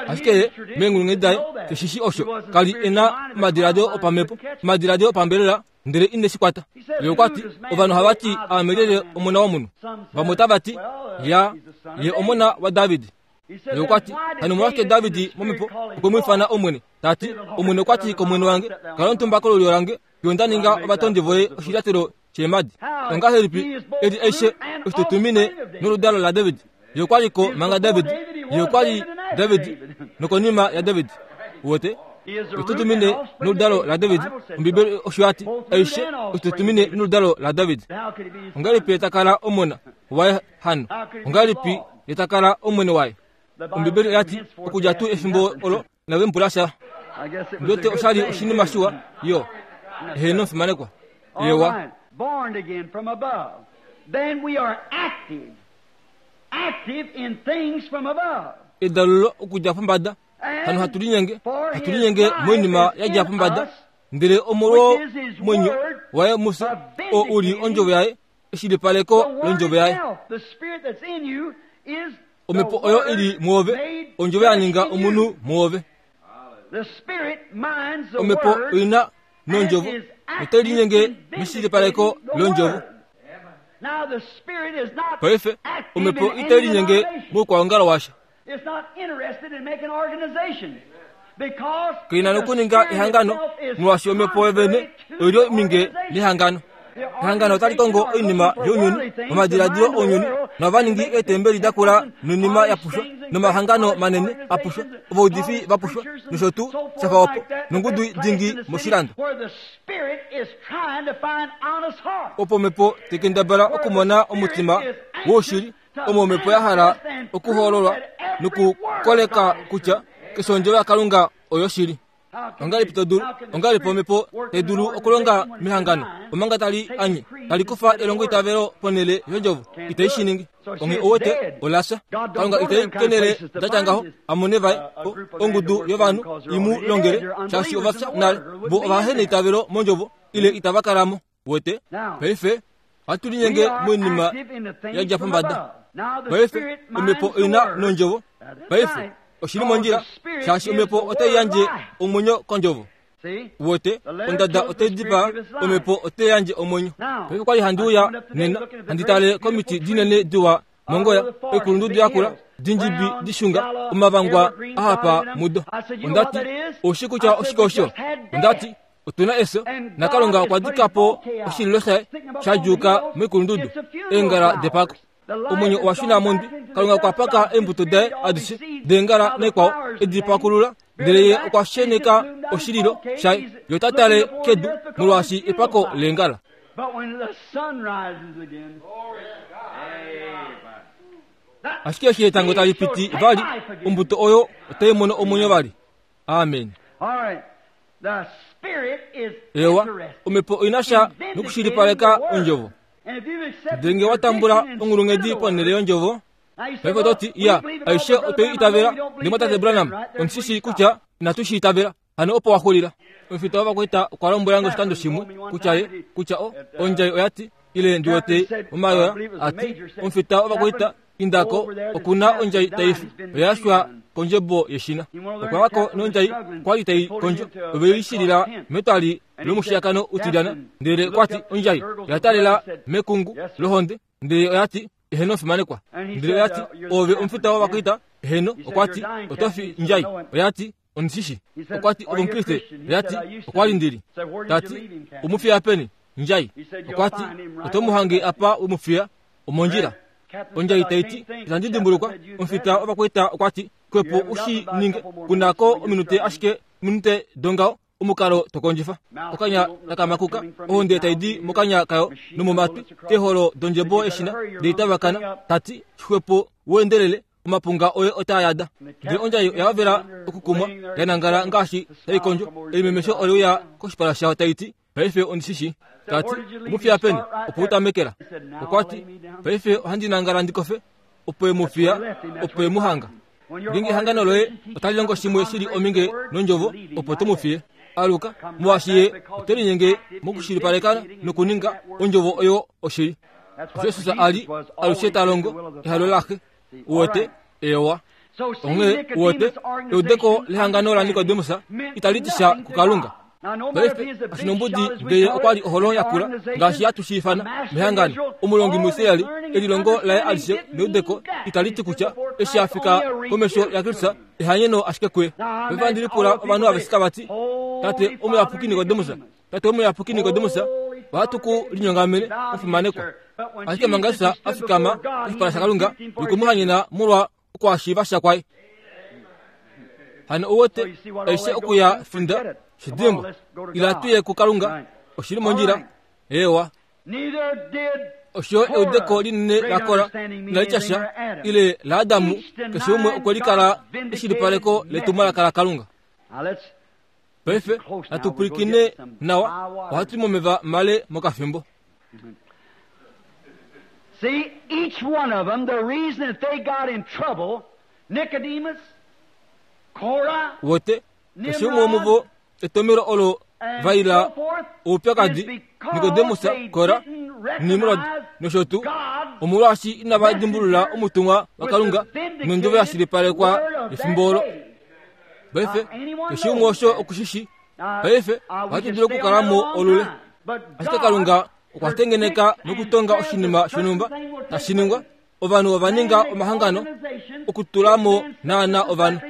Ashike ye, meenghulunghedi daye, keshi shi osho. Ka li e na omadiladilo opamhepo, omadiladilo opambelela, ndele ine shi kwata. Ye okwa ti, Ovanhu ohava ti aame lyelye Omona wOmunhu? Vamwe otava ti, Ya, ye Omona waDavid. Ye okwa ti, Hano omolwashike David mOmhepo okwe mu ifana Omwene, ta ti, Omwene okwa ti kOmwene wange, Kala omutumba kolulyo lange, fiyo nda ninga ovatondi voye oshilyatelo sheemhadi. Ongahelipi eli aishe oshitutumine noludalo laDavid? Ye okwa li ko manga David, ye okwa li David nokonima yaDavid. Uwete? Oshitutumine noludalo laDavid. Ombibeli osho ya ti, aishe oshitutumine noludalo laDavid. Ongahelipi ye ta kala omona waye hano? Ongahelipi ye ta kala omwene waye? Ombibeli oya ti, okudja tuu efimbo olo inave mu pula sha. Ndiwete osha li oshinima shiwa yo. Heeno, omufimanekwa. Ewa. Born again from above. Then we are active. Active in things from above. Edalulo okudja pombada. Hano hatu linyenge, hatu linyenge moinima ya dja pombada, ndele omolwo mwenyo waye mufye, oo u li ondjovo yaye, eshilipaleko londjovo yaye. Omhepo oyo i li mwoove, ondjovo ya ninga omunhu mwoove. Omhepo oi na nondjovo, notai linyenge meshilipaleko londjovo. Paife, omhepo itai linyenge moukwaongalo washa. Kai na nokuninga ehangano, molwaashi omhepo yovene oi li ominge nehangano. Ehangano otali kongo oinima younyuni, omadiladilo ounyuni, nova ningi eetembeli da kula noinima ya pushwa, nomahangano manene a pushwa, ovaudifi va pushwa, nosho tuu sha fa opo, nongudu dingi moshilando. Opo omhepo tai kendabala okumona omutima woushili, omo omhepo ya hala okuhoololwa nokukoleka kutya keshe ondjovo yaKalunga oyoshili. Ongahelipi to dulu, ongahelipi omhepo tai dulu okulonga mehangano omanga tali anye, tali kufa elongoitavelo ponhele yondjovo? Itai shi ningi. Onghee ou wete, ola fya. Kalunga itai kenele da tya ngaho a mone vaye, o, ongudu yovanhu i mu longele, shaashi ova fya nale. Vo ova heneitavelo mondjovo, ile itava kala mo. Wete? Paife, ohatu linyenge moinima ya dja pombada. Paife, omhepo oi na nondjovo. Paife, oshi li mondjila, shaashi omhepo otai yandje omwenyo kondjovo. Wete, ondada otai dipaa, omhepo otai yandje omwenyo. Paife okwali handi uya nena, handi tale komiti dinene diwa mongoya, oikulundudu yakula, dindjibi dishunga, omavangwa a hapa mudo. Onda ti, Oushi kutya oshike osho? Onda ti, Otu na efyo, naKalunga okwa dika po oshililo shaye sha djuuka moikulundudu, eengala depako. Omwenyo owa shuna mondwi. Kalunga okwa paka eembuto daye adishe deengala naikwao e di pakulula, ndele ye okwa sheneka oshililo shaye. Ye ota tale kedu molwaashi epako leengala. Ashike eshi etango tali piti vali, ombuto oyo otai mono omwenyo vali. Amen. Ewa, omhepo oi na sha nokushilipaleka ondjovo. Ndele nge wa tambula onghulunghedi ponhele yondjovo, paife oto ti, Ya, aishe otwe i itavela, ndele mwatate Branham, ondi shi shii kutya inatu shi itavela. Hano opo wa xulila. Omufita wovakwaita okwa lombwela nge oshikando shimwe kutya ye, kutya o, ondjai oya ti, ile ndi wete omayoya, a ti, omufita wovakwaita Inda ko, oku na ondjai tai fi, oya yashwa kondjebo yeshina. Okwa wa ko nondjai kwa li tai kondjo, ove i shilila metwali lomushiyakano utilyana. Ndele kwa ti ondjai oya talela mekungu lohonde, ndele oya ti, Eheno fimanekwa. Ndele oya ti, Oove omufita wovakwaita? Eheno. Okwa ti, Oto fi ndjai. Oya ti, Ondi shi shi. Okwa ti, Ove Omukriste? Oya ti, Okwa li ndi li. Ta ti, U mu fiya peni, ndjai? Okwa ti, Oto mu hange apa we mu fiya, omondjila. Ondjai tai ti, Itandi dimbulukwa. Omufita wovakwaita okwa ti, Xwepo u shi ninge, ku na ko ominute ashike ominute dongaho, omukalo to kondjifa. Okanya taka makuka, ohonde tai di mokanya kayo nomomatwi, keeholo dondjebo yeshina ndele tavakana, ta ti, Xwepo u endelele, omapunga oye otaa yada. Ndele ondjai oya hovela okukumwa, ya nangala ngaashi tai kondjo. Elimemesho ole uya koshipala shayo tai ti, Paife ondi shi shii. Ta ti, Mu fiya peni, opo u tamekela. Okwa ti, Paife ohandi nangala ndi kofe. Opo e mu fiya, opo e mu hanga. Ngeenge ehangano loye otali longo shimwe shi li ominge nondjovo, opo to mu fiye. Aluka, molwaashi ye ote linyenge mokushilipaleka nokuninga ondjovo oyo oshili. Jesus a li alushe ta longo ehalo laXe. Uwete? Ewa. Onghee, uwete, eudeko lehangano laNikodemus itali ti sha kuKalunga. Paife, kashinombudi ngee okwa li oholo yakula, ngaashi hatu shi ifana, mehangano, omulongi muIsrael, elilongo laye alishe neudeko itali ti kutya eshi a fika komesho yaKristus, ehanyeno ashike kuye. Paife ohandi lipula ovanhu aveshe tava ti, Tate Omuyapuki Nikodemus, Tate Omuyapuki Nikodemus, ohatu ku linyongamene, omufimanekwa. Ashike manga Jesus a fikama koshipala shaKalunga nokwe mu hanyena molwa okwaashiiva sha kwaye. Hano ou wete aishe okuya finda shidimbwa. Ila tu ye kuKalunga, oshi li mondjila. Eewa. Osho eudeko linene la kola inali tya sha, ile laAdamu, keshe umwe okwe likala eshilipaleko letumwalaka laKalunga. Paife natu pwilikine nawa, ohatu i momeva male mokafimbo. See, each one of them, the reason that they got in trouble Wote keshe umwe womuvo etomelo olo vaila oupyakadi Nikodemus, Kora, Nimrod nosho tuu, omolwaashi inava dimbulula omutumwa waKalunga nondjovo ya shilipalekwa yefimbo olo. Paife keshe umwe osho oku shi shii. Paife ohatu dulu okukala mo olule. Ashike Kalunga okwa tengeneka nokutonga oshinima shonhumba tashi ningwa. Ovanhu ova ninga omahangano okutula mo naana ovanhu.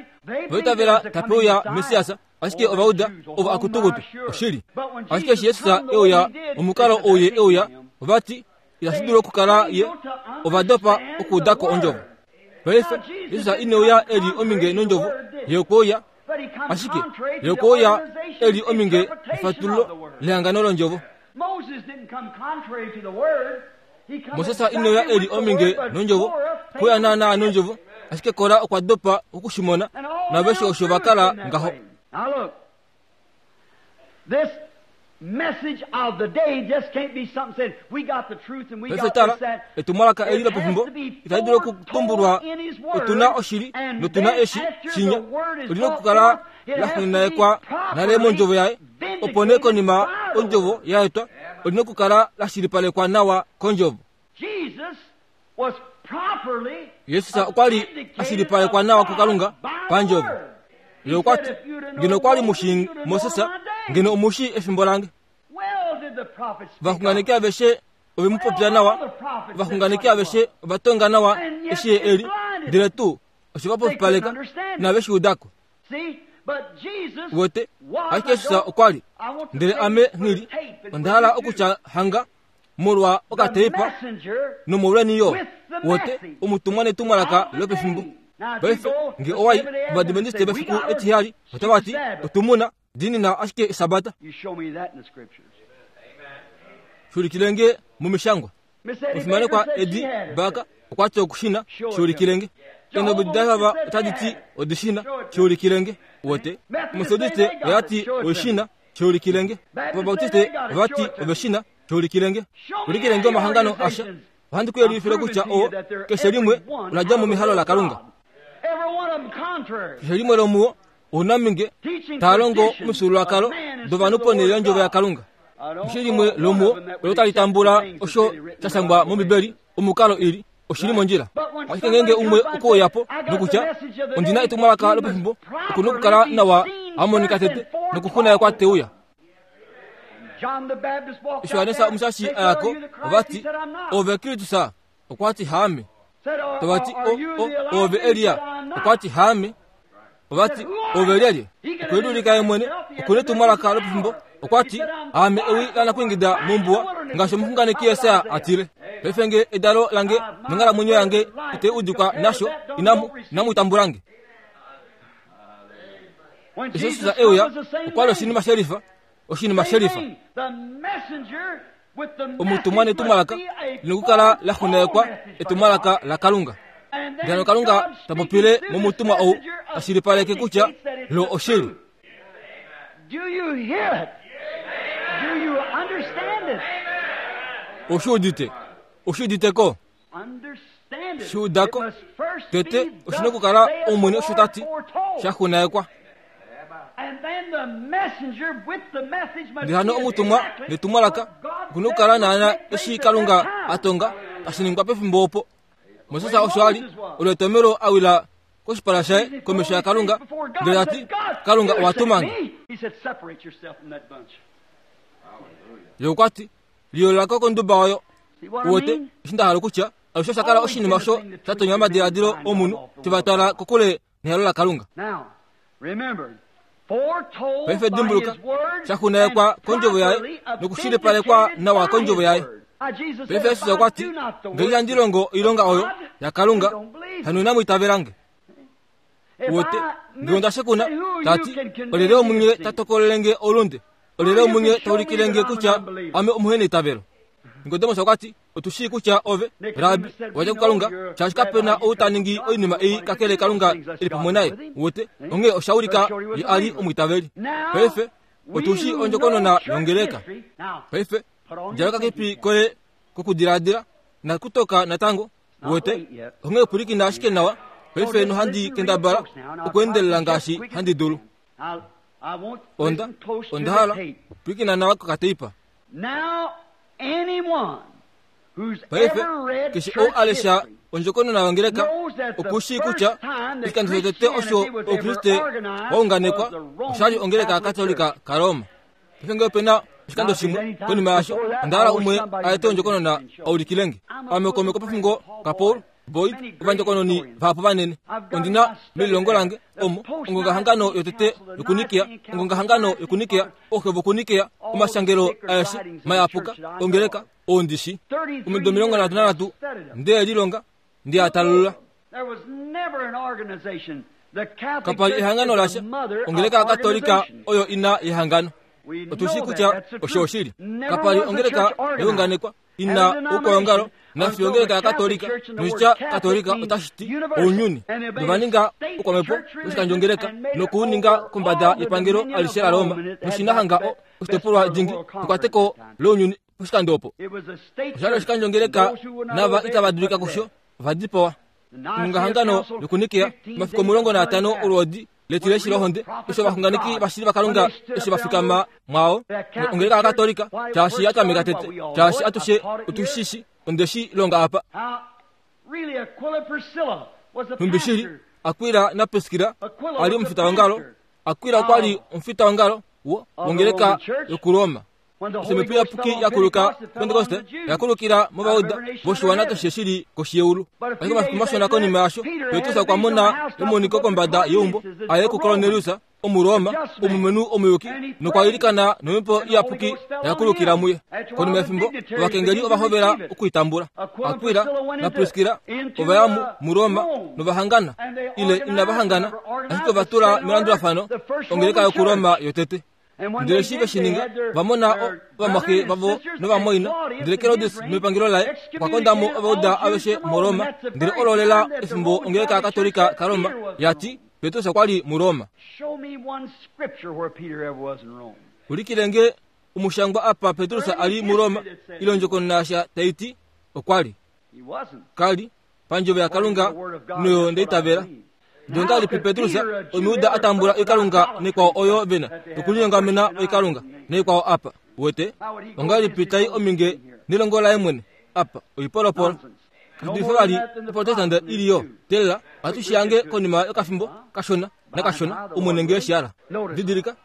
Ova itavela tape uya Messias, ashike ova uda ovo akutukutu oshili. Ashike eshi Jesus e uya omukalo ou ye e uya, ova ti itashi dulu okukala ye. Ova dopa okuuda ko ondjovo. Paife Jesus ine uya e li ominge nondjovo, ye okwe uya ashike ye okwe uya e li ominge nefatululo lehangano londjovo. Moses ine uya e li ominge nondjovo, okwe uya naanaa nondjovo, ashike Kora okwa dopa oku shi mona, naaveshe osho va kala ngaho. Paife tala, etumwalaka eli lopefimbo itali dulu okutumbulwa otu na oshili notu na eshi shinya. Oli na okukala la xunganekwa nale mondjovo yaye, opo nee konima ondjovo ya etwa, oli na okukala la shilipalekwa nawa kondjovo. Jesus okwa li a shilipalekwa nawa kuKalunga pandjovo. Ye okwa ti, Ngeno okwa li mu shii Moses, ngeno omu shii efimbo lange. Ovaxunganeki aveshe ove mu popya nawa, ovaxunganeki aveshe ova tonga nawa eshi ye e li, ndele tuu oshe va popipaleka, inave shi uda ko. Uwete, ashike Jesus okwa li, ndele ame nghi li, onda hala okutya hanga molwa okateipa nomolweni yo wote omutumwa netumwalaka lopefimbo. Paife nge owa i kOvadventiste vefiku etiheyali, otava ti, Otu mu na, diinina ashike Esabata. Shuulikile nge momishangwa. Omufimanekwa Eddie Barker okwa ti oku shi na, shuulikile nge. Eendombwedi daJehova otadi ti odi shi na, shuulikile nge. Wote, Ometodiste oya ti oi shi na, Shuulikile nge. Ovabautiste ova ti ove shi na. Shuulikile nge. Ulikile nge omahangano asha. Ohandi ku yelifile kutya oo keshe limwe ola dja mo mehalo laKalunga. Keshe limwe lomuo ounaminge taa longo omifyuululwakalo dovanhu ponhele yondjovo yaKalunga. Keshe limwe lomuo olo tali tambula osho sha shangwa mOmbibeli omukalo ili oshi li mondjila. Ashike ngeenge umwe okwe uya po nokutya, Ondi na etumwalaka lopefimbo, oku na okukala nawa a monika tete nokuxunayekwa te uya. Eshi Johannes Omushashi a ya ko, ova ti, Oove Kristus? Okwa ti, Haame. Tava ti, O, o, oove Elia? Okwa ti, Haame. Ova ti, Ove lyelye? Okwe liulika ye mwene, oku netumwalaka lopefimbo. Okwa ti, Aame ewi lanakwingida mombuwa, ngaashi omuxunganeki Jesaja a tile. Paife nge edalo lange nonghalamwenyo yange itai udikwa nasho, inamu, inamu tambula nge. Eshi Jesus e uya, okwa li oshinima shelifa, oshinima shelifa. Omutumwa netumwalaka linokukala la xunganekwa etumwalaka laKalunga. Ndele Kalunga ta popile momutumwa ou ta shilipaleke kutya lo oshili. Oshi udite? Oshi udite ko? Shi uda ko? Tete oshi na okukala Omwene osho ta ti, sha xunganekwa. Ndele hano omutumwa netumwalaka oku na okukala naana eshi Kalunga a tonga tashi ningwa pefimbo opo. Moses osho a li olo etomelo a wila koshipala shaye komesho yaKalunga ndele ta ti, Kalunga owa tuma nge. Ye okwa ti, Liyoolola ko konduba oyo. Uwete eshi nda hala okutya? Alushe osha kala oshinima osho sha tonya omadiladilo omunhu, te va twala kokule nehalo laKalunga. Paife dimbuluka, sha xunganekwa kondjovo yaye nokushilipalekwa nawa kondjovo yaye. Paife Jesus okwa ti, Ngele ihandi longo oilonga oyo yaKalunga, hano inamu itavela nge. Uwete, ngee onda shekuna, ta ti, Olyelye womunye ta tokolele nge oulunde? Olyelye womunye ta ulikile nge kutya ame omuheneitavelo? Nikodemus okwa ti, Otu shii kutya ove, Rabbi, wa dja kuKalunga, shaashi kape na ou ta ningi oinima ei kakele Kalunga e li pamwe naye. Uwete? Onghee osha ulika ye a li omwiitaveli. Paife, otu shii ondjokonona yongeleka. Paife, djala okakepi koye kokudiladila, nakutoka natango. Uwete? Onghee pwilikina ashike nawa. Paife nohandi kendabala okuendelela ngaashi handi dulu. Onda, onda hala, pwilikina nawa kokateipa. Paife, keshe ou a lesha ondjokonona yongeleka oku shii kutya oshikando shotete osho Oukriste wa unganekwa osha li ongeleka yaKatolika kaRoma. Paife ngee ope na oshikando shimwe konima yasho, onda hala umwe a ete ondjokonona a ulikile nge. Ame kaume kopofingo kaPaul Boyd, ovandjokononi vahapu vanene. Ondi na melilongo lange omo ongongahangano yotete yokuNikea, ongongahangano yokuNikea, ooxe vokuNikea, omashangelo aeshe mayapuka ongeleka oo ndi shi. Omido 33 nde lilonga, nde a talulula. Kapa li ehangano lasha, ongeleka yaKatolika oyo ina yehangano. Otu shii kutya osho oshili. Kapa li ongeleka ya unganekwa ina oukwaongalo nafiyo ongeleka yaKatolika, noshitya Katolika otashi ti ounyuni, nova ninga oukwamhepo woshikandjongeleka noku u ninga kombada yepangelo alishe laRoma, noshina hanga o, oshitopolwa dingi ekwateko lounyuni poshikando opo. Osha li oshikandjongeleka nava itava dulika kusho ova dipawa. Ongongahangano yokuNikea, omafiku 15 olwoodi letileshi lohonde, eshi ovaxunganeki vashili vaKalunga eshi va fikama mwao. Ongeleka yaKatolika, shaashi ya tameka tete, shaashi atushe otu shi shi, onde shi longa apa. Nhumbi shili, Aquila naPriskilla a li omufitaongalo, Aquila okwa li omufitaongalo wo, wongeleka yokuRoma. Eshi Omhepo Iyapuki ya kuluka Pentekoste, oya kulukila mOvauda voshiwana keshe shi li koshi yeulu. Ashike omafiku mashona konima yasho, Petrus okwa mona emoniko kombada yeumbo, a ye kuKornelius, Omuroma, omulumenhu omuyuki, nokwa ilikana nOmhepo Iyapuki oya kulukila muye. Konima yefimbo, ovakengeli ova hovela okwiitambula. Akwila naPriskila ova ya muRoma nova hangana, ile inava hangana, ashike ova tula melandulafano ongeleka yokuRoma yotete. Ndele eshi ve shi ninga, va mona ovamwaxe vavo novamwaina. Ndele Herodes mepangelo laye okwa konda mo Ovauda aveshe muRoma. Ndele olo lela efimbo ongeleka yaKatolika kaRoma ya ti Petrus okwa li muRoma. Ulikile nge omushangwa apa Petrus a li muRoma ile ondjokonona yasha tai ti okwa li. Ka li pandjovo yaKalunga noyo nda itavela. Ndele ongahelipi Petrus, Omujuda a tambula oikalunga naikwao oyo ve na okulinyongamena oikalunga naikwao apa? Uwete? Ongahelipi tai ominge nelongo laye mwene apa? Oipolopolo. Kashi dulife vali Oprotestante i li yo. Teelela, ohatu shi hange konima yokafimbo kashona nakashona, Omwene nge eshi hala. Didilika.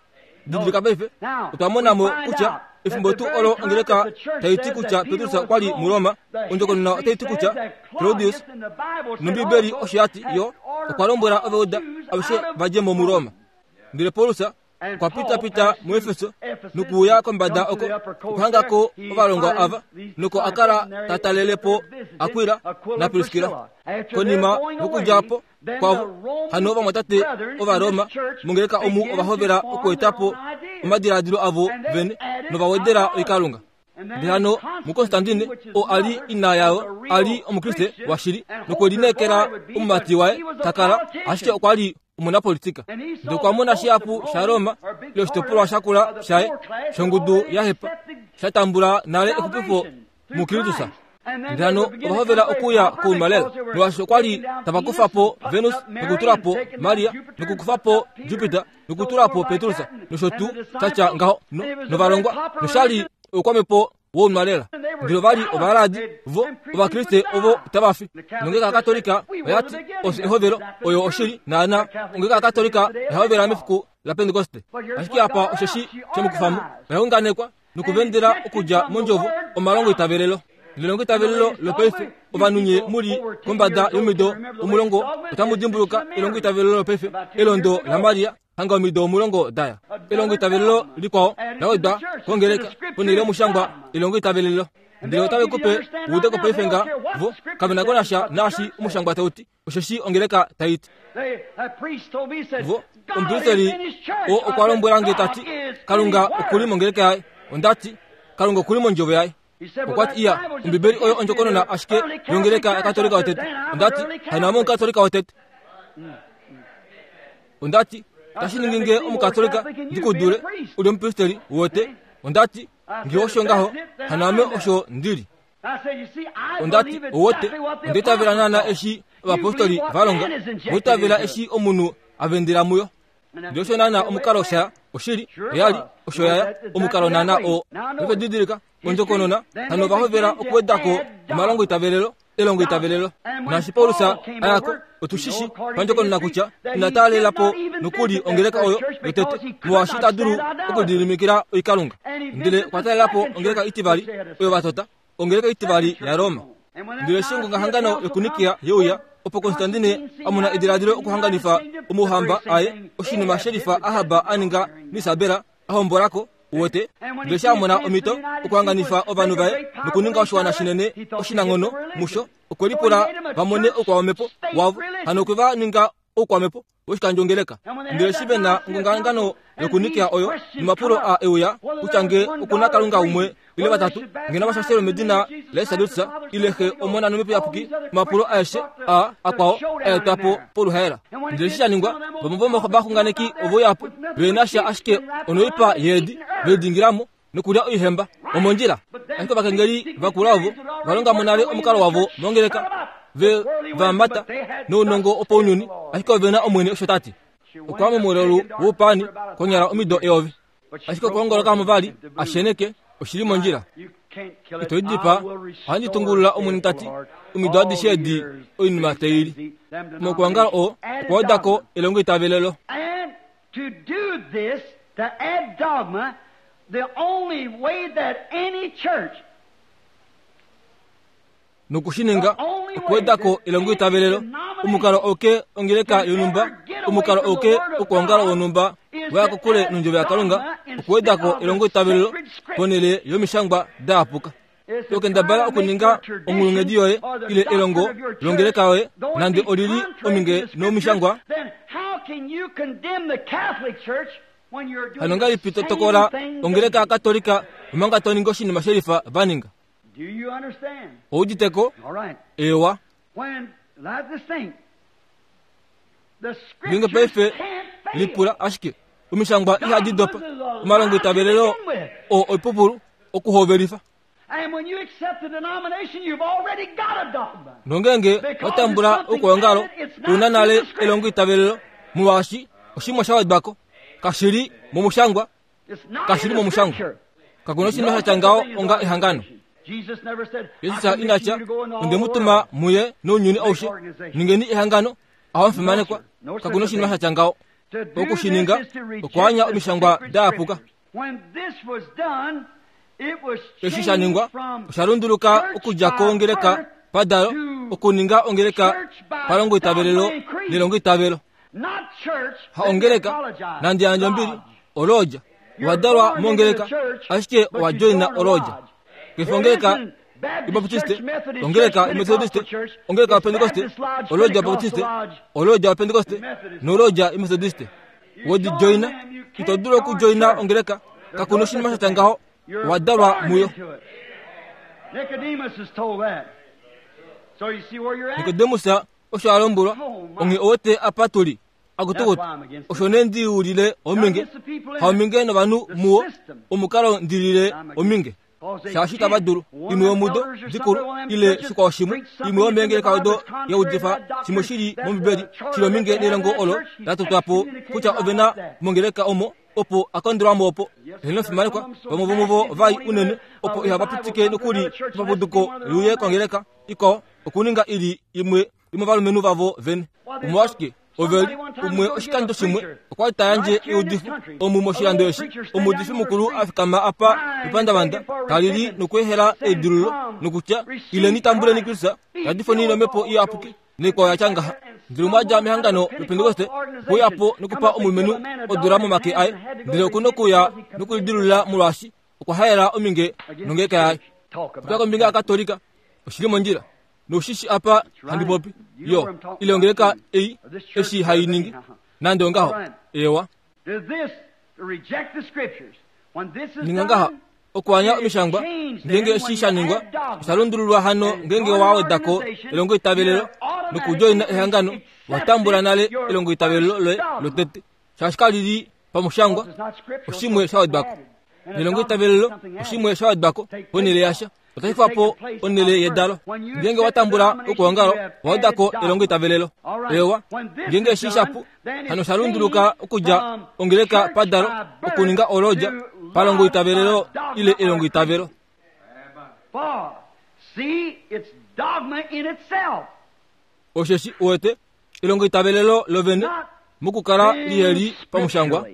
Didilika paife, otwa mona mo kutya efimbo tuu olo ongeleka tai ti kutya Petrus okwa li muRoma, ondjokonona otai ti kutya Claudius nOmbibeli osho ya ti yo okwa lombwela Ovauda aveshe va dje mo muRoma. Ndele Paulus okwa pitapita muEfeso nokuuya kombada oko okuhanga ko ovalongwa ava noko a kala ta talele po Akwila naPriskila. Konima yokudja po kwavo hano ovamwatate Ovaroma mongeleka omu ova hovela okweeta po omadiladilo avo vene nova wedela oikalunga. Ndele hano muKonstantine, oo a li ina yavo, a li Omukriste washili nokwe lineekela omumati waye ta kala, ashike okwa li omunapolitika. Ndele okwa mona shihapu shaRoma ile oshitopolwa shakula shaye shongudu ya hepa sha tambula nale exupifo muKristus. Ndele hano ova hovela okuuya kOumalela, molwaashi okwa li tava kufa po Venus nokutula po Maria, nokukufa po Jupiter nokutula po Petrus, nosho tuu sha tya ngaho, no, novalongwa, nosha li oukwamhepo wOumalela. Ndele ova li ovaladi, vo Ovakriste ovo tava fi. Nongeleka yaKatolika oya ti, Osho ehovelo, oyo oshili, naana. Ongeleka yaKatolika oya hovela mefiku laPentekoste. Ashike apa osheshi she mu kufa mo, oya unganekwa nokuvendela okudja mondjovo omalongo itavelelo. Nelongo itavelelo lopaife, ovanhu nye mu li kombada yomido 10 otamu dimbuluka elongo itavelelo lopaife, elondo laMaria, hanga omido 10 da ya. Elongo itavelelo likwao la wedwa kongeleka ponhele yomushangwa elongo itavelelo. Ndele otave ku pe uudeko paife nga vo kave na ko nasha naashi omushangwa tau ti. Osheshi ongeleka tai ti, Vo, omupristeli oo okwa lombwela nge ta ti, Kalunga oku li mongeleka yaye. Onda ti, Kalunga oku li mondjovo yaye. Okwa ti, Iya, Ombibeli oyo ondjokonona ashike yongeleka yaKatolika yotete. Onda ti, Hano ame Omukatolika wotete. Onda ti, Tashi ningi nge Omukatolika ndi ku dule, u li omupristeli wote. Onda ti, Nge osho ngaho, hano ame osho ndi li. Onda ti, Owote, onda itavela naana eshi ovapostoli va longa, wa itavela eshi omunhu a vendela muyo. Ndele osho naana omukalo sha oshili oyali osho yaya omukalo naana oo. Paife didilika ondjokonona hano ova hovela okuweda ko omalongo itavelelo elongo itavelelo. Naashi Paulus a ya ko, otu shi shi pandjokonona kutya ina taalela po nokuli ongeleka oyo yotete, molwaashi ita dulu okulididimikila oikalunga. Ndele okwa talela po ongeleka itivali oyo va tota, ongeleka itivali yaRoma. Ndele eshi ongongahangano yokuNikia ye uya, opo Konstantine a mona ediladilo okuhanganifa omauhamba aye, oshinima shelifa Ahab a ninga naIsabel a hombola ko, uwete, ndele eshi a mona omhito okuhanganifa ovanhu vaye nokuninga oshiwana shinene oshinanghono musho, okwe lipula va mone oukwamhepo wavo. Hano okwe va ninga oukwamhepo woshikandjongeleka. Ndele eshi ve na ongongahangano yokuNikia oyo, nomapulo a euya kutya nge oku na Kalunga umwe ile vatatu, nge nava shashelwe medina laJesus ile Xe, Omona nOmhepo Iyapuki, omapulo aeshe a akwao a etwa po poluhaela. Ndele eshi sha ningwa, vamwe vomovaxunganeki ove uya po, ve na sha ashike onoipa yeedi, ve lidingila mo nokulya oihemba omondjila. Ashike ovakengeli vakula ovo va longa mo nale omukalo wavo mongeleka, ve va mata nounongo wopaunyuni, ashike ove na Omwene osho ta ti. Okwa momulelu woupaani konyala omido eyovi. Ashike okwoongoloka mo vali a sheneke oshi li mondjila. Ito i dipaa, ohandi tungulula Omwene ta ti, omido adishe edi oinima tai li. Mokwoongala oo okwa weda ko elongoitavelelo. To do this, to add dogma, the only way that any church Noku shi ninga, okuweda ko elongoitavelelo, omukalo auke ongeleka yonhumba, omukalo auke okwoongala wonhumba wa ya kokule nOndjovo yaKalunga, okuweda ko elongoitavelelo ponhele yOmishangwa dayapuka. To kendabala okuninga onghulunghedi yoye ile elongo longeleka yoye nande oli li ominge nomishangwa. Hano ngahelipi to tokola ongeleka yaKatolika omanga to ningi oshinima shelifa va ninga? Ou udite ko? Eewa. Ngeenge paife lipula ashike omishangwa ihadi dopa omalongoitavelelo oo oipupulu okuhovelifa. Nongeenge wa tambula oukwaongalo u na nale elongoitavelelo molwaashi oshimwe sha wedwa ko kashi li momushangwa kashi li momushangwa. Kaku na oshinima sha tya ngaho onga ehangano. Jesus ina tya, Onde mu tuma mu ye nounyuni aushe, ningeni ehangano, aho mufimanekwa. Kaku na oshinima sha tya ngaho. Oku shi ninga okwaanya omishangwa da yapuka. Eshi sha ningwa osha lunduluka okudja kongeleka padalo okuninga ongeleka palongoitavelelo nelongoitavelo. Ha ongeleka nande yandja ombili olodja. Owa dalwa mongeleka ashike owa joina olodja. Kefe ongeleka yObaptiste, ongeleka yOmethodiste, ongeleka yOpentekoste, olodja yObaptiste, olodja yOpentekoste nolodja yOmethodiste. We di joina, ito dulu okujoina ongeleka, kaku na oshinima sha tya ngaho, owa dalwa muyo. Nikodemus osho a lombwelwa, onghee owete apa tu li. Akutukutu, osho nee ndi ulile ominge, haominge novanhu muwo, omukalo ndi lile ominge. Shaashi itava dulu, imwe yomudo dikulu ile shikwao shimwe, imwe yomeengeleka odo ya udifa shimwe shi li mOmbibeli shi li ominge nelongo olo la totwa po kutya ove na mongeleka omo opo a kondelwa mo opo. Heeno fimanekwa, vamwe vomuvo vai unene opo ihava pitike nokuli epapuduko li uye kongeleka ikwao okuninga i li imwe yomovalumenhu vavo vene. Omolwashike ove li umwe oshikando shimwe okwa li ta yandje eudifo omu moshilando eshi omuudifi mukulu a fikama apa mepandavanda ta lili nokweehela eidululo nokutya ileni tambuleni Kristus yadifweni nomhepo iyapuki naikwao ya tya ngaha. Ndele umwe a dja mehangano loPentekoste okwe uya po nokupa omulumenhu odula momake aye, ndele oku nokuya nokulidilulula molwaashi okwa haela ominge nongeleka yaye. Popya kombinga yaKatolika, oshi li mondjila. Noushi shi apa handi popi, yo, ile ongeleka ei eshi hai ningi, nande ongaho. Ewa. Ninga ngaha, okuanya omishangwa, ngeenge eshi sha ningwa, osha lundululwa hano ngeenge wa weda ko elongoitavelelo nokudjoina ehangano, wa tambula nale elongoitavelelo loye lotete, shaashi kali li pamushangwa, oshimwe sha wedwa ko. Nelongoitavelelo oshimwe sha wedwa ko ponhele yasha. Otashi kufa po onhele yedalo. Ngeenge wa tambula okwoongalo, wa uda ko elongoitavelelo. Eewa, ngeenge eshi shapu, hano sha lunduluka okudja ongeleka padalo okuninga olodja palongoitavelelo ile elongoitavelo. Osheshi uwete elongoitavelelo lovene mokukala liheli pamushangwa.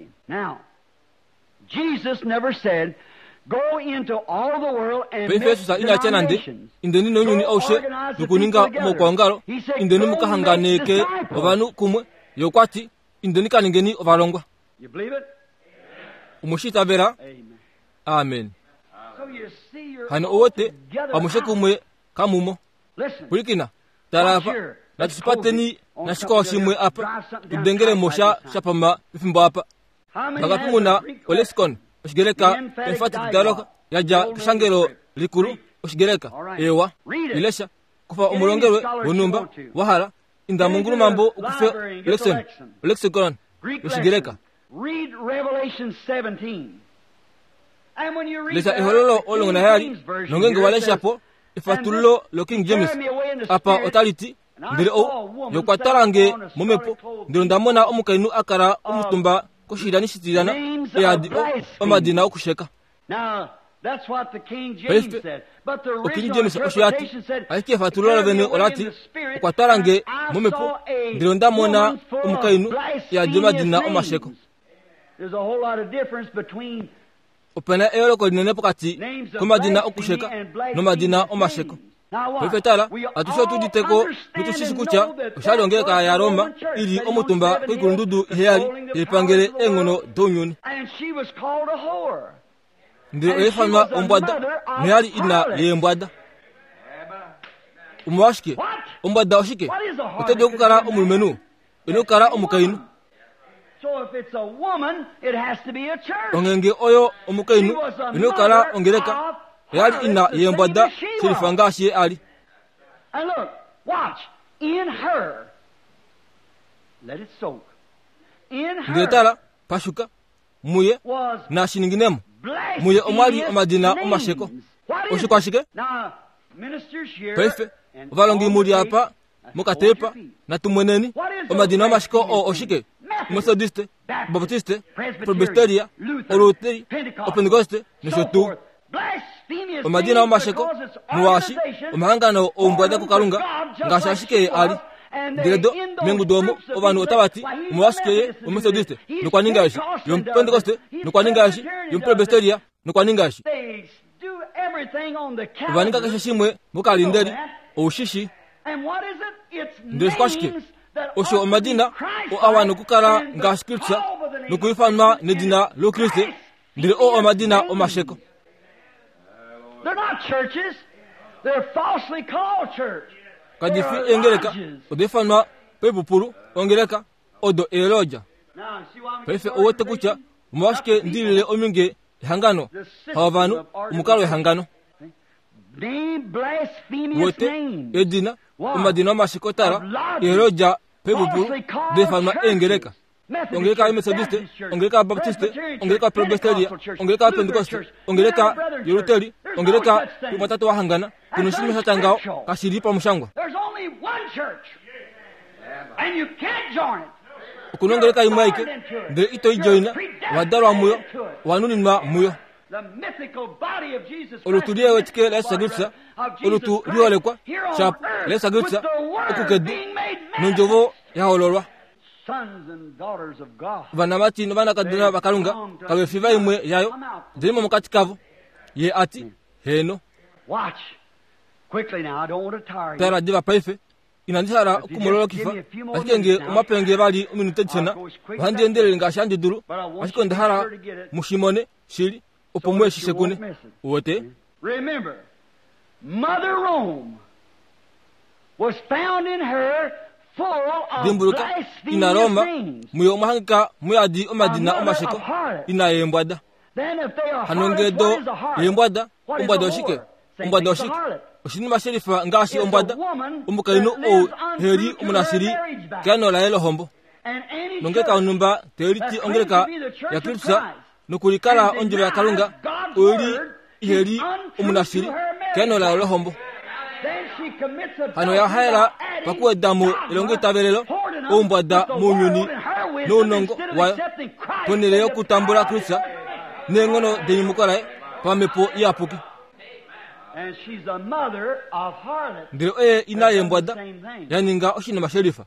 Paife Jesus ina tya nande, Indeni nounyuni aushe nokuninga omaukwaongalo, indeni mu ka hanganeke ovanhu kumwe. Ye okwa ti, Indeni ka ningeni ovalongwa. Omwe shi itavela? Amen. Hano ouwete, amushe kumwe kamumo. Pwilikina, tala apa, natu shipateni nashikwao shimwe apa, tu dengele mo sha shapama pefimbo apa. Vangapi mu na olexicon Oshigreka Emphatic Dialogue ya dja keshangelo likulu Oshigreka? Eewa, ilesha. Kufa omulongelwe wonhumba wa hala, inda mongulumambo u kufe olexicon, olexicon yOshigreka. Lesha Ehololo 17, nongeenge wa lesha po efatululo loKing James apa otali ti, Ndele ou ye okwa twala nge momhepo, ndele onda mona omukainhu a kala omutumba koshilyani shitilyana e yadi omadina okusheka. Paife, oKing James osho ya ti, ashike efatululo lovene ola ti, Okwa twala nge momhepo, ndele onda mona omukainhu e yadi omadina omasheko. Ope na eyooloko linene pokati komadina okusheka nomadina omasheko. Paife tala, atushe otu udite ko notu shi shi kutya osha li ongeleka yaRoma i li omutumba koikulundudu iheyali tai pangele eenghono dounyuni. Ndele oya ifanwa ombwada noya li ina yeembwada. Omolwashike? Ombwada oshike? Oto dulu okukala omulumenhu, ino kala omukainhu. Ongenge oyo omukainhu ino kala ongeleka oya li ina yeembwada shelifa ngaashi ye a li. Ndele tala, pashuka, muye, nashi ninginemo, muye omwa li omadina omasheko. Oshikwashike? Paife, ovalongi mu li apa mokatepa natu mweneni omadina omashiko oo oshike omethodiste obaptiste presbyteria oluteri opentekoste nosho tuu omadina omasheko molwaashi omahangano oumbwada kukalunga ngaashi ashike ye a li ndele do mengudu omo ovanhu otava ti omolwashike ye omethodiste nokwa ninga eshi yomupentekoste nokwa ninga eshi yomupresbyteria nokwa ninga eshi Ova ninga keshe shimwe mokalindeli, ou shi shi. Ndele oshike? Osho omadina oo a wana okukala ngaashi Kristus nokuifanwa nedina lOukriste, ndele oo omadina omasheko. Kadi fi eengeleka, oda ifanwa paipupulu ongeleka, odo eelodja. Paife ou wete kutya omolwashike ndi lile ominge ehangano haovanhu omukalo wehangano wete edina omadina omashikotala eelodja pebubulu defanwa eengeleka ongeleka yemethodiste ongeleka yabaptiste ongeleka yapresbyteria ongeleka yapentekoste ongeleka yoluteri ongeleka yomatatu wahangana kuno shinima sha tya ngaho kashi li pamushangwa Oku na ongeleka imwe aike, ndele ito i joina, owa dalwa muyo, owa nuninwa muyo. Olutu liewetike laJesus Kristus, olutu liholekwa, shapu, laJesus Kristus, oku kedu, nOndjovo ya hololwa. Ovanamati novanakadona vaKalunga kave fi vaimwe yayo, ndele mo mokati kavo. Ye a ti, Heeno. Tala diva paife, Inandi hala oku mu lolokifa, ashike nge omwa pe nge vali ominute dishona, ohandi endelele ngaashi handi dulu, ashike onda hala mu shi mone shili, opo mu eshi shekune. Uwete? Remember, Mother Rome was found in her full of Dimbuluka, ina blasphemous Roma, names. muyo omwa hangika mu yadi A omadina mother omasheko, of harlots. ina yeembwada. Then if they are Hano harlots, nge do what is a harlot? yeembwada, What is ombwada a oshike? whore? Same Ombwada thing as a oshike? harlot. Oshinima shelifa ngaashi It's a ombwada, woman omukainhu that ou lives untrue heli to her omunashili marriage vow. keano laye lohombo. And any Nongeleka church yonhumba tai liti that claims ongeleka to be the church of yaKristus Christ nokulikala and ondjovo yaKalunga denies God's oyo li word iheli is untrue omunashili to her marriage. Keano layo lohombo. Hano ya haela pakuweda mo elongoitavelelo oumbwada mounyuni nounongo wayo ponhele yokutambula Kristus neenghono denyumuko laye pamhepo iyapuki. Ndele oye ina yeembwada ya ninga oshinima shelifa.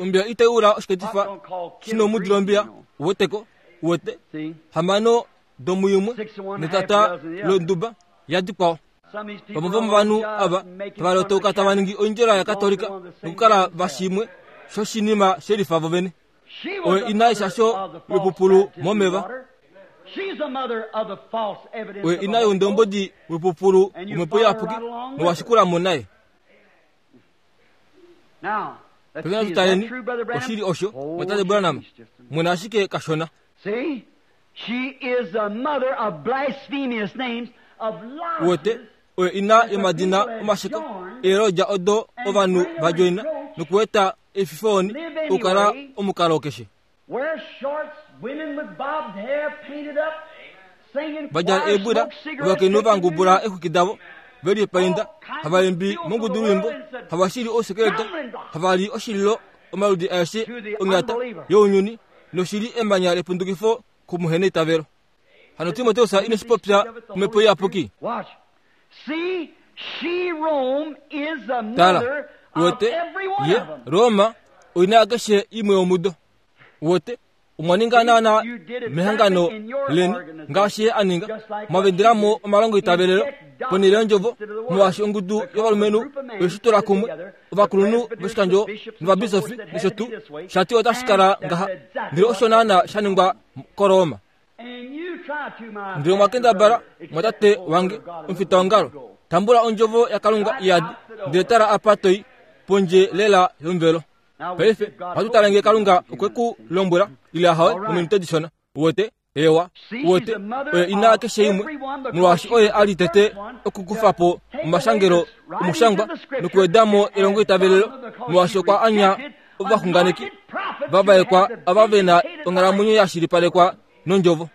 Ombiya itai ula oshiketifa shinomudi lombiya, uweteko, uwete, hamano domuimwe netata londuba yadikwao. Vamwe vomovanhu ava tava lotauka tava ningi oindjela yaKatolika nokukala vashimwe shoshinima shelifa vovene. Oye ina yeshasho lopupulu momeva. Oye ina youndombodi wepupulu womhepo iyapuki nowashikula mo naye. Paife natu taleni, oshili osho, mwatate Branham? Mwena ashike kashona. Uwete, oyo ina yomadina omasheko eelodja odo ovanhu va djoina nokueta efifooni okukala omukalo keshe. Va djala eebwila, ovakainhu va ngubula eexwiki davo, ve lipainda, hava imbi mongudulwiimbo, hava shili ousekeleta, hava li oshililo omaludi aeshe onyata younyuni, noshi li emanya lepundukifo komuheneitavelo. Hano Timoteus ine shi popya omhepo iyapuki. Tala, uwete, ye, Roma, oina yakeshe imwe yomudo. Uwete, omwa ninga naana mehangano leni ngaashi ye a ninga, mwa vendela mo omalongoitavelelo ponhele yondjovo, molwaashi ongudu yovalumenhu oye shi tula kumwe, ovakulunhu voshikandjo novabisofi nosho tuu, sha ti otashi kala ngaha. Ndele osho naana sha ningwa koRoma. Ndele omwa kendabala, mwatate wange, omufitaongalo, tambula ondjovo yaKalunga iyadi, ndele tala apa toi, pondje lela yomuvelo. Paife, ohatu tale nge Kalunga okwe ku lombwela, ile ahawe, mominute dishona. Uwete? Ewa. Uwete? Oye ina keshe imwe, molwaashi oye a li tete okukufa po omashangelo omushangwa nokuweda mo elongoitavelelo, molwaashi okwa anya ovaxunganeki va vaekwa ava ve na onghalamwenyo ya shilipalekwa nondjovo.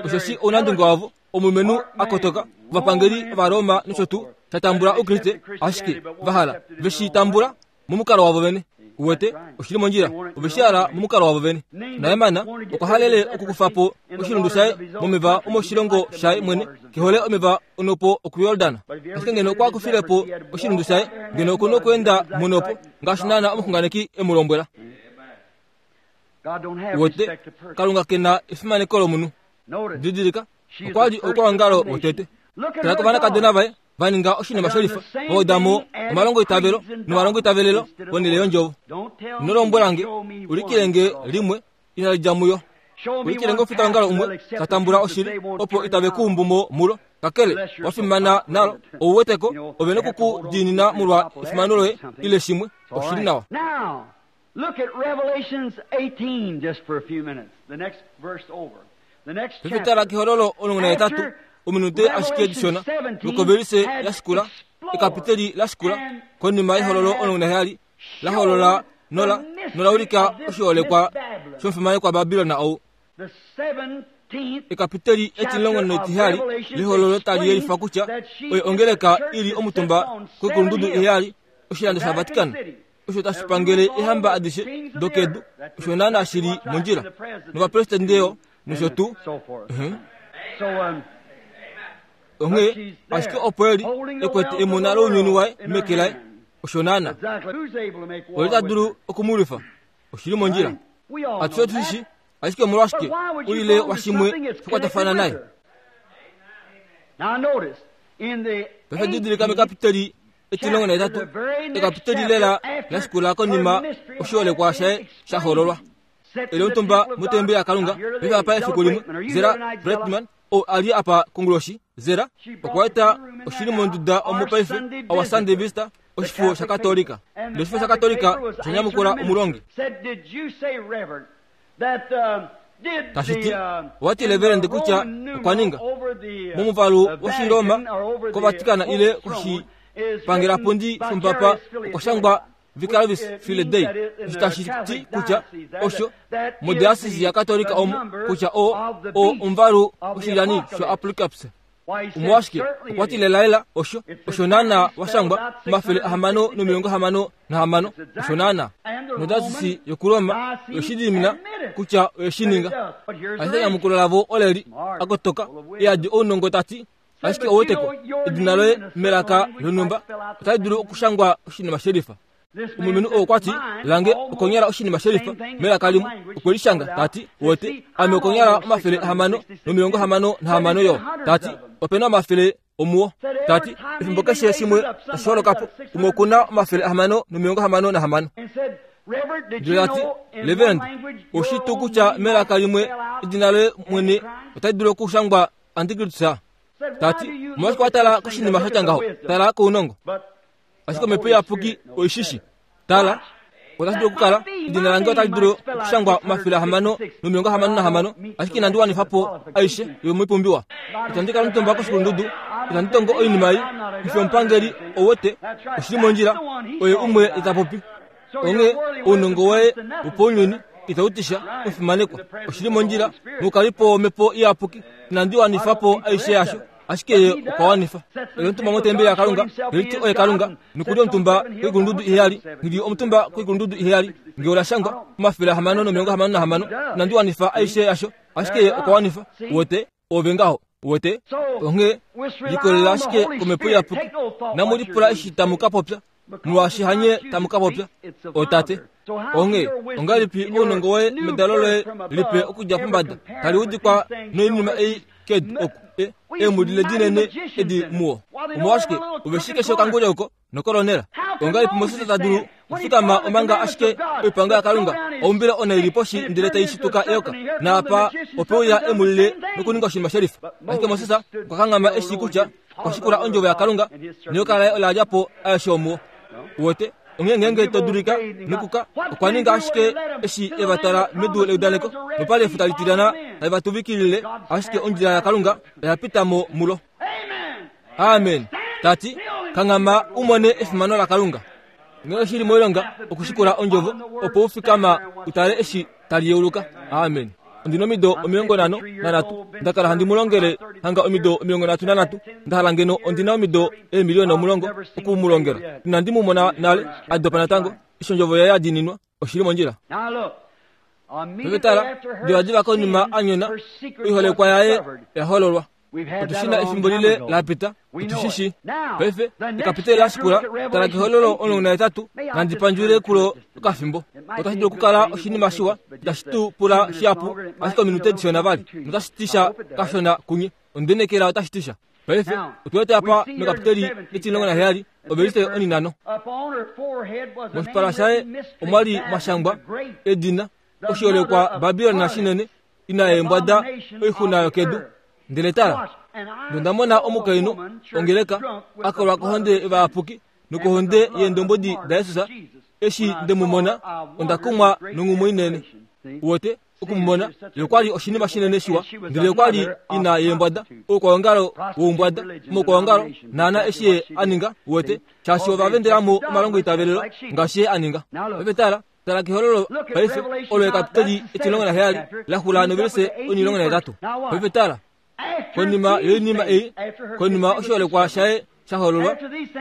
Osheshi ounandunge wavo omulumenhu a kotoka, ovapangeli Ovaroma nosho tuu, sha tambula Oukriste, ashike va hala ve shi tambula momukalo wavo vene. Uwete, oshi li mondjila. Ove shi hala momukalo wavo vene. Naeman okwa halele okukufa po oshilundu shaye momeva omoshilongo shaye mwene, ke hole omeva onopo okuYordan. Ashike ngeno okwa kufile po oshilundu shaye, ngeno oku nokweenda monopo, ngaashi naana omuxunganeki e mu lombwela. Uwete, Kalunga ke na efimaneko lomunhu. Didilika, okwa li oukwaongalo wotete. Tala kovanakadona vaye va ninga oshinima sholifa, va uda mo omalongoitavelo nomalongoitavelelo ponhele yondjovo. Ino lombwela nge, ulikile nge limwe inali dja muyo. Ulikile nge omufitaongalo umwe ta tambula oshili, opo itave ku umbu mo mulo. Kakele, wa fimana nalo, ou wete ko, ove noku ku diinina molwa efimano loye ile shimwe. Oshi li nawa. Look at Revelations 18 just for a few minutes. The next verse over. Paife tala kEhololo 18, ominute ashike dishona, nokovelise ya shikula, ekapiteli la shikula, konima yEhololo 17, la holola nola, nola ulika oshiholekwa shomufimanekwa Babilon ou. Ekapiteli etimulongo netiheyali lEhololo tali yelifa kutya oyo ongeleka i li omutumba koikulundudu iheyali, oshilando shaVatican. osho tashi pangele ehamba adishe dokedu osho naana shi li mondjila novapresidente yo nosho tuu onghee ashike opo eli e kwete emona lounyuni waye meke laye osho naana oli ta dulu okumulwifa oshi li mondjila atushe otu shi ashike omolwashike ulile washimwe shakwatafana naye paife didilika mekapiteli etilongo nahetatu ekapiteli lela la shikula konima oshiholekwa shaye sha hololwa. Eli omutumba motembeli yaKalunga paife apa efiku limwe, Zera Bretman ou a li apa konguloshi, Zera okwa eta oshili monduda omo paife Our Sunday Visitor, oshifo shaKatolika. Ndele oshifo shaKatolika osha nyamukula omulongi. Tashi ti, owa ti Reverend kutya okwa ninga, momuvalu wOshiroma koVatican ile koshipangelapundi shomupapa okwa shangwa Vicarius Filii Dei, osho tashi ti kutya osho modiasisi yaKatolika omo kutya o, o omuvalu woshilyani shoApocalypse. Omolwashike, okwa ti lelalela osho, osho naana wa shangwa, 666, osho naana. Nodasisi yokuRoma oye shi dimina kutya oye shi ninga. Ashike enyamukulo lavo ole li, a kotoka, e yadi ounongo ta ti, Ashike ouweteko, edina loye melaka lonhumba otali dulu okushangwa oshinima shelifa. Omulumenhu oo okwa ti, Lange okonyala oshinima shelifa melaka limwe. Okwe li shanga, ta ti, Wote, ame okonyala 666 yo. Ta ti, Ope na omafele omuwo. Ta ti, Efimbo keshe shimwe tashi holoka po, umwe oku na 666. Ndele ta ti, Reverend, oushi tuu kutya melaka limwe edina loye mwene otali dulu okushangwa Antikristus? Ta ti, Omolwashike wa tala koshinima sha tya ngaho? Tala kounongo. Ashike omhepo iyapuki oi shi shi. Tala, otashi dulu okukala, edina lange otali dulu okushangwa 666, ashike inandi wanifa po aishe yomoipumbiwa. Itandi kala omutumba koshikulundudu, itandi tongo oinima ei, ndifi omupangeli, ou wete, oshi li mondjila, oye umwe ta popi. Onghee ounongo woye wopaunyuni itau ti sha, omufimanekwa, oshi li mondjila, noukalipo womhepo iyapuki, inandi wanifa po aishe yasho. Ashike ye okwa wanifa. Oye omutumba motembeli yaKalunga, ye ti oye Kalunga, noku li omutumba koikulundudu iheyali, nghi li omutumba koikulundudu iheyali, nge ola shangwa, 666, inandi wanifa aishe yasho, ashike ye okwa wanifa. Uwete? Ove ngaho. Uwete? Onghee, likolelela ashike komhepo iyapuki. Inamu lipula eshi tamu ka popya, molwaashi hanye tamu ka popya, oTate. Onghee, ongahelipi ounongo woye medalo loye lipe okudja pombada tali udikwa noinima ei kedu oku e, eemhulile dinene edi muwo? Omolwashike, ove shii keshe okanguli oko nokolonela. Ongahelipi Moses ta dulu okufikama omanga ashike oipango yaKalunga oumbila onaili poshi ndele tai shituka eyoka, naapa ope uya eemhulile nokuninga oshinima shelifa? Ashike Moses okwa kanghama e shii kutya okwa shikula ondjovo yaKalunga, neyoka laye ola lya po aeshe omuwo. Uwete? Onghee ngeenge to dulika nokuka, okwa ninga ashike eshi e va twala medu leudaneko, nopali efuta litilyana tali va tuvikilile, ashike ondjila yaKalunga oya pita mo mulo. Amen. Ta ti, Kanghama u mone efimano laKalunga. Ngeenge shi li moilonga okushikula ondjovo, opo u fikama u tale eshi tali yeuluka. Amen. Ondi nomido 53, nda kala handi mu longele hanga omido 33. Nda hala ngeno ondi na omido eemiliyona 10 oku mu longela. Inandi mu mona nale a dopa natango, eshi ondjovo yaye ya diininwa. Oshi li mondjila. Paife tala, divadiva konima a nyona, oiholekwa yaye ya hololwa. Otu shi na efimbo lile la pita, otu shi shii. Paife, ekapiteli la shikula, tala kEhololo 18, nandi pandjule kulo okafimbo. Otashi dulu okukala oshinima shiwa, itashi tu pula shihapu, ashike ominute dishona vali, notashi ti sha kashona kunye. Ondenekela otashi ti sha. Paife, otu wete apa mekapiteli etimulongo naheyali, ovelise oninhano. Moshipala shaye omwa li mwa shangwa edina, oshiholekwa Babilon shinene, ina yeembwada oixuna yokedu. Ndele tala, nonda mona omukainhu ongeleka a kolwa kohonde yovayapuki nokohonde yeendombwedi daJesus. Eshi nde mu mona, onda kumwa nonghumwe inene. Uwete, oku mu mona, ye okwa li oshinima shinene shiwa, ndele okwa li ina yeembwada, oukwaongalo woumbwada, omaukwaongalo, naana eshi ye a ninga, uwete, shaashi ova vendela mo omalongoitavelelo ngaashi ye a ninga. Paife tala, Tala kehololo paife, olo ekapiteli etimulongo naheyali la xula novelise onimulongo nahetatu. Paife tala, konima yoinima ei, konima oshiholekwa shaye sha hololwa,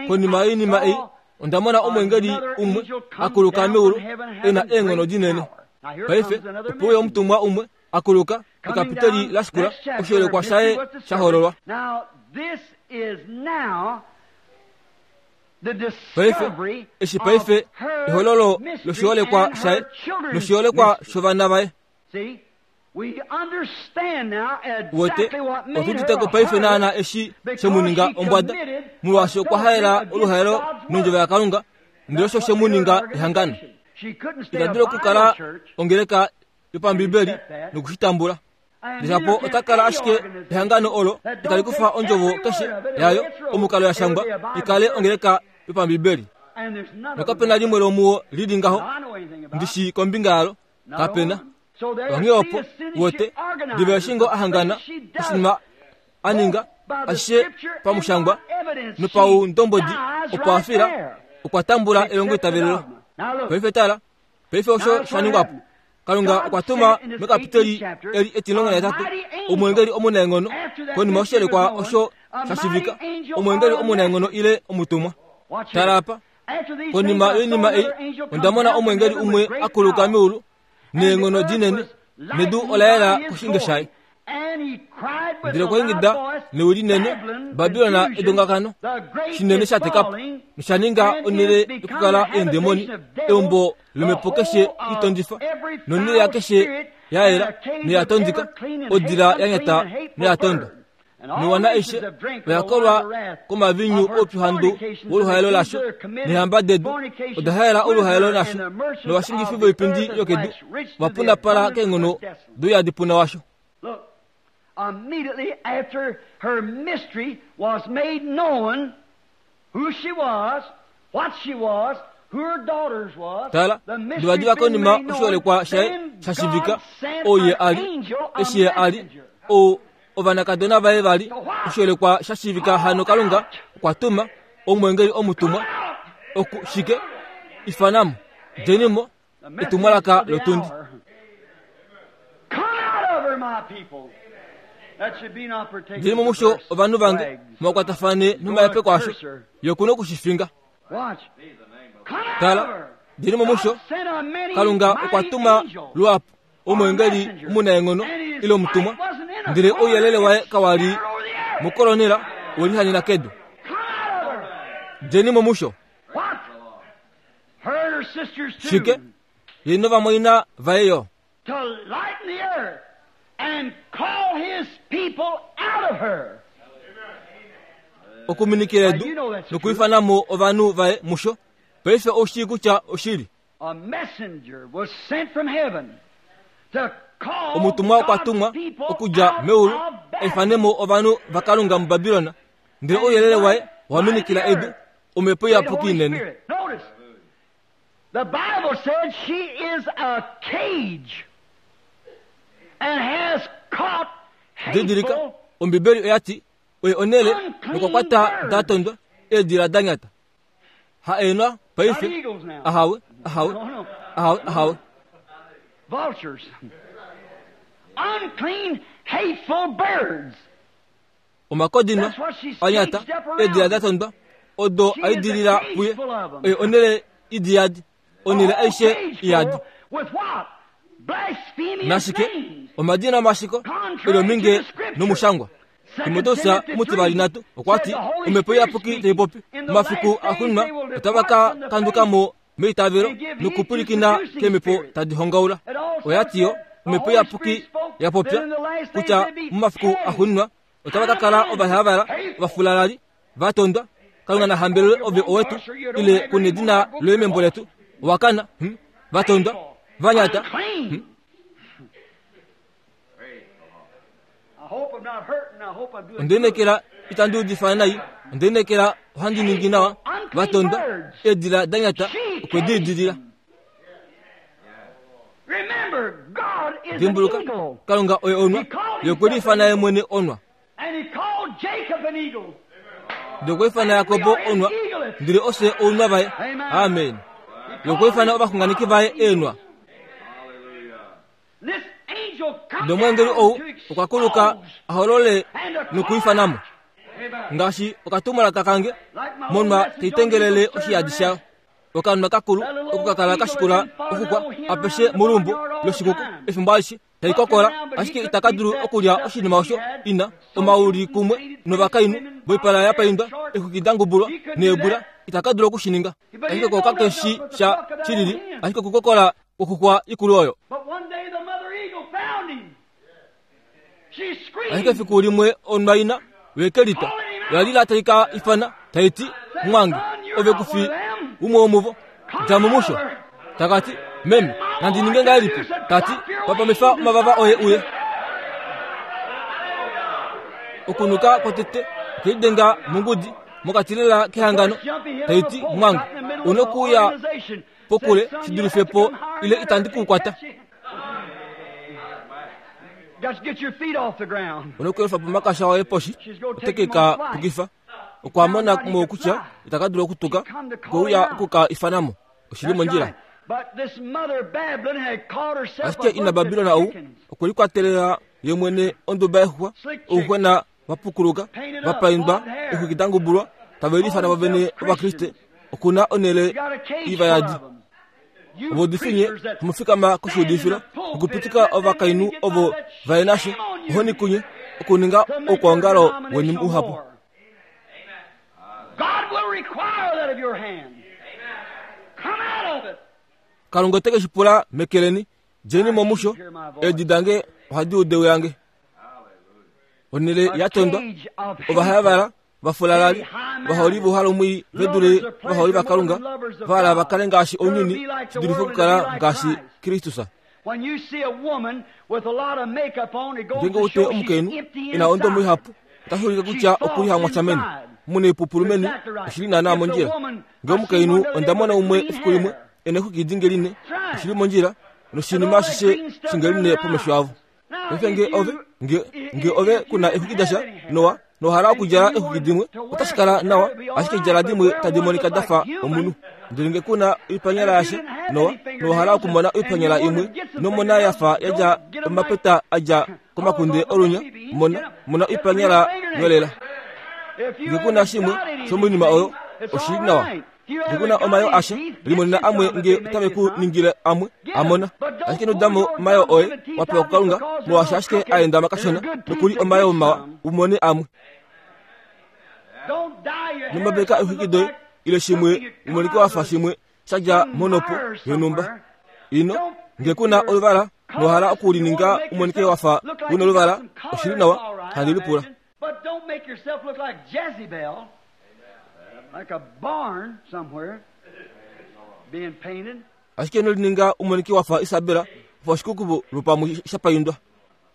konima yoinima ei, onda mona omweengeli umwe a kuluka meulu e na eenghono dinene. Paife ope uya omutumwa umwe a kuluka, ekapiteli la shikula, oshiholekwa shaye sha hololwa. Paife, eshi paife ehololo loshiholekwa shaye noshiholekwa shovana vaye. Uwete, otu udite ko paife naana eshi she mu ninga ombwada, molwaashi okwa haela oluhaelo nondjovo yaKalunga, ndele osho she mu ninga ehangano. Ita dulu okukala ongeleka yopambibeli noku shi tambula. Ndele ota kala ashike ehangano olo itali kufa ondjovo keshe yayo omukalo ya shangwa i kale ongeleka yopambibeli. Nokape na limwe lomuwo li li ngaho ndi shii kombinga yalo. Kape na. Onghee opo, uwete, diva eshi ngoo a hangana, oshinima a ninga, ashishe pamushangwa nopaundombwedi, opo a fila, okwa tambula elongoitavelelo. Paife tala, Paife osho sha ningwa po. Kalunga okwa tuma mekapiteli eli etimulongo nahetatu omweengeli omunaenghono konima oshiholekwa osho sha shivika omwengeli omunaenghono ile omutumwa. Tala apa, konima yoinima ei onda mona omwengeli umwe a kuluka meulu neenghono dinene, nedu ola yela koshinge shaye. Ndele okwa ingida newi linene, Babilon edongakano shinene sha teka po, nosha ninga onhele yokukala eendemoni, eumbo lomhepo keshe itondifa, nonhele yakeshe ya yela noya tondika, odila ya nyata noya tondwa. Noiwana aishe oya kolwa komaviinyu oupyuhandu woluhaelo lasho, neehamba dedu oda haela oluhaelo nasho, novashingifi voipindi yokedu ova punapala keenghono douyadipuna washo. Immediately after her mystery was made known, who she was, what she was, who her daughters was, Tala, divadiva konima oshiholekwa shaye sha shivika, ou ye a li, eshi ye a li, ou ovanakadona vaye va li, oshiholekwa sha shivika hano Kalunga okwa tuma omwengeli omutumwa oku shike ifanamo, djeni mo, etumwalaka lotundi. Djeni mo musho ovanhu vange, mwakwatafane nomahepeko asho, ye oku na oku shi finga. Tala, djeni mo musho, Kalunga okwa tuma luhapu omwengeli omunaenghono ile omutumwa, ndele ouyelele waye kawa li mokolonela we lihanena kedu. Djeni mo musho. Shike? Ye novamwaina vaye yo. To lighten the earth and call his people out of her. Okuminikila edu nokuifana mo ovanhu vaye musho. Paife ou shii kutya oshili. A messenger was sent from heaven to call Omutumwa okwa tumwa God's people okudja out meulu of a ifane mo ovanhu vaKalunga muBabilon, ndele ouyelele waye owa minikila edu, Omhepo Iyapuki inene. Notice, the Bible said she is a cage and has caught Didilika, hateful Ombibeli oya ti, Oye onhele nokwa kwata da tondwa, eedila da nyata. Ha eenwa not paife, eagles now. ahawe, ahawe, No, no. ahawe, ahawe. Vultures. Unclean, hateful birds. Omakodino a nyata, eedila da tondwa, odo a idilila puye, oye onhele idi yadi, onhele aishe iyadi. With what? Blasphemous Nashike, names. omadina omashiko, elominge nomushangwa. Timoteus omutivali nhatu okwa ti, Omhepo Iyapuki tai popi, momafiku axuuninwa otava ka kanduka mo meitavelo nokupwilikina keemhepo tadi hongaula. Oya ti yo, Omhepo Iyapuki ya popya kutya momafiku axuuninwa otava ka kala ovahavala, ovafulalali, va tondwa. Kalunga na hambelelwe ove owetu, ile ku nedina loye membo letu. Owa kana, va tondwa, va nyata. Unclean. I hope I'm not hurting. I hope I'm doing Onda inekela itandi udifa nai, onda inekela ohandi ningi nawa. Va tondwa, eedila da nyata okwe di idilila. Remember, God is an Dimbuluka, eagle. Kalunga oye onwa, ye okwe liifana ye mwene onwa. And he called Jacob an eagle. Ndele okwa ifana Jakobo onwa, ndele ofye ounwa vaye. Amen. Ye okwa ifana ovaxunganeki vaye eenwa. This angel come Ndele omweengeli down ou to okwa kuluka expose a holole and to nokuifana mo. call Ngaashi okatumwalaka kange, Like my old monwa message tai on tengelele Eagle oshiyadi Stirrer shayo. Okanwa kakulu oko ka kala ka shikula okukwa apeshe molumbo loshikuku efimbo alishe tai kokola, ashike itaka dulu okulya oshinima osho ina omauli kumwe novakainhu voipala ya paindwa, exwiki da ngubulwa neebula, itaka dulu oku shi ninga. Ashike ko kake shi sha shilili, ashike okukokola kwokukwa ikulu oyo. But one day the mother eagle found him. She screamed. Ashike efiku limwe onwa ina weke litwa oya lila tai ka ifana tai ti, Mwange, ove ku fi umwe womuvo, dja mo musho. Taka ti, Meme, nandi ninge ngahelipi? Ta ti, Papamifa omavava oye uye. Okunuka kwotete okwelidenga mongudi mokati lela kehangano, tai ti, Mwange, u nokuuya pokule shi dulife po ile itandi ku kwata. Got to get your feet off the ground. U nokuyelufa po omakasha oye poshi, ote ke ka pukifa. Okwa mona mo kutya itaka dulu okutuka, okwe uya oku ka ifana mo. Oshi li That's mondjila. right. But this mother Babylon had caught herself Ashike a ina bunch of Babilon ou chickens. okwe likwatelela ye mwene onduba yexuxwa, ouxwena va pukuluka, va paindwa, eexwiki da ngubulwa, tave liifana vovene Ovakriste, oku na onhele iva yadi. Ovaudifi nye hamu fikama koshiudifilo nokupitika ovakainhu ovo va ye nasho, ohoni kunye, okuninga oukwaongalo weni muhapu. Kalunga ote ke shi pula meke leni. Djeni mo musho, eedi dange ohadi udu ewi lange. Onhele ya tondwa, ovahayavala, vafulalali, ovaholi vouhalomwii ve dule ovaholi vaKalunga, va hala va kale ngaashi ounyuni shi dulife okukala ngaashi Kristus. Ngeenge ou te omukainhu e na ondomo ihapu, otashi ulike kutya oku li hamwasha meni. Mu neipupulu meni, oshi li naanaa mondjila. Nge omukainhu onda mona umwe efiku limwe e na exwiki dingeline, oshi li mondjila, noshinima ashishe shingeline pomesho avo. Paife nge ove, nge, nge ove ku na exwiki dasha, nowa, nowa hala okudjala exwiki dimwe, otashi kala nawa, ashike djala dimwe tadi monika da fa omunhu. Ndele nge ku na oipanyala yasha, nowa, nowa hala okumona oipanyala imwe, nomona ya fa ya dja omapeta a dja komakunde olunya, mona, mona oipanyala yolela. Nge ku na shimwe shomoinima oyo, oshi li nawa. Nge ku na omayo asha, limonena amwe nge otave ku ningile amwe, a mona. Ashike ino damo omayo oye wa pewa kuKalunga, molwaashi ashike a endama kashona, noku li omayo mawa, u mone amwe. Nomabeka eexwiki doye, ile shimwe, u monike wa fa shimwe sha dja monopo yonhumba. Ino, nge ku na oluvala, nowa hala oku lininga u monike wa fa u noluvala, oshi li nawa, handi lipula. But don't make yourself look like Jezebel, like a barn somewhere, being painted. Ashike ino lininga u monike wa fa Isabela, wa fa oshikukubu lwopamwe sha paindwa.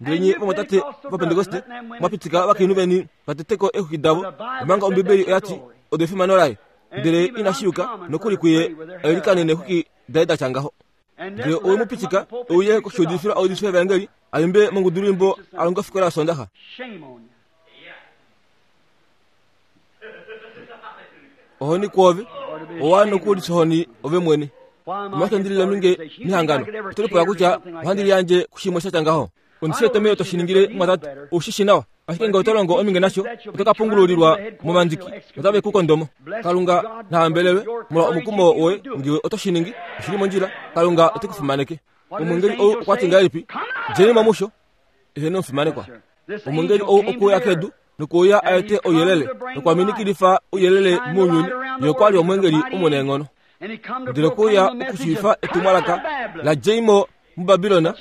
Ndele nye vamwatate Ovapentekoste mwa pitika ovakainhu veni va tete ko eexwiki davo, omanga Ombibeli oya ti odo efimano laye. Ndele inashi yuka nokuli kuye a ilikane neexwiki daye da tya ngaho. Ndele owe mu pitika e uye koshiudifilo a udife evaengeli, a imbe mongudulwiimbo, a longe ofikola yOsoondaxa. Ohoni kwoove, owa nokulisohoni ove mwene. Omolwashike ndi lile ominge mehangano? Oto lipula kutya ohandi liyandje kushimwe sha tya ngaho? Ondi shi wete to shi ningile, mumwatate. Ou shi shi nawa. Ashike ngee oto longo ominge nasho, oto ka pungululilwa momandiki, notave ku kondo mo. Kalunga na hambelelwe molwa omukumo woye ngewe oto shi ningi. Oshi li mondjila. Kalunga ote ku fimaneke. Omwengeli ou okwa ti ngahelipi? Djeni mo musho. Eheno omufimanekwa. Omwengeli ou okwe uya kedu nokuuya a ete ouyelele nokwa minikilifa ouyelele mounyuni. Ye okwa li omwengeli omunaenghono. Ndele okwe uya okushiivifa etumwalaka la djei mo muBabilon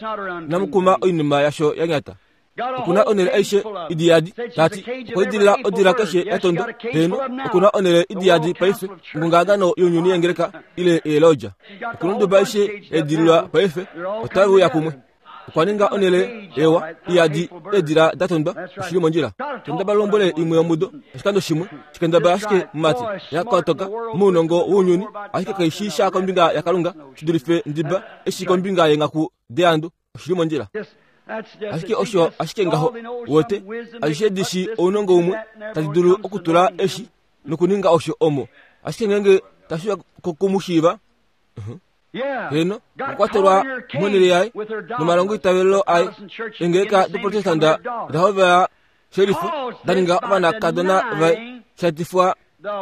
namukuma oinima yasho ya nyata. Oku na onhele aishe idi yadi, ta ti, okwa idilila odila keshe ya tondwa. Heeno, oku na onhele idi yadi paife, ongongahangano younyuni yengeleka ile eeloja. Oku na onduba aishe ya idililwa paife, otave uya kumwe. Okwa ninga onhele ewa iyadi eedila da tondwa, oshi li mondjila. Kendabala lombwele imwe yomudo, oshikando shimwe, shikendabala ashike mumati, ya kotoka mounongo wounyuni, ashike kai shii sha kombinga yaKalunga shi dulife ndiba eshi kombinga yeenghaku deandu. Oshi li mondjila. Ashike osho ashike ngaho, wote, aishe di shii ounongo umwe tadi dulu okutula eshi nokuninga osho omo. Ashike ngeenge tashi uya koku mu shiiva, uh-huh. Heeno, okwa kwatelwa monhele yaye nomalongoitavelo aye. Eengeleka doProtestanda oda hovela shelifa da ninga ovanakadona vaye, sha etifwa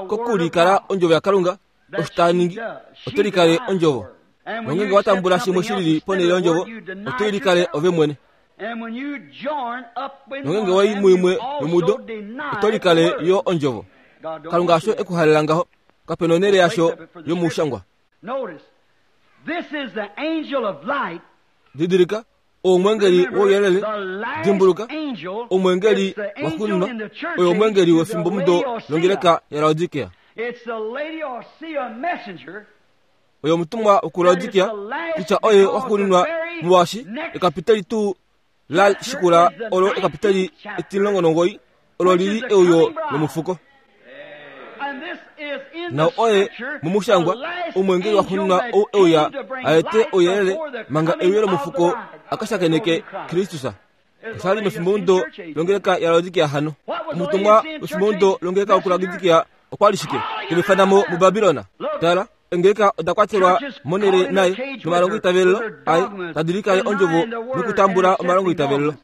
kokulikala ondjovo yaKalunga. Osho ta ningi, ote likale ondjovo. Nongeenge wa tambula shimwe shi lili ponhele yondjovo, oto i likale ove mwene. Nongeenge wa i muimwe yomudo, oto likale yo ondjovo. Kalunga hasho e ku halela ngaho. Kape na onhele yasho yomushangwa. Didilika, omwengeli wouyelele. Dimbuluka, omwengeli waxuuninwa oye omwengeli wefimbomudo longeleka yaLaodikea. Oye omutumwa wokuLaodikea, kutya oye waxuuninwa molwaashi ekapiteli tuu la shikula olo ekapiteli etimulongo olo li li euyo lomufuko. Nau oye momushangwa omwengeli waxuuninwa ou e uya a ete ouyelele manga euyo lomufuko a ka shakeneke Kristus. Osha li mefimbomudo longeleka yaLaodikia hano. Omutumwa wefimbomudo longeleka wokuLaodikia okwa li shike? Te mu ifana mo muBabilon. Tala. Engeleka oda kwatelwa monhele naye nomalongo itavelelo aye tadi likale ondjovo nokutambula omalongo itavelelo.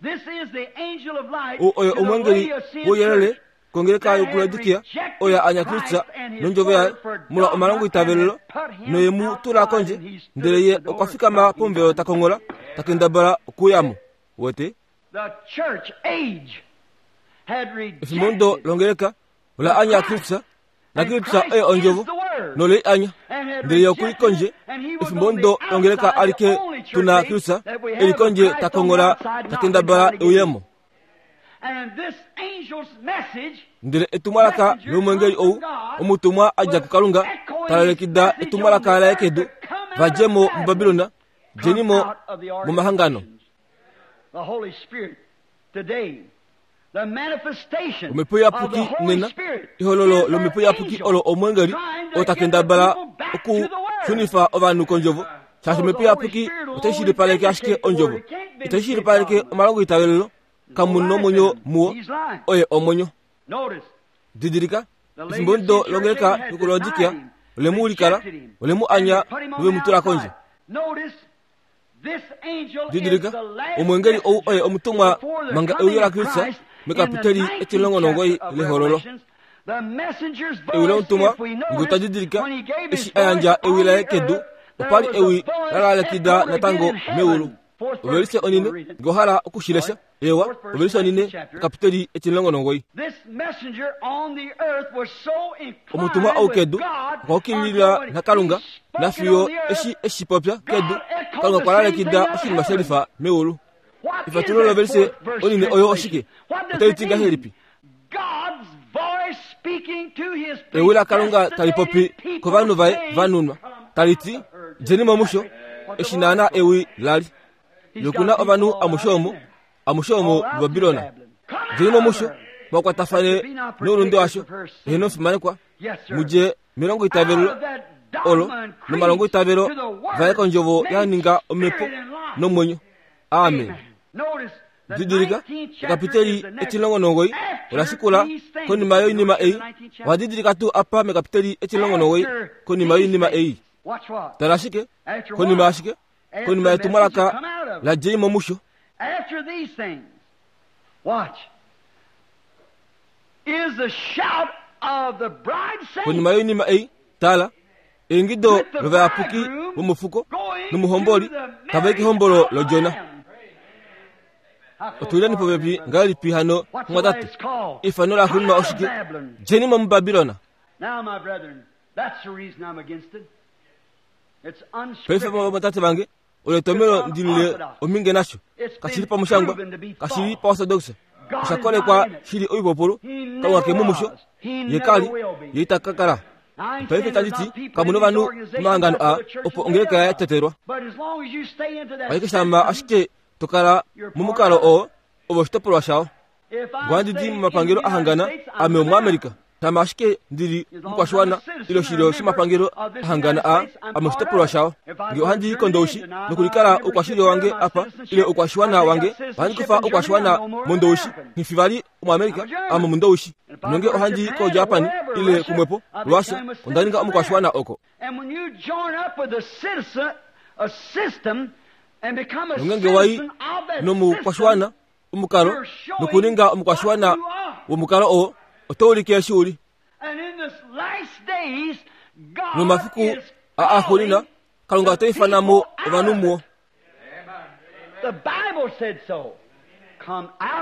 Ou oye omwengeli wouyelele kongeleka yokuLaodikia oyo anya Kristus nondjovo yaye molwa omalongo itavelelo noye mu tula kondje ndele ye okwa fikama pomuvelo ta konghola ta kendabala okuuya mo. Wete? Efimbo longeleka ola anya Kristus naKristus oye ondjovo nole i anya ndele ye okuli kondje efimbo ndo longeleka alike tu na Kristus e li kondje ta konghola ta kendabala euyemo. Ndele etumwalaka lomwengeli ou omutumwa a dja kuKalunga ta lalekida etumwalaka laye kedu, va dje mo muBabilon, djeni mo momahangano. Omhepo Iyapuki nena, ehololo lOmhepo Iyapuki olo omwengeli oo ta kendabala okushunifa ovanhu kondjovo, shaashi Omhepo Iyapuki otai shilipaleke ashike ondjovo. Itai shilipaleke omalongoitavelelo, kamu nomwenyo muwo, oye omwenyo. Didilika, efimbo ndo longeleka yokuLaodikia, ole mu likala, ole mu anya nove mu tula kondje. Didilika, omwengeli ou oye omutumwa manga euyo laKristus mekapiteli etilongo nomugoyi lehololo. Ewi lomutumwa nge otwa didilika eshi a yandja ewi laye kedu, opa li ewi la lalekida natango meulu. Ovelise onine, nge owa hala oku shi lesha, eewa, ovelise onine, ekapiteli 19. Omutumwa ou kedu okwa ukilila naKalunga, nafiyo eshi e shi popya kedu, Kalunga okwa lalekida oshinima she lifa meulu. Efatululo lovelise onine oyo oshike? Otai ti ngahelipi? Ewi laKalunga tali popi kovanhu vaye va nunwa, tali ti, Djeni mo musho, eshi naanaa ewi la li. Noku na ovanhu amushe omo, amushe omo muBabilon. Djeni mo musho, mwa kwatafane noulunde washo, eheno omufimanekwa, mu dje melongoitavelo olo nomalongoitavelo vaye kondjovo ya ninga omhepo nomwenyo. Amen. Didilika, ekapiteli 19 ola shikula konima yoinima ei. Owa didilika tuu apa mekapiteli 19 konima yoinima ei? Tala ashike, konima yashike? Konima yetumwalaka la djei mo musho. Konima yoinima ei, tala, eingido lovayapuki vomofuko nomuhomboli tava i kehombolo lOdjona. Otuleni popepi ngahelipi hano, mumwatate? Eifano laxuuninwa oshike? Djeni mo muBabilon. Paife vamwatate vange, olo etomhelo ndi lile omhinge nasho. Kashi li pamushangwa, kashi li paortodoxa, osha kolekwa shi li oipupulu. Kalunga ke mu musho, ye ka li, ye ita ka kala. Paife tandi ti, kamu novanhu momahangano aa opo ongeleka ya tetelwa. Ashike shama ashike to kala momukalo oo, ove oshitopolwa shao. Ohandi di momapangelo a hangana, ame Omuamerika. Shama ashike ndi li omukwashiwana ile oshilyo shomapangelo a hangana aa, ame oshitopolwa shao. Nge ohandi i kOndoushi nokulikala oukwashilyo wange apa ile oukwashiwana wange, ohandi kufa oukwashiwana mOndoushi. Nghi fi vali Omuamerika, ame Omundoushi. Nonge ohandi i koJapan ile kumwepo, Russia, onda ninga omukwashiwana oko. Nongenge wa i nomukwashiwana omukalo nokuninga omukwashiwana womukalo oo, oto ulike eshi u li. Nomafiku aa axuuninwa, Kalunga ota ifana mo ovanhu muo.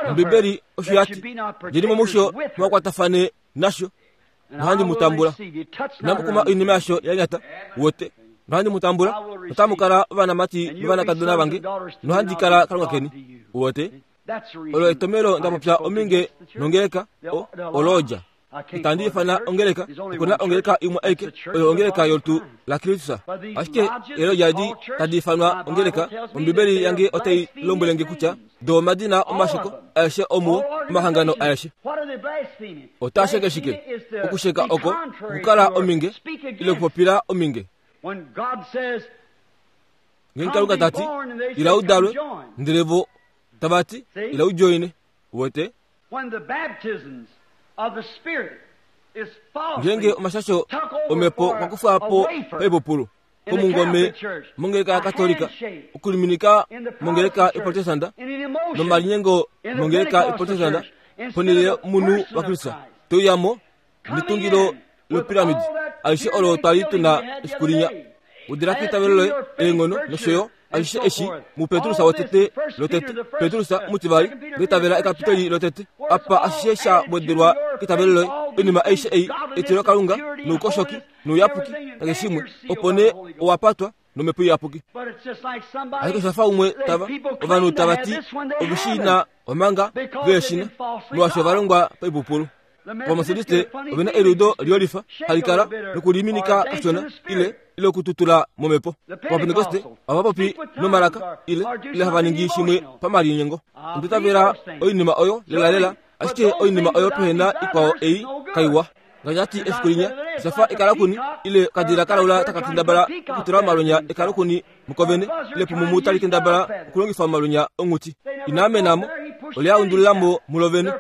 Ombibeli osho ya ti, Djeni mo musho mwa kwatafane nasho, nohandi mu tambula. Inamu kuma oinima yasho ya nyata, wote, nohandi mu tambula, notamu kala ovanamati novanakadona vange, nohandi kala Kalunga keni. Wote, olo etomhelo nda popya ominge nongeleka, o, olodja. Itandi ifana ongeleka, oku na ongeleka imwe aike, oyo ongeleka yolutu laKristus. Ashike eelodja edi tadi ifanwa ongeleka, Ombibeli yange otai lombwele nge kutya do omadina omasheko aeshe omuo omahangano aeshe. Otaa sheke shike? Okusheka oko okukala ominge ile okupopila ominge. Ngeenge Kalunga ta ti, Ila u dalwe, ndele vo tava ti, Ila u djoine. Uwete? When the baptisms of the Spirit. Ngeenge omashasho omhepo okwa kufwa po paipupulu komungome mongeleka yaKatolika, okuliminika mongeleka yoProtestanta nomalinyengo mongeleka yoProtestanta ponhele yomunhu waKristus, te uya mo netungilo lopiramidi alishe olo twa li tu na efiku linya. Udila keitavelo loye eenghono nosho yo alishe eshi muPetrus wotete lotete, Petrus omutivali, ngeitavela ekapiteli lotete, apa ashishe sha wedelwa keitavelo loye, oinima aishe ei, etilokalunga noukoshoki nouyapuki nakeshe shimwe, opo nee owa patwa nomhepo iyapuki. Ashike osha fa umwe tava, ovanhu tava ti ove shi na omanga ve shi na, molwaashi ova longwa paipupulu. Ovametodiste ove na eliudo liyolifa hali kala nokuliminika kashona ile ile okututula momhepo. Ovapentekoste ohava popi nomalaka ile ile hava ningi shimwe pamalinyengo. Onda itavela oinima oyo lelalela, ashike oinima oyo pehe na ikwao ei kaiwa. Ngaashi ti efiku linya, osha fa ekalakuni ile okadila kalaula taka kendabala okutula omalwenya ekalakuni mukovene ile pumumu tali kendabala okulongifa omalwenya onghuti. Ina amena mo, ole a undulila mo mulo vene.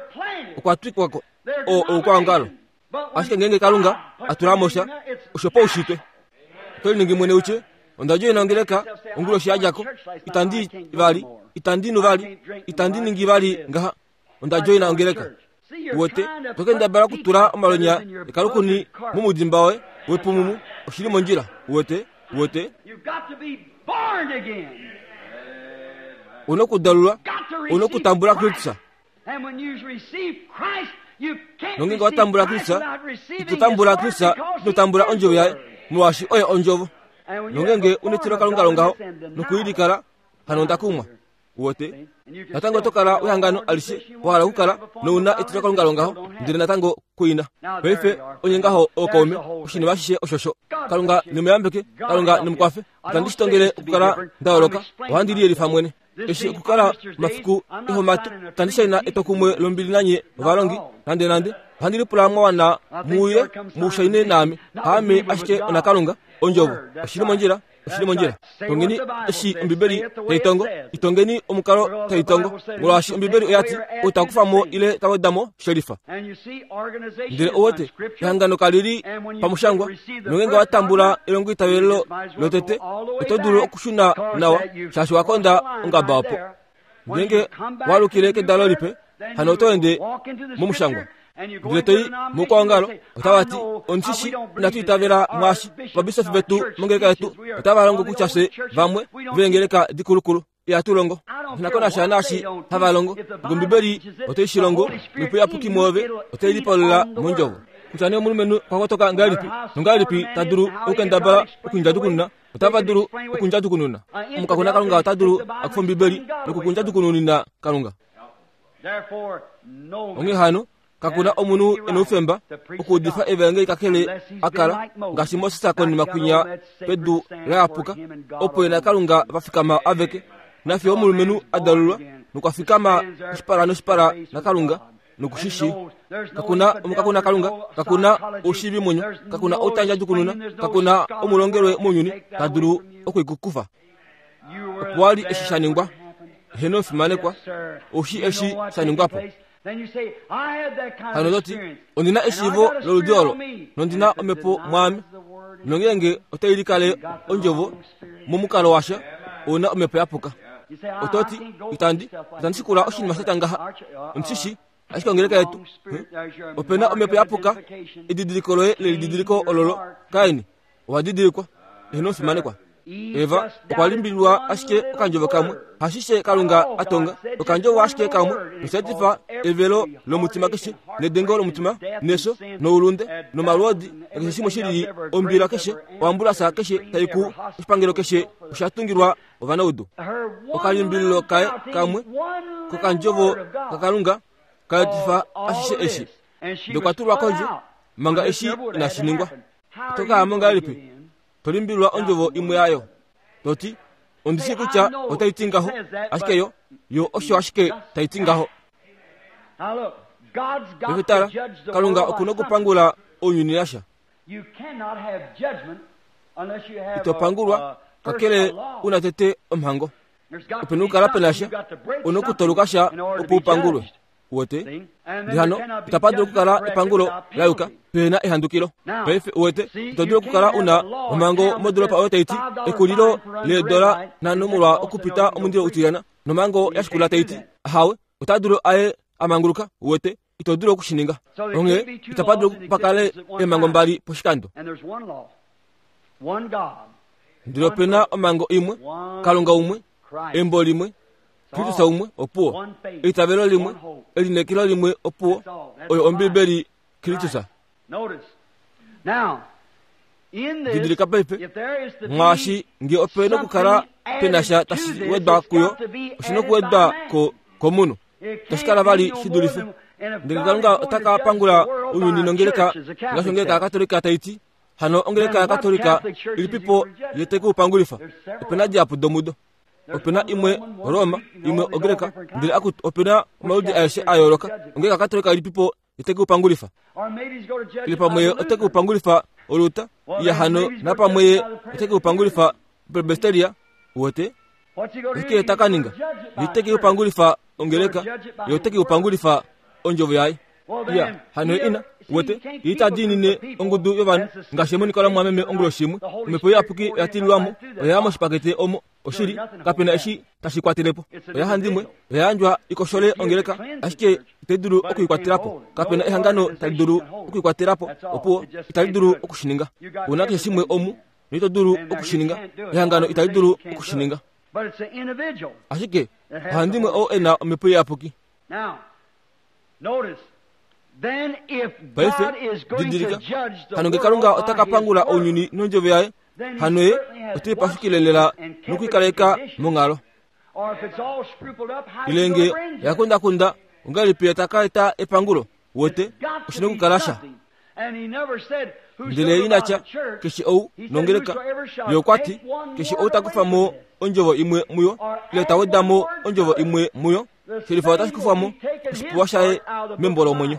Okwa twikwa ko oo oukwaongalo. Ashike ngeenge Kalunga a tula mo sha, osho paushitwe. Oto liningi mwene utye, Onda djoina ongeleka onguloshi ya dja ko. Itandi vali, itandi nu vali, itandi ningi vali ngaha. Onda djoina ongeleka. Uwete, to kendabala okutula omalwenya ekalukuni momudimba woye wepumumu, oshi li mondjila. Uwete? Uwete? U nokudalulwa, u nokutambula Kristus. Nongeenge wa tambula Kristus, ito tambula Kristus, ino tambula ondjovo yaye, molwaashi oye ondjovo. Nongeenge u netilokalunga longaho nokuilikala, hano onda kumwa. Uwete? Natango oto kala wehangano alishe wa hala okukala nouna etilokalunga longaho, ndele natango kuina. Paife onye ngaho ookaume, oshinima ashishe oshosho. Kalunga ne mu yambeke, Kalunga ne mu kwafe. Itandi shi tongele okukala nda yooloka, ohandi liyelifa mwene. Eshi okukala omafiku ehomato, itandi shaina etwokumwe lombili nanye ovalongi, nandenande. Ohandi lipula mwa wana mu uye mu shaine naame. Haame ashike onaKalunga, Ondjovo. Oshi li mondjila. Oshi li mondjila. Tongeni eshi Ombibeli tai tongo. Itongeni omukalo tai tongo. Molwaashi Ombibeli oya ti, Ou ta kufa mo ile ta weda mo, shelifa. Ndele ou wete, ehangano kali li pamushangwa. Nongeenge wa tambula elongoitavelo lotete, oto dulu okushuna nawa, shaashi wa konda ongaba opo. Ngeenge wa alukile kedalo lipe, hano oto ende momushangwa. Ndele to i moukwaongalo, otava ti, Omushishi, inatu itavela mwaashi. Ovabisofi vetu mongeleka yetu otava longo kutya fye vamwe veengeleka dikulukulu. Ihatu longo. Nghi ko nasha naashi hava longo. Nge Ombibeli otai shi longo, Omhepo Iyapuki mwoove otai lipalula mOndjovo. Kutya nee omulumenhu okwa kotoka ngahelipi nongahelipi ta dulu okukendabala okundjadukununa, otava dulu okundjadukununa. Omukakona Kalunga ota dulu a kufa Ombibeli nokukundjadukununina Kalunga. Onghee hano, kaku na omunhu e noufemba okuudifa evaengeli kakele a kala ngaashi Moses konima kwinya pedu la yapuka, opo ye naKalunga va fikama aveke, nafiyo omulumenhu a dalulwa nokwa fikama oshipala noshipala naKalunga noku shi shii. Kaku na omukakuna Kalunga, kaku na oushiivimwenyo, kaku na outandjadjukununa, kaku na omulongelwe mounyuni ta dulu oku i ku kufa. Opo wa li eshi sha ningwa. Heeno omufimanekwa, ou shii eshi sha ningwa po. Hano to ti, Ondi na eshiivo loludi olo, nondi na omhepo mwaame. Nongeenge otai likale ondjovo momukalo washa, ou na omhepo ya puka. Oto ti, Itandi, itandi shikula oshinima sha tya ngaha. Ondi shi shii, ashike ongeleka yetu. Ope na omhepo ya puka, edidiliko loye lelididiliko ololo, Kain, Owa didilikwa, eheno omufimanekwa. Eva okwa limbililwa ashike okandjovo kamwe, hashishe Kalunga a tonga, okandjovo ashike kamwe, nosha etifa evelo lomutima keshe, nedengo lomutima, nefyo, noulunde, nomalwoodi, nakeshe shimwe shi lili, ombila keshe, oambulasa keshe tai ku oshipangelo keshe osha tungilwa ovanaudu. Okalimbililo kaye kamwe kokandjovo kaKalunga ka etifa ashishe eshi. Nokwa tulwa kondje manga eshi inashi ningwa. Oto ka ya mo ngahelipi? To limbililwa ondjovo imwe yayo. To ti, Ondi shii kutya otai ti ngaho, ashike yo, yo osho ashike tai ti ngaho. Paife tala, Kalunga oku nokupangula ounyuni nasha. Ito pangulwa kakele u na tete omhango. Ope na okukala pe na sha, u na okutoluka sha opo u pangulwe. Uwete? Ndele hano itapa dulu okukala epangulo la yuka pehe na ehandukilo. Paife uwete, ito dulu okukala u na omhango modoolopa oyo tai ti ekulilo leedola nhano molwa okupita omundilo utilyana, nomhango ya shikula tai ti ahawe, ota dulu aye a manguluka. Uwete, ito dulu oku shi ninga. Onghee itapa dulu pa kale eemhango mbali poshikando. Ndele ope na omhango imwe, Kalunga umwe, embo limwe, Kristus umwe, opuwo, eitavelo limwe, elineekelo limwe, opuwo, oyo Ombibeli, Kristus. Didilika paife, mwaashi nge ope nokukala pe na sha tashi wedwa kuyo, oshi nokuwedwa ko komunhu. Itashi kala vali shi dulife. Ndele Kalunga ota ka pangula ounyuni nongeleka, ngaashi ongeleka yaKatolika tai ti, Hano ongeleka yaKatolika ilipipo ye te ku pangulifa? Ope na dihapu domudo. Ope na imwe Roma, imwe Ogreka, ndele akutu ope na omaludi aeshe a yooloka. Ongeleka yaKatolika ilipipo ye te ku pangulifa? Ile pamwe ye ote ku pangulifa Oluta, iya hano napamwe ye ote ku pangulifa Presbyteria, uwete? Oshike ye ta ka ninga? Ye te ke u pangulifa ongeleka, ye ote ke u pangulifa ondjovo yaye. Iya, hano ye ina, uwete, ye ita diinine ongudu yovanhu, ngaashi emoniko lamumwameme onguloshi imwe, omhepo iyapuki oya tililwa mo, oya ya moshipakete omo, oshili, kape na eshi tashi kwatele po. Oya handimwe, oya yandjwa i koshole ongeleka, ashike itai dulu oku i kwatela po. Kape na ehangano tali dulu oku i kwatela po, opuwo, itali dulu oku shi ninga. Ou na keshe shimwe omu, noito dulu oku shi ninga. Ehangano itali dulu oku shi ninga. Ashike ohandimwe oo e na omhepo iyapuki. Paife, didilika, hano nge Kalunga ota ka pangula ounyuni nondjovo yaye, hano ye ote i pashukile lela noku i kaleka monghalo. Ile nge oya kundakunda, ongahelipi ye ta ka eta epangulo? Wete, oshi nokukala sha. Ndele ina tya, Keshe ou nongeleka. Ye okwa ti, Keshe ou ta kufa mo ondjovo imwe muyo, ile ta weda mo ondjovo imwe muyo, shelifa otashi kufwa mo oshipewa shaye membo lomwenyo.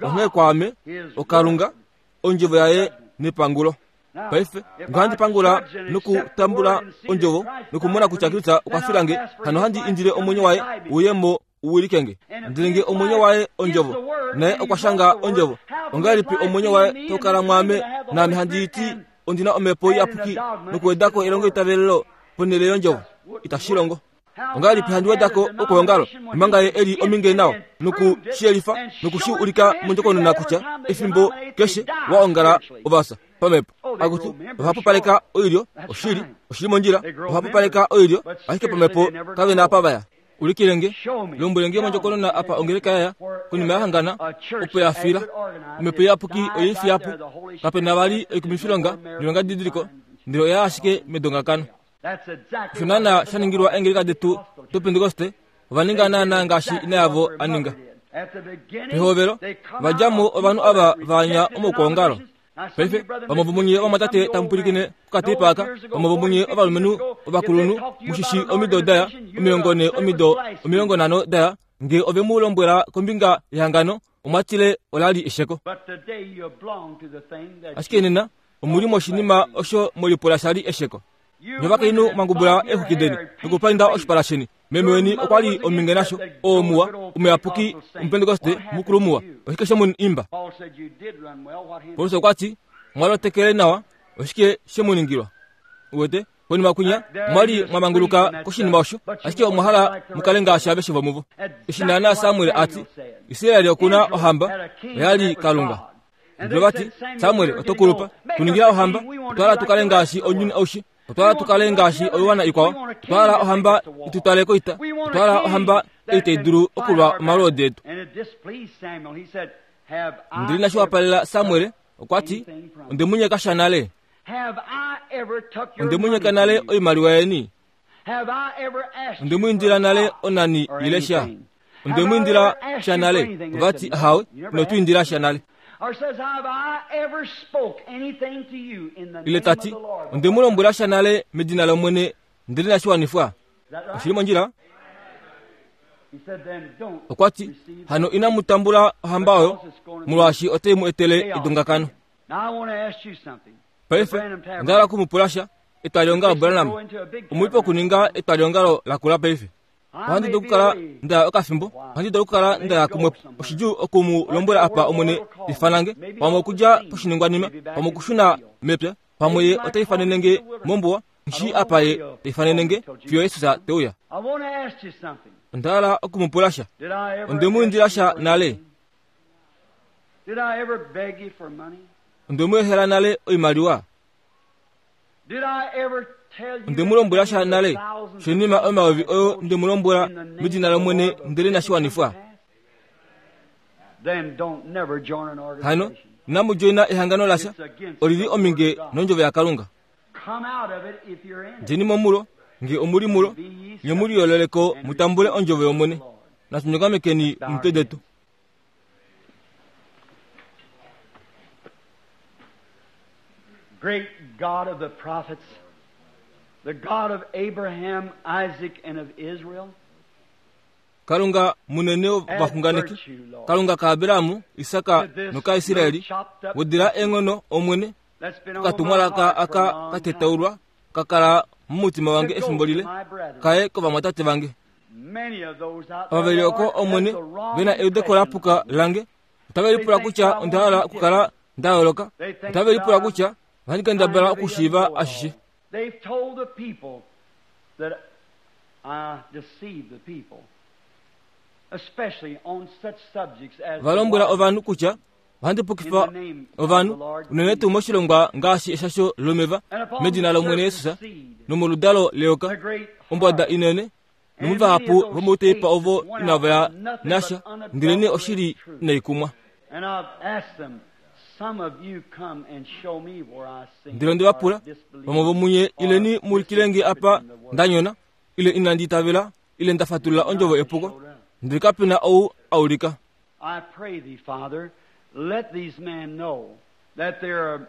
Onghee kwaame, oKalunga, ondjovo yaye nepangulo. Paife, nge handi pangula nokutambula ondjovo nokumona kutya Kristus okwa fila nge, hano handi indile omwenyo waye uye mo u wilike nge. Ndele nge omwenyo waye ondjovo, naye okwa shanga ondjovo, ongahelipi omwenyo waye tau kala mwaame, naame handi ti ondi na omhepo iyapuki nokuweda ko elongoitavelelo ponhele yondjovo? Itashi longo. Ongahelipi handi weda ko okweongalo omanga ye e li ominge nawa noku shi yelifa noku shi ulika mondjokonona kutya efimbo keshe wa ongala ovasa pamhepo akutu ohapupaleka oilyo oshili oshili mondjila ohapupaleka oilyo ashike pamhepo kave na apa vaya ulikile nge lombwele nge mondjokonona apa ongeleka yaya konima ya hangana opo ya fila omhepo iyapuki oye fiya po kape na vali oikumifilonga noilongadidiliko ndele oya ashike medongakano Osho naana sha ningilwa eengeleka detu dopentekoste, ova ninga naana ngaashi ina yavo a ninga. Pehovelo, va dja mo ovanhu ava va anya omaukwaongalo. Paife, vamwe vomunye ovamwatate tamu pwilikine kokateipa aka, vamwe vomunye ovalumenhu ovakulunhu, mu shi shii omido daya, 40 omido 50 daya, nge ove mu lombwela kombinga yehangano, omwa tile ola li esheko. Ashike nena, omu li moshinima osho mwe lipula sha li esheko. Novakainhu mwa ngubula eexwiki deni nokupainda oshipala sheni. Meme weni okwa li ominge nasho, oo muwa, omuyapuki, omupentekoste mukulu muwa. Oshike she mu imba? Paulus okwa ti, Mwa lotekele nawa, oshike she mu ningilwa? Uwete? Konima kwinya, mwa li mwa manguluka koshinima osho, ashike omwa hala mu kale ngaashi aveshe vomuvo. Eshi naanaa Samuel a ti, Israel oku na ohamba, oya li Kalunga. Ndele va ti, Samuel, oto kulupa. Tu ningila ohamba. Otwa hala tu kale ngaashi ounyuni aushe. Otwa hala tu kale ngaashi oiwana ikwao. Otwa hala ohamba i tu twale koita. Otwa hala ohamba ei tai dulu okulwa omalwoodi etu. Ndele inashi wapalela Samuel, okwa ti, Onde mu nyeka sha nale? Onde mu nyeka nale oimaliwa yeni? Onde mu indila nale onani ile sha? Onde mu indila sha nale? Ova ti, Ahawe, ino tu indila sha nale. Ile ta ti, Onde mu lombwela sha nale medina lOmwene ndele inashi wanifwa? Oshi li mondjila? Okwa ti, Hano inamu tambula ohamba oyo, molwaashi otai mu etele edongakano. Paife, onda hala oku mu pula sha. Etwaliongalo Branham, omu li pokuninga etwaliongalo lakula paife. Ohandi dulu okukala nda ya okafimbo, ohandi dulu okukala nda ya kumwe. Oshidjuu oku mu lombwela apa Omwene ta ifana nge, pamwe okudja poshiningwanima, pamwe okushuna mepya, pamwe Ye ota ifanene nge mombuwa, nghi apa Ye ta ifanene nge fiyo Jesus te uya. Onda hala oku mu pula sha. Onde mu indila sha nale? Onde mu ehela nale oimaliwa? Onde mu lombwela sha nale shoinima omayovi oyo nde mu lombwela medina lOmwene ndele inashi wanifwa? Hano inamu djoina ehangano lasha, oli li ominge nondjovo yaKalunga. Djeni mo mulo, nge omu li mulo, nye mu liyoolole ko mu tambule ondjovo yOmwene. Natu nyongamekeni omitwe detu. Great God of the prophets, the God of Abraham, Isaac, and of Israel. Kalunga munene wovaxunganeki, Kalunga kaAbraham, Isak nokaIsraeli, wedila eenghono Omwene, okatumwalaka aka ka tetaulwa ka kala momutima wange efimbo lile, kaye kovamwatate vange. Ava ve li oko, Omwene, ve na eudeko la puka lange, otave lipula kutya onda hala okukala nda yooloka. Otave lipula kutya ohandi kendabala okushiiva ashishe. Va lombwela ovanhu kutya ohandi pukifa ovanhu, unene tuu moshilongwa ngaashi eshasho lomeva medina lOmwene Jesus nomoludalo leyoka, ombwada inene, nomuvahapu vomouteipa ovo inava ya nasha, ndelenee oshili inai kumwa. Ndele onde va pula, vamwe vomunye ileni mu ulikile nge apa nda nyona, ile inandi itavela, ile nda fatulula ondjovo epuko, ndele kape na ou a ulika. I pray thee, Father, let these men know that they are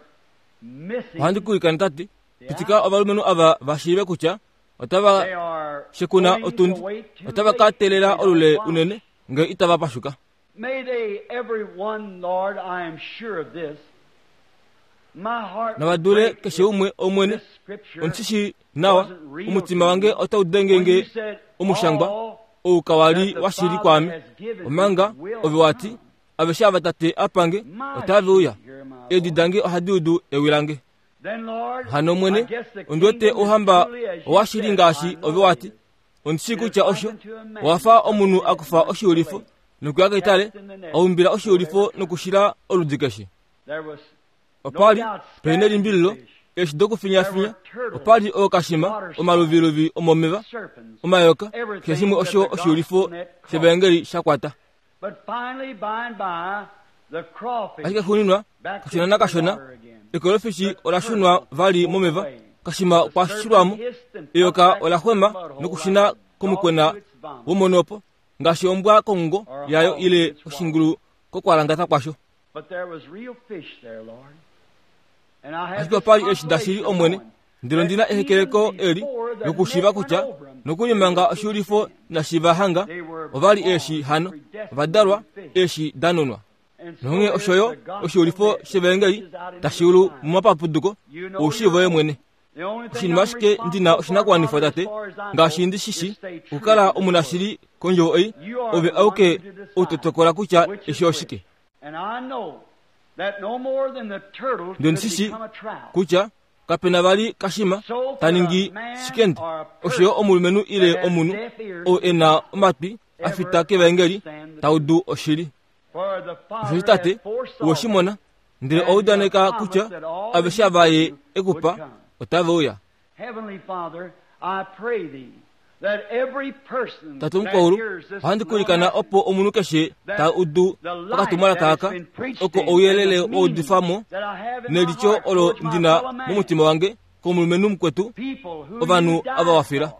missing Ohandi ku ilikana Tate, pitika ovalumenhu ava va shiive kutya otava They are shekuna going to otundi, wait too otava ka late teelela if they olule don't unene ngee itava pashuka. May they, every one, Lord, I am sure of this. My heart Nava would dule break keshe if umwe Omwene, this scripture ondi shi shii nawa, wasn't real omutima to wange me. otau denge When you nge said, omushangwa all ou kawa li that the wa shili Father kwaame, has given me omanga will ove wa ti, come. aveshe ava Tate a pa nge, My otave uya. sheep hear my Eedi voice. dange ohadi udu ewi lange. Then, Lord, Hano I Omwene, guess the ondi wete kingdom is ouhamba truly as you owa shili said, ngaashi I know ove wa it ti. is. Ondi shii It is kutya like osho, unto a man owa fa who omunhu took a kufa the net oshiulifo lake, nokuya keitale, cast in the net, a umbila no oshiulifo ever come. nokushila oludi keshe. There was no Opa li doubt pe scattered nelimbililo, fish, eeshi there dokufinyafinya, were turtles, opa li ookashima, water omaluviluvi omomeva, serpents, omayoka, keshe everything shimwe that osho the oshiulifo gospel net caught. shevaengeli sha kwata. But finally, by and by, the crawfish Ashike xuuninwa, back kashona into the nakashona, water again. ekolofishi The ola shunwa turtle vali moved momeva, away. kashima The okwa serpent shilwamo, hissed and eyoka popped back ola into the xwema mud hole like nokushuna a dog komukwena to its vomit womonopo, ngaashi ombwa kongongo or a yayo hog to ile its wallow. oshingulu kokwalangata kwasho. But there was real fish there, Lord. And I have Ashike this opa li eeshi dashili consolation Omwene, knowing ndele that ondi na even ehekeleko eli before the lokushiiva net went kutya over 'em, nokuli they manga were fish oshiulifo then. inashi va hanga, They were ova li born eeshi hano, predestined ova to dalwa be fish. eeshi da nunwa. And so Nonghee is osho yo the gospel oshiulifo net that shevaengeli reaches out into tashi the ulu time. momapapuduko You know oushiivo your ye own. mwene. The only thing Oshinima I'm ashike ndi na responsible for, oshinakuwanifwa Father, as Tate, far as I ngaashi know, ndi shi is shi, stay true okukala to this word. omunashili kondjovo ei, You are ove the one auke who to ou to decide tokola kutya which eshi is which. oshike. And I know that no more than the turtle Ndele could ondi shi shii become a trout. kutya kape na vali kashima So ta could a ningi man shikende, or a osho yo person omulumenhu that ile has omunhu deaf ears ou e na omatwi a ever fita kevaengeli understand the ta truth. udu oshili. For the Osheshi Father Tate, hath foresaw owe shi them, mona, ndele owa and he udaneka hath kutya promised that all that aveshe he ava ye gave e ku would pa come. otave uya. Heavenly Father, I pray thee that every person Tate that omukwaulu, hears this ohandi little kulikana message, opo omunhu keshe ta that udu the light okatumwalaka that has aka, been preached oko in and ouyelele the wa meaning udifwa mo, that I have in my nelityo heart olo towards my ndi na fellow man, momutima wange komulumenhu mukwetu, people who ovanhu you ava died wa fila. for,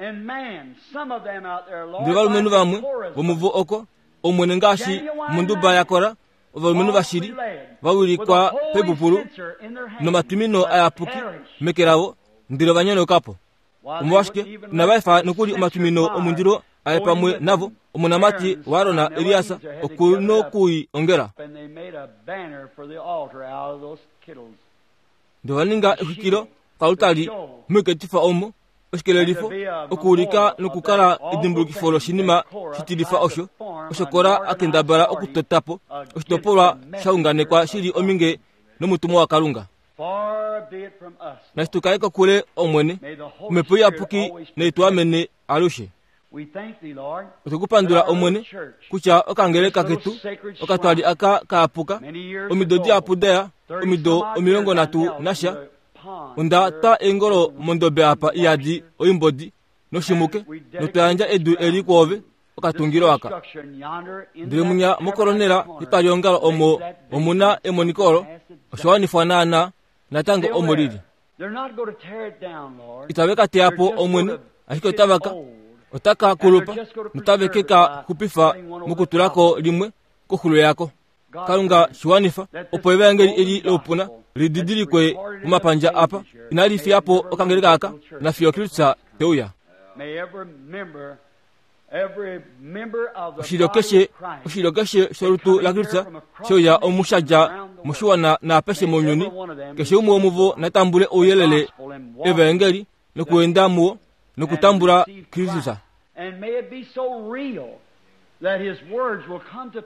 and man, some of them out there, Lord, Ndele ovalumenhu like vamwe Korah's vomuvo oko, Omwene ngaashi genuine monduba man, yakora, ovalumenhu falsely vashili led, va with a wilikwa holy pepupulu censer in their hand, nomatwimino but ayapuki perished. meke lavo, ndele ova nyonoka po. Why, they Omolwashike wouldn't even inava let efa the nokuli censer omatwimino fire omundilo aye go in pamwe with navo, them. omonamati Aaron's waAron son Eliasa Eleazar had to oku gather it up, nokui ongela. and they made a banner for the altar out of those kittles Ndele ova ninga to exwikilo shield, to kalutali show moiketifa omo, oshikelelifo okuulika nokukala edimbulukifo loshinima shitilifa osho osho Kora a kendabala okutota po oshitopolwa sha unganekwa shi li ominge nomutumwa waKalunga. Nashi tu kale kokule, Omwene, Omhepo Iyapuki nai tu amene alushe. Otwe ku pandula, Omwene, kutya okangeleka ketu okatwali aka kaapuka omido dihapu da ya, omido 30 nasha, Onda twa eengolo mondobe apa iyadi oimbodi noshimuke, notwa yandja edu eli kwoove, okatungilo aka. Ndele munya mokolonela yetwaliongalo omo omu na emoniko olo, osha wanifwa naanaa, natango omo li li. Itave ka teya po Omwene, ashike otava ka, ota ka kulupa, notave ke ka xupifa mokutula ko limwe koxulo yako. Kalunga shi wanifa opo evaengeli eli loupuna li didilikwe momapandja apa inali fiya po okangeleka aka nafiyo Kristus te uya. Oshilyo keshe, oshilyo keshe sholutu laKristus she uya omu sha dja moshiwana naapeshe mounyuni, keshe umwe womuvo na tambule ouyelele evaengeli nokuenda muwo nokutambula Kristus.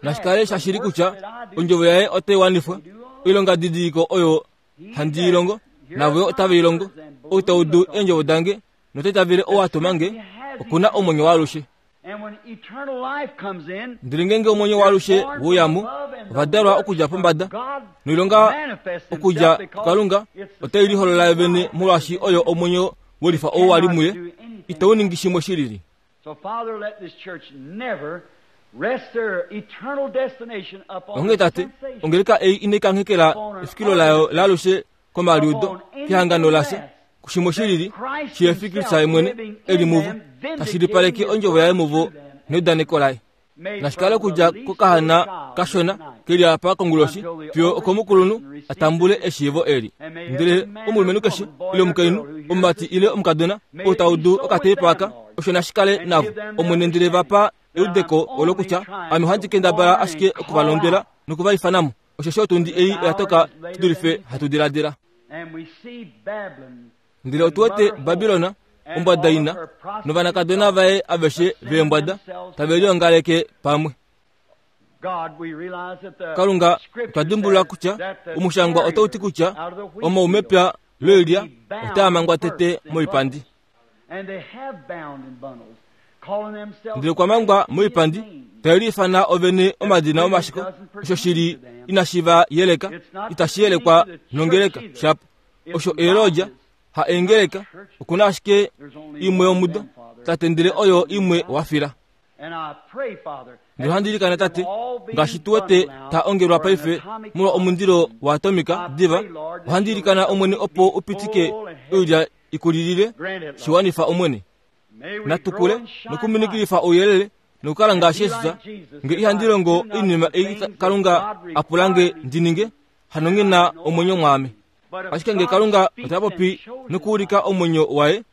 Nashi kale shashili kutya ondjovo yaye otai wanifwa, oilongadidiliko oyo handi i longo, navo yo otave i longo. Ou ta udu eendjovo dange nota itavele ou a tuma nge, oku na omwenyo waalushe. Ndele ngeenge omwenyo waalushe we uya mo, ova dalwa okudja pombada, noilonga okudja kuKalunga otai liholola yo vene molwaashi oyo omwenyo welifa ou wa li muye, itau ningi shimwe shi lili. Onghee Tate, ongeleka ei inai kanghekela efikilo layo laalushe komaliudo, kehangano lasha, kushimwe shi lili, shihe fi Kristus mwene e li muvo, ta shilipaleke ondjovo yaye muvo neudaneko laye. Nashi kale okudja kokahana kashona ke li apa konguloshi fiyo okomukulunhu a tambule eshiivo eli. Ndele omulumenhu keshe ile omukainhu, omumati ile omukadona, ou ta udu okateipa aka, osho nashi kale navo, Omwene, ndele va pa eudeko olo kutya ame ohandi kendabala ashike oku va londwela noku va ifana mo, osheshi otundi ei oya toka shi dulife hatu diladila. Ndele otu wete Babilon, ombwada ina, novanakadona vaye aveshe veembwada tave liongaleke pamwe. Kalunga, otwa dimbulula kutya omushangwa otau ti kutya omaumepya loilya otaa mangwa tete moipandi. Ndele okwa mangwa moipandi, tave liifana ovene omadina omashiko, osho shi li inashi va yeleka, itashi yelekwa nongeleka shapo. Osho eelodja, ha eengeleka, oku na ashike imwe yomudo, Tate, ndele oyo imwe wa fila. Ndele ohandi ilikana, Tate, ngaashi tu wete ta ongelwa paife molwa omundilo waatomika diva, ohandi ilikana, Omwene, opo u pitike oilya i kulilile, shi wanifa, Omwene. Natu kule nokuminikilifa ouyelele nokukala ngaashi Jesus. Nge ihandi longo oinima ei Kalunga a pula nge ndi ninge, hano nghi na omwenyo mwaame. Ashike nge Kalunga ota popi nokuulika omwenyo waye,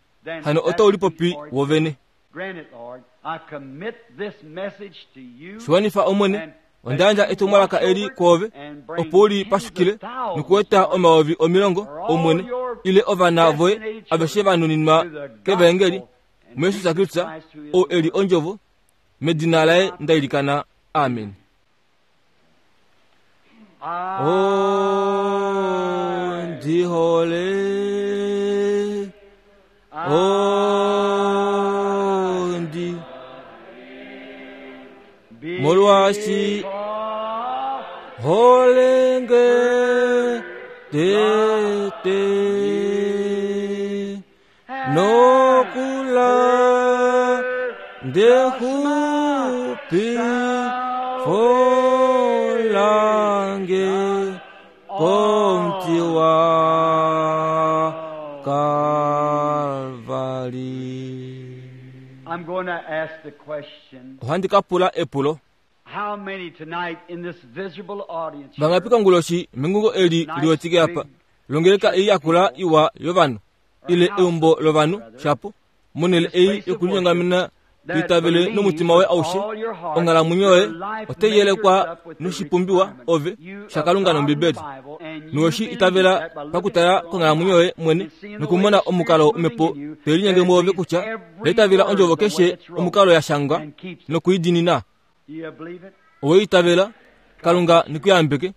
hano otau lipopi wovene. Shiwanifa Omwene, onda yandja etumwalaka eli kwoove, opo u li pashukile nokueta 100,000, Omwene, ile ovana voye aveshe va nuninwa kevaengeli, muJesus Kristus, ou e li Ondjovo, medina laye nda ilikana. Amen. Oh, ndi hole. Oh, ndi molwaashi holenge tete nokula ndexupi folange komuti wa Kalvari. I'm going to ask the question. Ohandi ka pula epulo. How many tonight in this visible audience Vangapi konguloshi mengungo eli liwetike apa longeleka ei yakula iwa yovanhu ile eumbo lovanhu shapo monhele ei yokulinyongamena To itavele nomutima woye aushe, onghalamwenyo yoye otai yelekwa noshipumbiwa ove shaKalunga nOmbibeli. Nowe shi itavela pakutala konghalamwenyo yoye mwene nokumona omukalo omhepo tai linyenge mwoove kutya oya itavela ondjovo keshe omukalo ya shangwa nokuidinina. Owe itavela? Kalunga neku yambeke.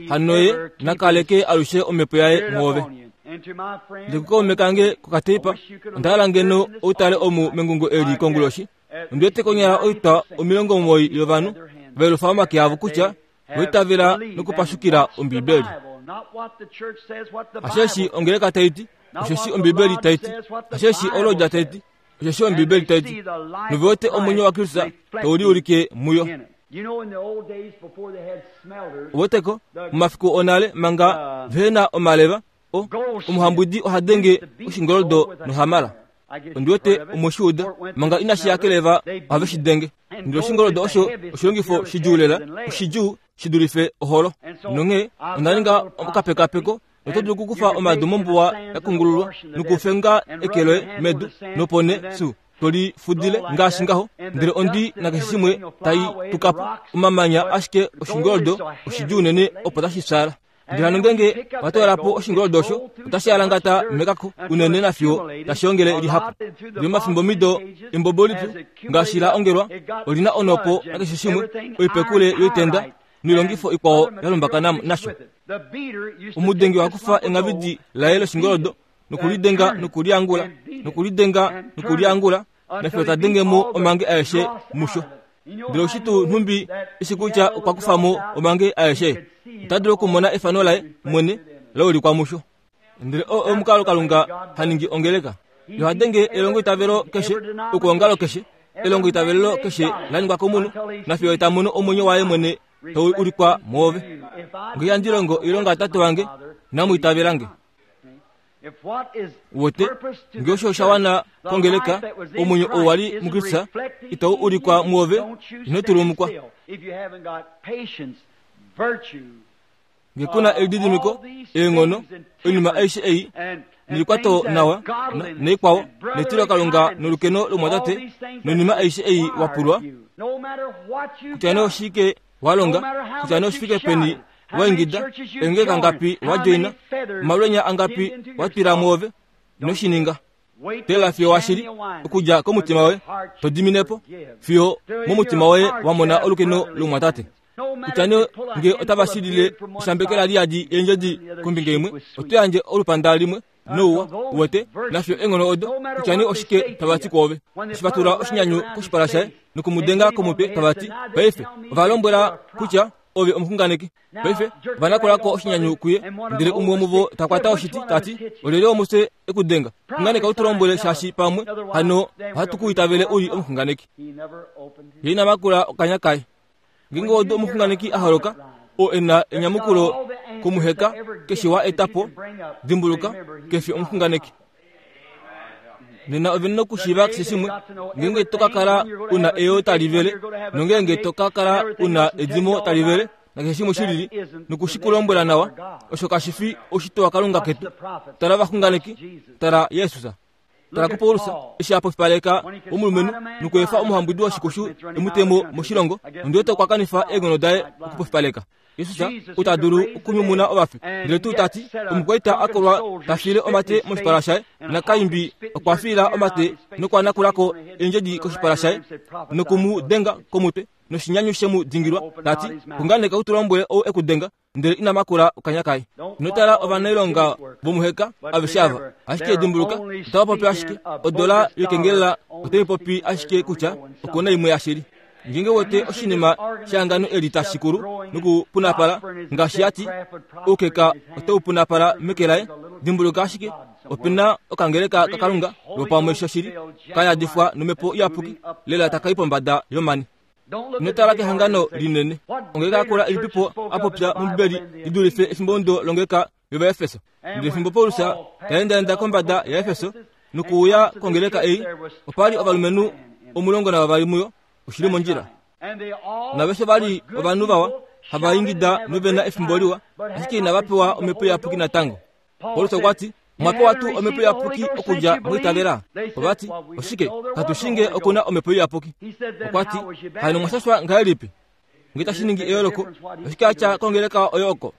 Hano ye na kaleke alushe omhepo yaye mwoove. Ndele kukaume kange kokateipa, onda hala ngeno ou tale omu mengungo eli konguloshi. Ondi wete konyala oitwa 90 yovanhu va yelufa omake avo kutya va itavela nokupashukila Ombibeli. Hasheshi ongeleka tai ti, osheshi Ombibeli tai ti, hasheshi olodja tai ti, osheshi Ombibeli tai ti, nove wete omwenyo waKristus tau liulike muyo. Uweteko, momafiku onale manga vehe na omaleva, o, omuhambwidi oha denge oshingoldo nohamala. Ondi wete omwe shi uda, manga inashi ya keleva ohave shi denge. Ndele oshingoldo osho oshilongifo shidjuu lela, oshidjuu shi dulife oholo. Nonghee onda ninga okapekapeko Oto dulu okukufa omadu mombuwa ya kungululwa nokufenga eke loye medu, nopo nee su to li fudile ngaashi ngaho, ndele ondi na keshe shimwe tai tuka po, omamanya ashike oshingoldo oshidjuu unene opo tashi fyaala. Ndele hano ngeenge owa toola po oshingoldo osho, otashi alangata mekako unene nafiyo tashi ongele lihapu. Ndele omafimbomido embobo lipyu ngaashi la ongelwa oli na onhopo nakeshe shimwe, oipekule yoitenda noilongifo ikwao ya lumbakana nasho. Omudengi oha kufa engavidi laye loshingoldo nokulidenga nokuliangula nokulidenga nokuliangula nafiyo ta denge mo omange aeshe musho. Ndele oshi tuu nhumbi eshi kutya okwa kufa mo omange aeshe, ota dulu okumona efano laye mwene la ulikwa musho. Ndele oo omukalo Kalunga ha ningi ongeleka. Ye oha denge elongoitavelo keshe, okwoongalo keshe, elongoitavelelo keshe la ningwa komunhu, nafiyo ye ta mono omwenyo waye mwene tau ulikwa mwoove. Nge ihandi longo oilonga yaTate wange, inamu itavela nge. Uwete, nge osho osha wana kongeleka, omwenyo oo wa li muKristus itau ulikwa mwoove, ino tulumukwa. Nge ku na elididimiko, eenghono, oinima aishe ei, nelikwato nawa, naikwao, netilokalunga nolukeno lomwatate, noinima aishe ei wa pulwa, kutya nee oshike wa longa, kutya nee oshifike peni wa ingida, eengeleka ngapi wa djoina, omalwenya angapi wa twila mwoove, ino shi ninga. Tela fiyo washili okudja komutima woye to dimine po, fiyo momutima woye wa mona olukeno lomwatate. Kutya nee nge otava shilile eshambekela li yadi eendjodi kombinga imwe, oto yandje olupanda limwe nouwa, uwete, nafiyo eenghono odo, kutya nee oshike tava ti kwoove. Eshi va tula oshinyanyu koshipala shaye noku mu denga komutwe tava ti, Paife, ova lombwela kutya ove omuxunganeki. Paife ova nakula ko oshinyanyu kuye, ndele umwe womuvo ta kwata oshiti ta ti, Olyelye womufye e ku denga? Xunganeka u tu lombwele, shaashi pamwe hano ohatu ku itavele u li omuxunganeki. Ye ina makula okanya kaye. Ngeenge odo omuxunganeki a holoka, oo e na enyamukulo komuheka keshe wa eta po, dimbuluka, ke fi omuxunganeki. Nena ove na okushiiva keshe shimwe, ngeenge to ka kala u na eyoo tali vele, nongeenge to ka kala u na edimo tali vele, nakeshe shimwe shi lili, noku shi ku lombwela nawa, osho kashi fi oshitwe waKalunga ketu. Tala ovaxunganeki, tala Jesus. Tala kuPaulus, eshi a pofipaleka omulumenhu nokuefa omuhambwidi woshikushu e mu te mo moshilongo, ondi wete okwa kanifa eenghono daye okupofipaleka. Jesus ou ta dulu okunyumuna ovafi, ndele tuu ta ti, omukwaita a kolwa ta fiile omate moshipala shaye, nakaimbi okwa fiila omate nokwa nakula ko eendjedi koshipala shaye noku mu denga komutwe noshinyanyu she mu dingilwa, ta ti, Xunganeka u tu lombwele ou e ku denga, ndele ina makula okanya kaye. Ino tala ovanailonga vomuheka aveshe ava, ashike dimbuluka, otava popi ashike odola yokengelela otai popi ashike kutya oku na imwe yashili. Ngeenge wete oshinima shehangano eli tashi kulu nokupunapala, ngaashi ya ti, oukeka otau punapala meke laye, dimbuluka ashike, ope na okangeleka kaKalunga lwopamwe shoshili, ka yadifwa nomhepo iyapuki, lela taka i pombada yomani. Ino tala kehangano linene. Ongeleka yakula ilipipo a popya mOmbibeli li dulife efimbomudo longeleka yOvaefeso? Ndele fimbo Paulus ta endaenda kombada yaEfeso nokuuya kongeleka ei, opa li ovalumenhu 12 muyo, oshi li mondjila. Naveshe va li ovanhu vawa, hava ingida nove na efimbo liwa, ashike inava pewa omhepo iyapuki natango. Paulus okwa ti, Omwa pewa tuu Omhepo Iyapuki okudja mwiitavela? Ova ti, Oshike, katu shii nge oku na Omhepo Iyapuki. Okwa ti, Hano omwa shashwa ngahelipi? Nge tashi ningi eyooloko, oshike a tya kongeleka oyo oko?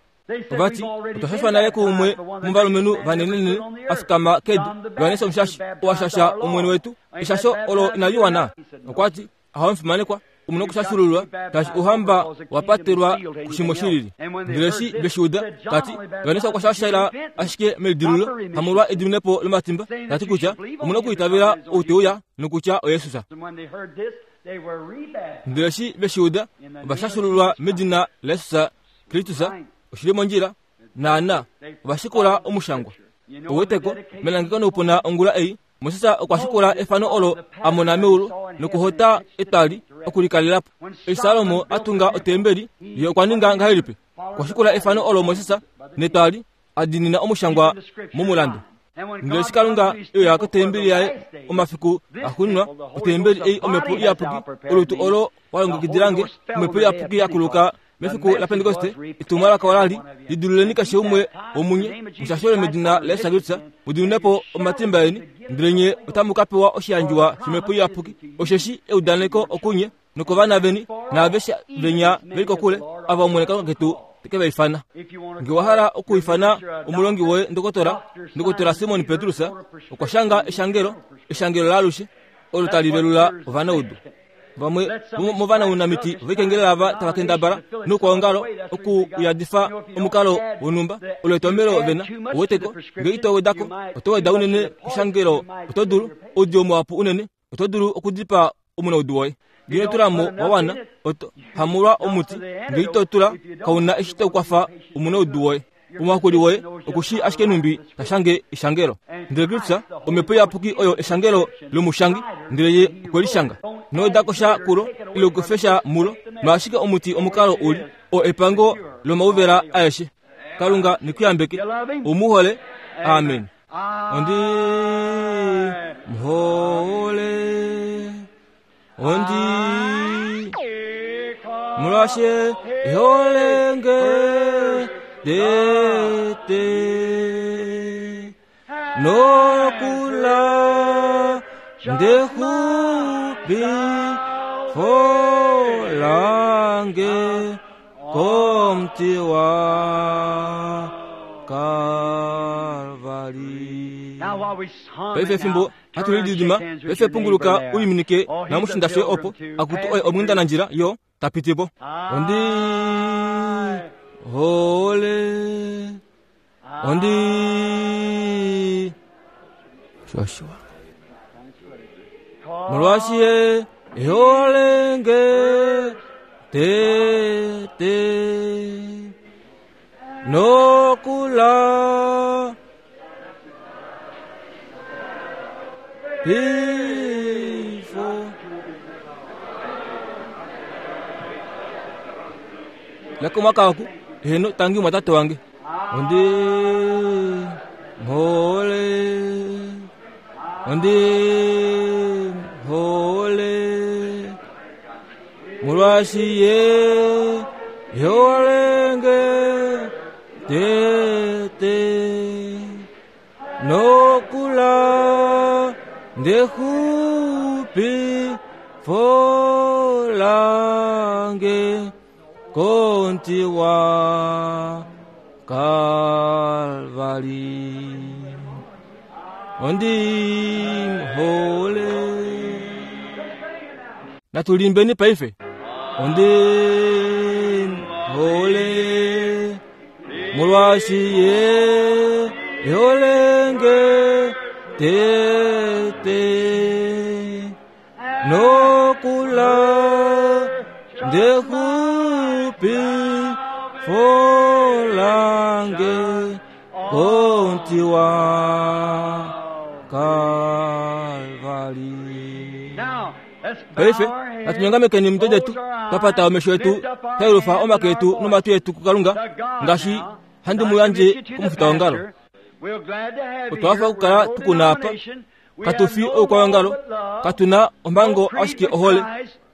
Ova ti, Otwa shashwa nale kuumwe womovalumenhu vanenenene a fikama kedu, Johannes Omushashi, oo a shasha Omwene wetu. Eshasho olo inali wana. Okwa ti, Ahowe omufimanekwa, omu na okushashululwa shaashi ouhamba wa patelwa kushimwe shi lili. Ndele eshi ve shi uda, ta ti, Johannes okwa shashela ashike melidilululo, hamolwa ediminepo lomatimba, ta ti kutya omu na okwiitavela ou te uya, nokutya oJesus. Ndele eshi ve shi uda, ova shashululwa medina laJesus Kristus. Oshi li mondjila, naana, ova shikula omushangwa. Ou weteko, melangeko noupuna ongula ei, Moses okwa shikula efano olo a mona meulu nokuhota etwali okulikalela po. Eshi Salomo a tunga otembeli, ye okwa ninga ngahelipi? Okwa shikula efano olo Moses netwali a diinina omushangwa momulandu. Ndele eshi Kalunga e uya kotembeli yaye omafiku axuuninwa, otembeli ei Omhepo Iyapuki, olutu olo wa longekidila nge, Omhepo Iyapuki ya kuluka Mefiku laPentekoste, etumwalaka ola li, Lidiluleni keshe umwe womunye, mushashole medina laJesus Kristus, mu dimine po omatimba eni, ndele nye otamu ka pewa oshiyandjiwa shOmhepo Iyapuki. Osheshi eudaneko okunye nokovana veni naaveshe venya ve li kokule, ava Omwene Kalunga ketu te ke va ifana. Nge wa hala okuifana omulongi woye ndokotola, ndokotola Simon Petrus okwa shanga eshangelo, eshangelo laalushe, olo tali velula ovanaudu. Vamwe vomovanamiti voikengelela ava tava kendabala noukwaongalo okuyadifa omukalo wonhumba olo etomhelo ve na. Ouweteko, nge ito weda ko, oto weda unene keshangelo, oto dulu, oudiyo muhapu unene, oto dulu okudipaa omunaudu woye. Nge ino tula mo wa wana, oto hamulwa omuti. Nge ito tula, kau na eshi tau kwafa omunaudu woye. Omuhakuli woye oku shii ashike nhumbi ta shange eshangelo. Ndele Kristus, Omhepo Iyapuki oyo eshangelo lomushangi, ndele Ye okwe li shanga. Ino weda ko sha kulo, ile ukufe sha mulo, noashike omuti omukalo u li, oo epango lomauvela aeshe. Kalunga ne ku yambeke. Ou mu hole? Amen. Ondi mu hole. Ondi molwashe iholenge tete nokula ndexupi folange komuti wa Kalvari. Paife fimbo hatu lididima paife punguluka u liminike namushinda shoye opo akutu oye omwindanandjila yo ta piti po. Ondi hole ondi Joshua molwaashi ye ehole nge tete nokula Pifo. Lekomwaka oku heno tangi mwatate wange ondi mhole ondi mhole molwaashi ye yeolenge tete nokula ndexupi folange konti wa Kalvari. Ondi hole. Natu limbeni paife. Ondi hole. Molwaashi ye eholenge tete nokula ndexupi folange konti wa Kalvari. Paife natu nyongamekeni omitwe detu, twa pata omesho etu, twa yelufa omake etu nomatwi etu kuKalunga, ngaashi handi mu yandje komufitaongalo. Otwa hafa okukala tu ku na apa. Katu fi oukwaongalo, katu na omhango ashike ohole,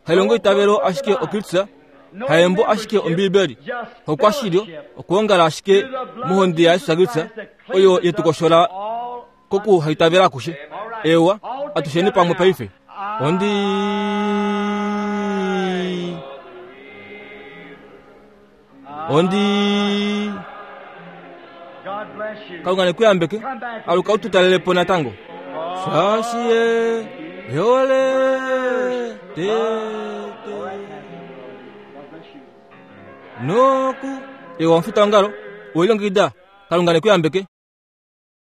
hailongo itavelo ashike oKristus, haembo ashike Ombiibeli, hokwashilyo okwoongala ashike mohonde yaJesus Kristus oyo ye tu koshola kokuhaitavela akushe. Ewa, atusheni pamwe paife. Ondi Ondi Kalunga ne ku yambeke, aluka u tu talele po natango. Shaashi ye ehole tete. Noku ewa omufitaongalo, owe lilongekida. Kalunga ne ku yambeke.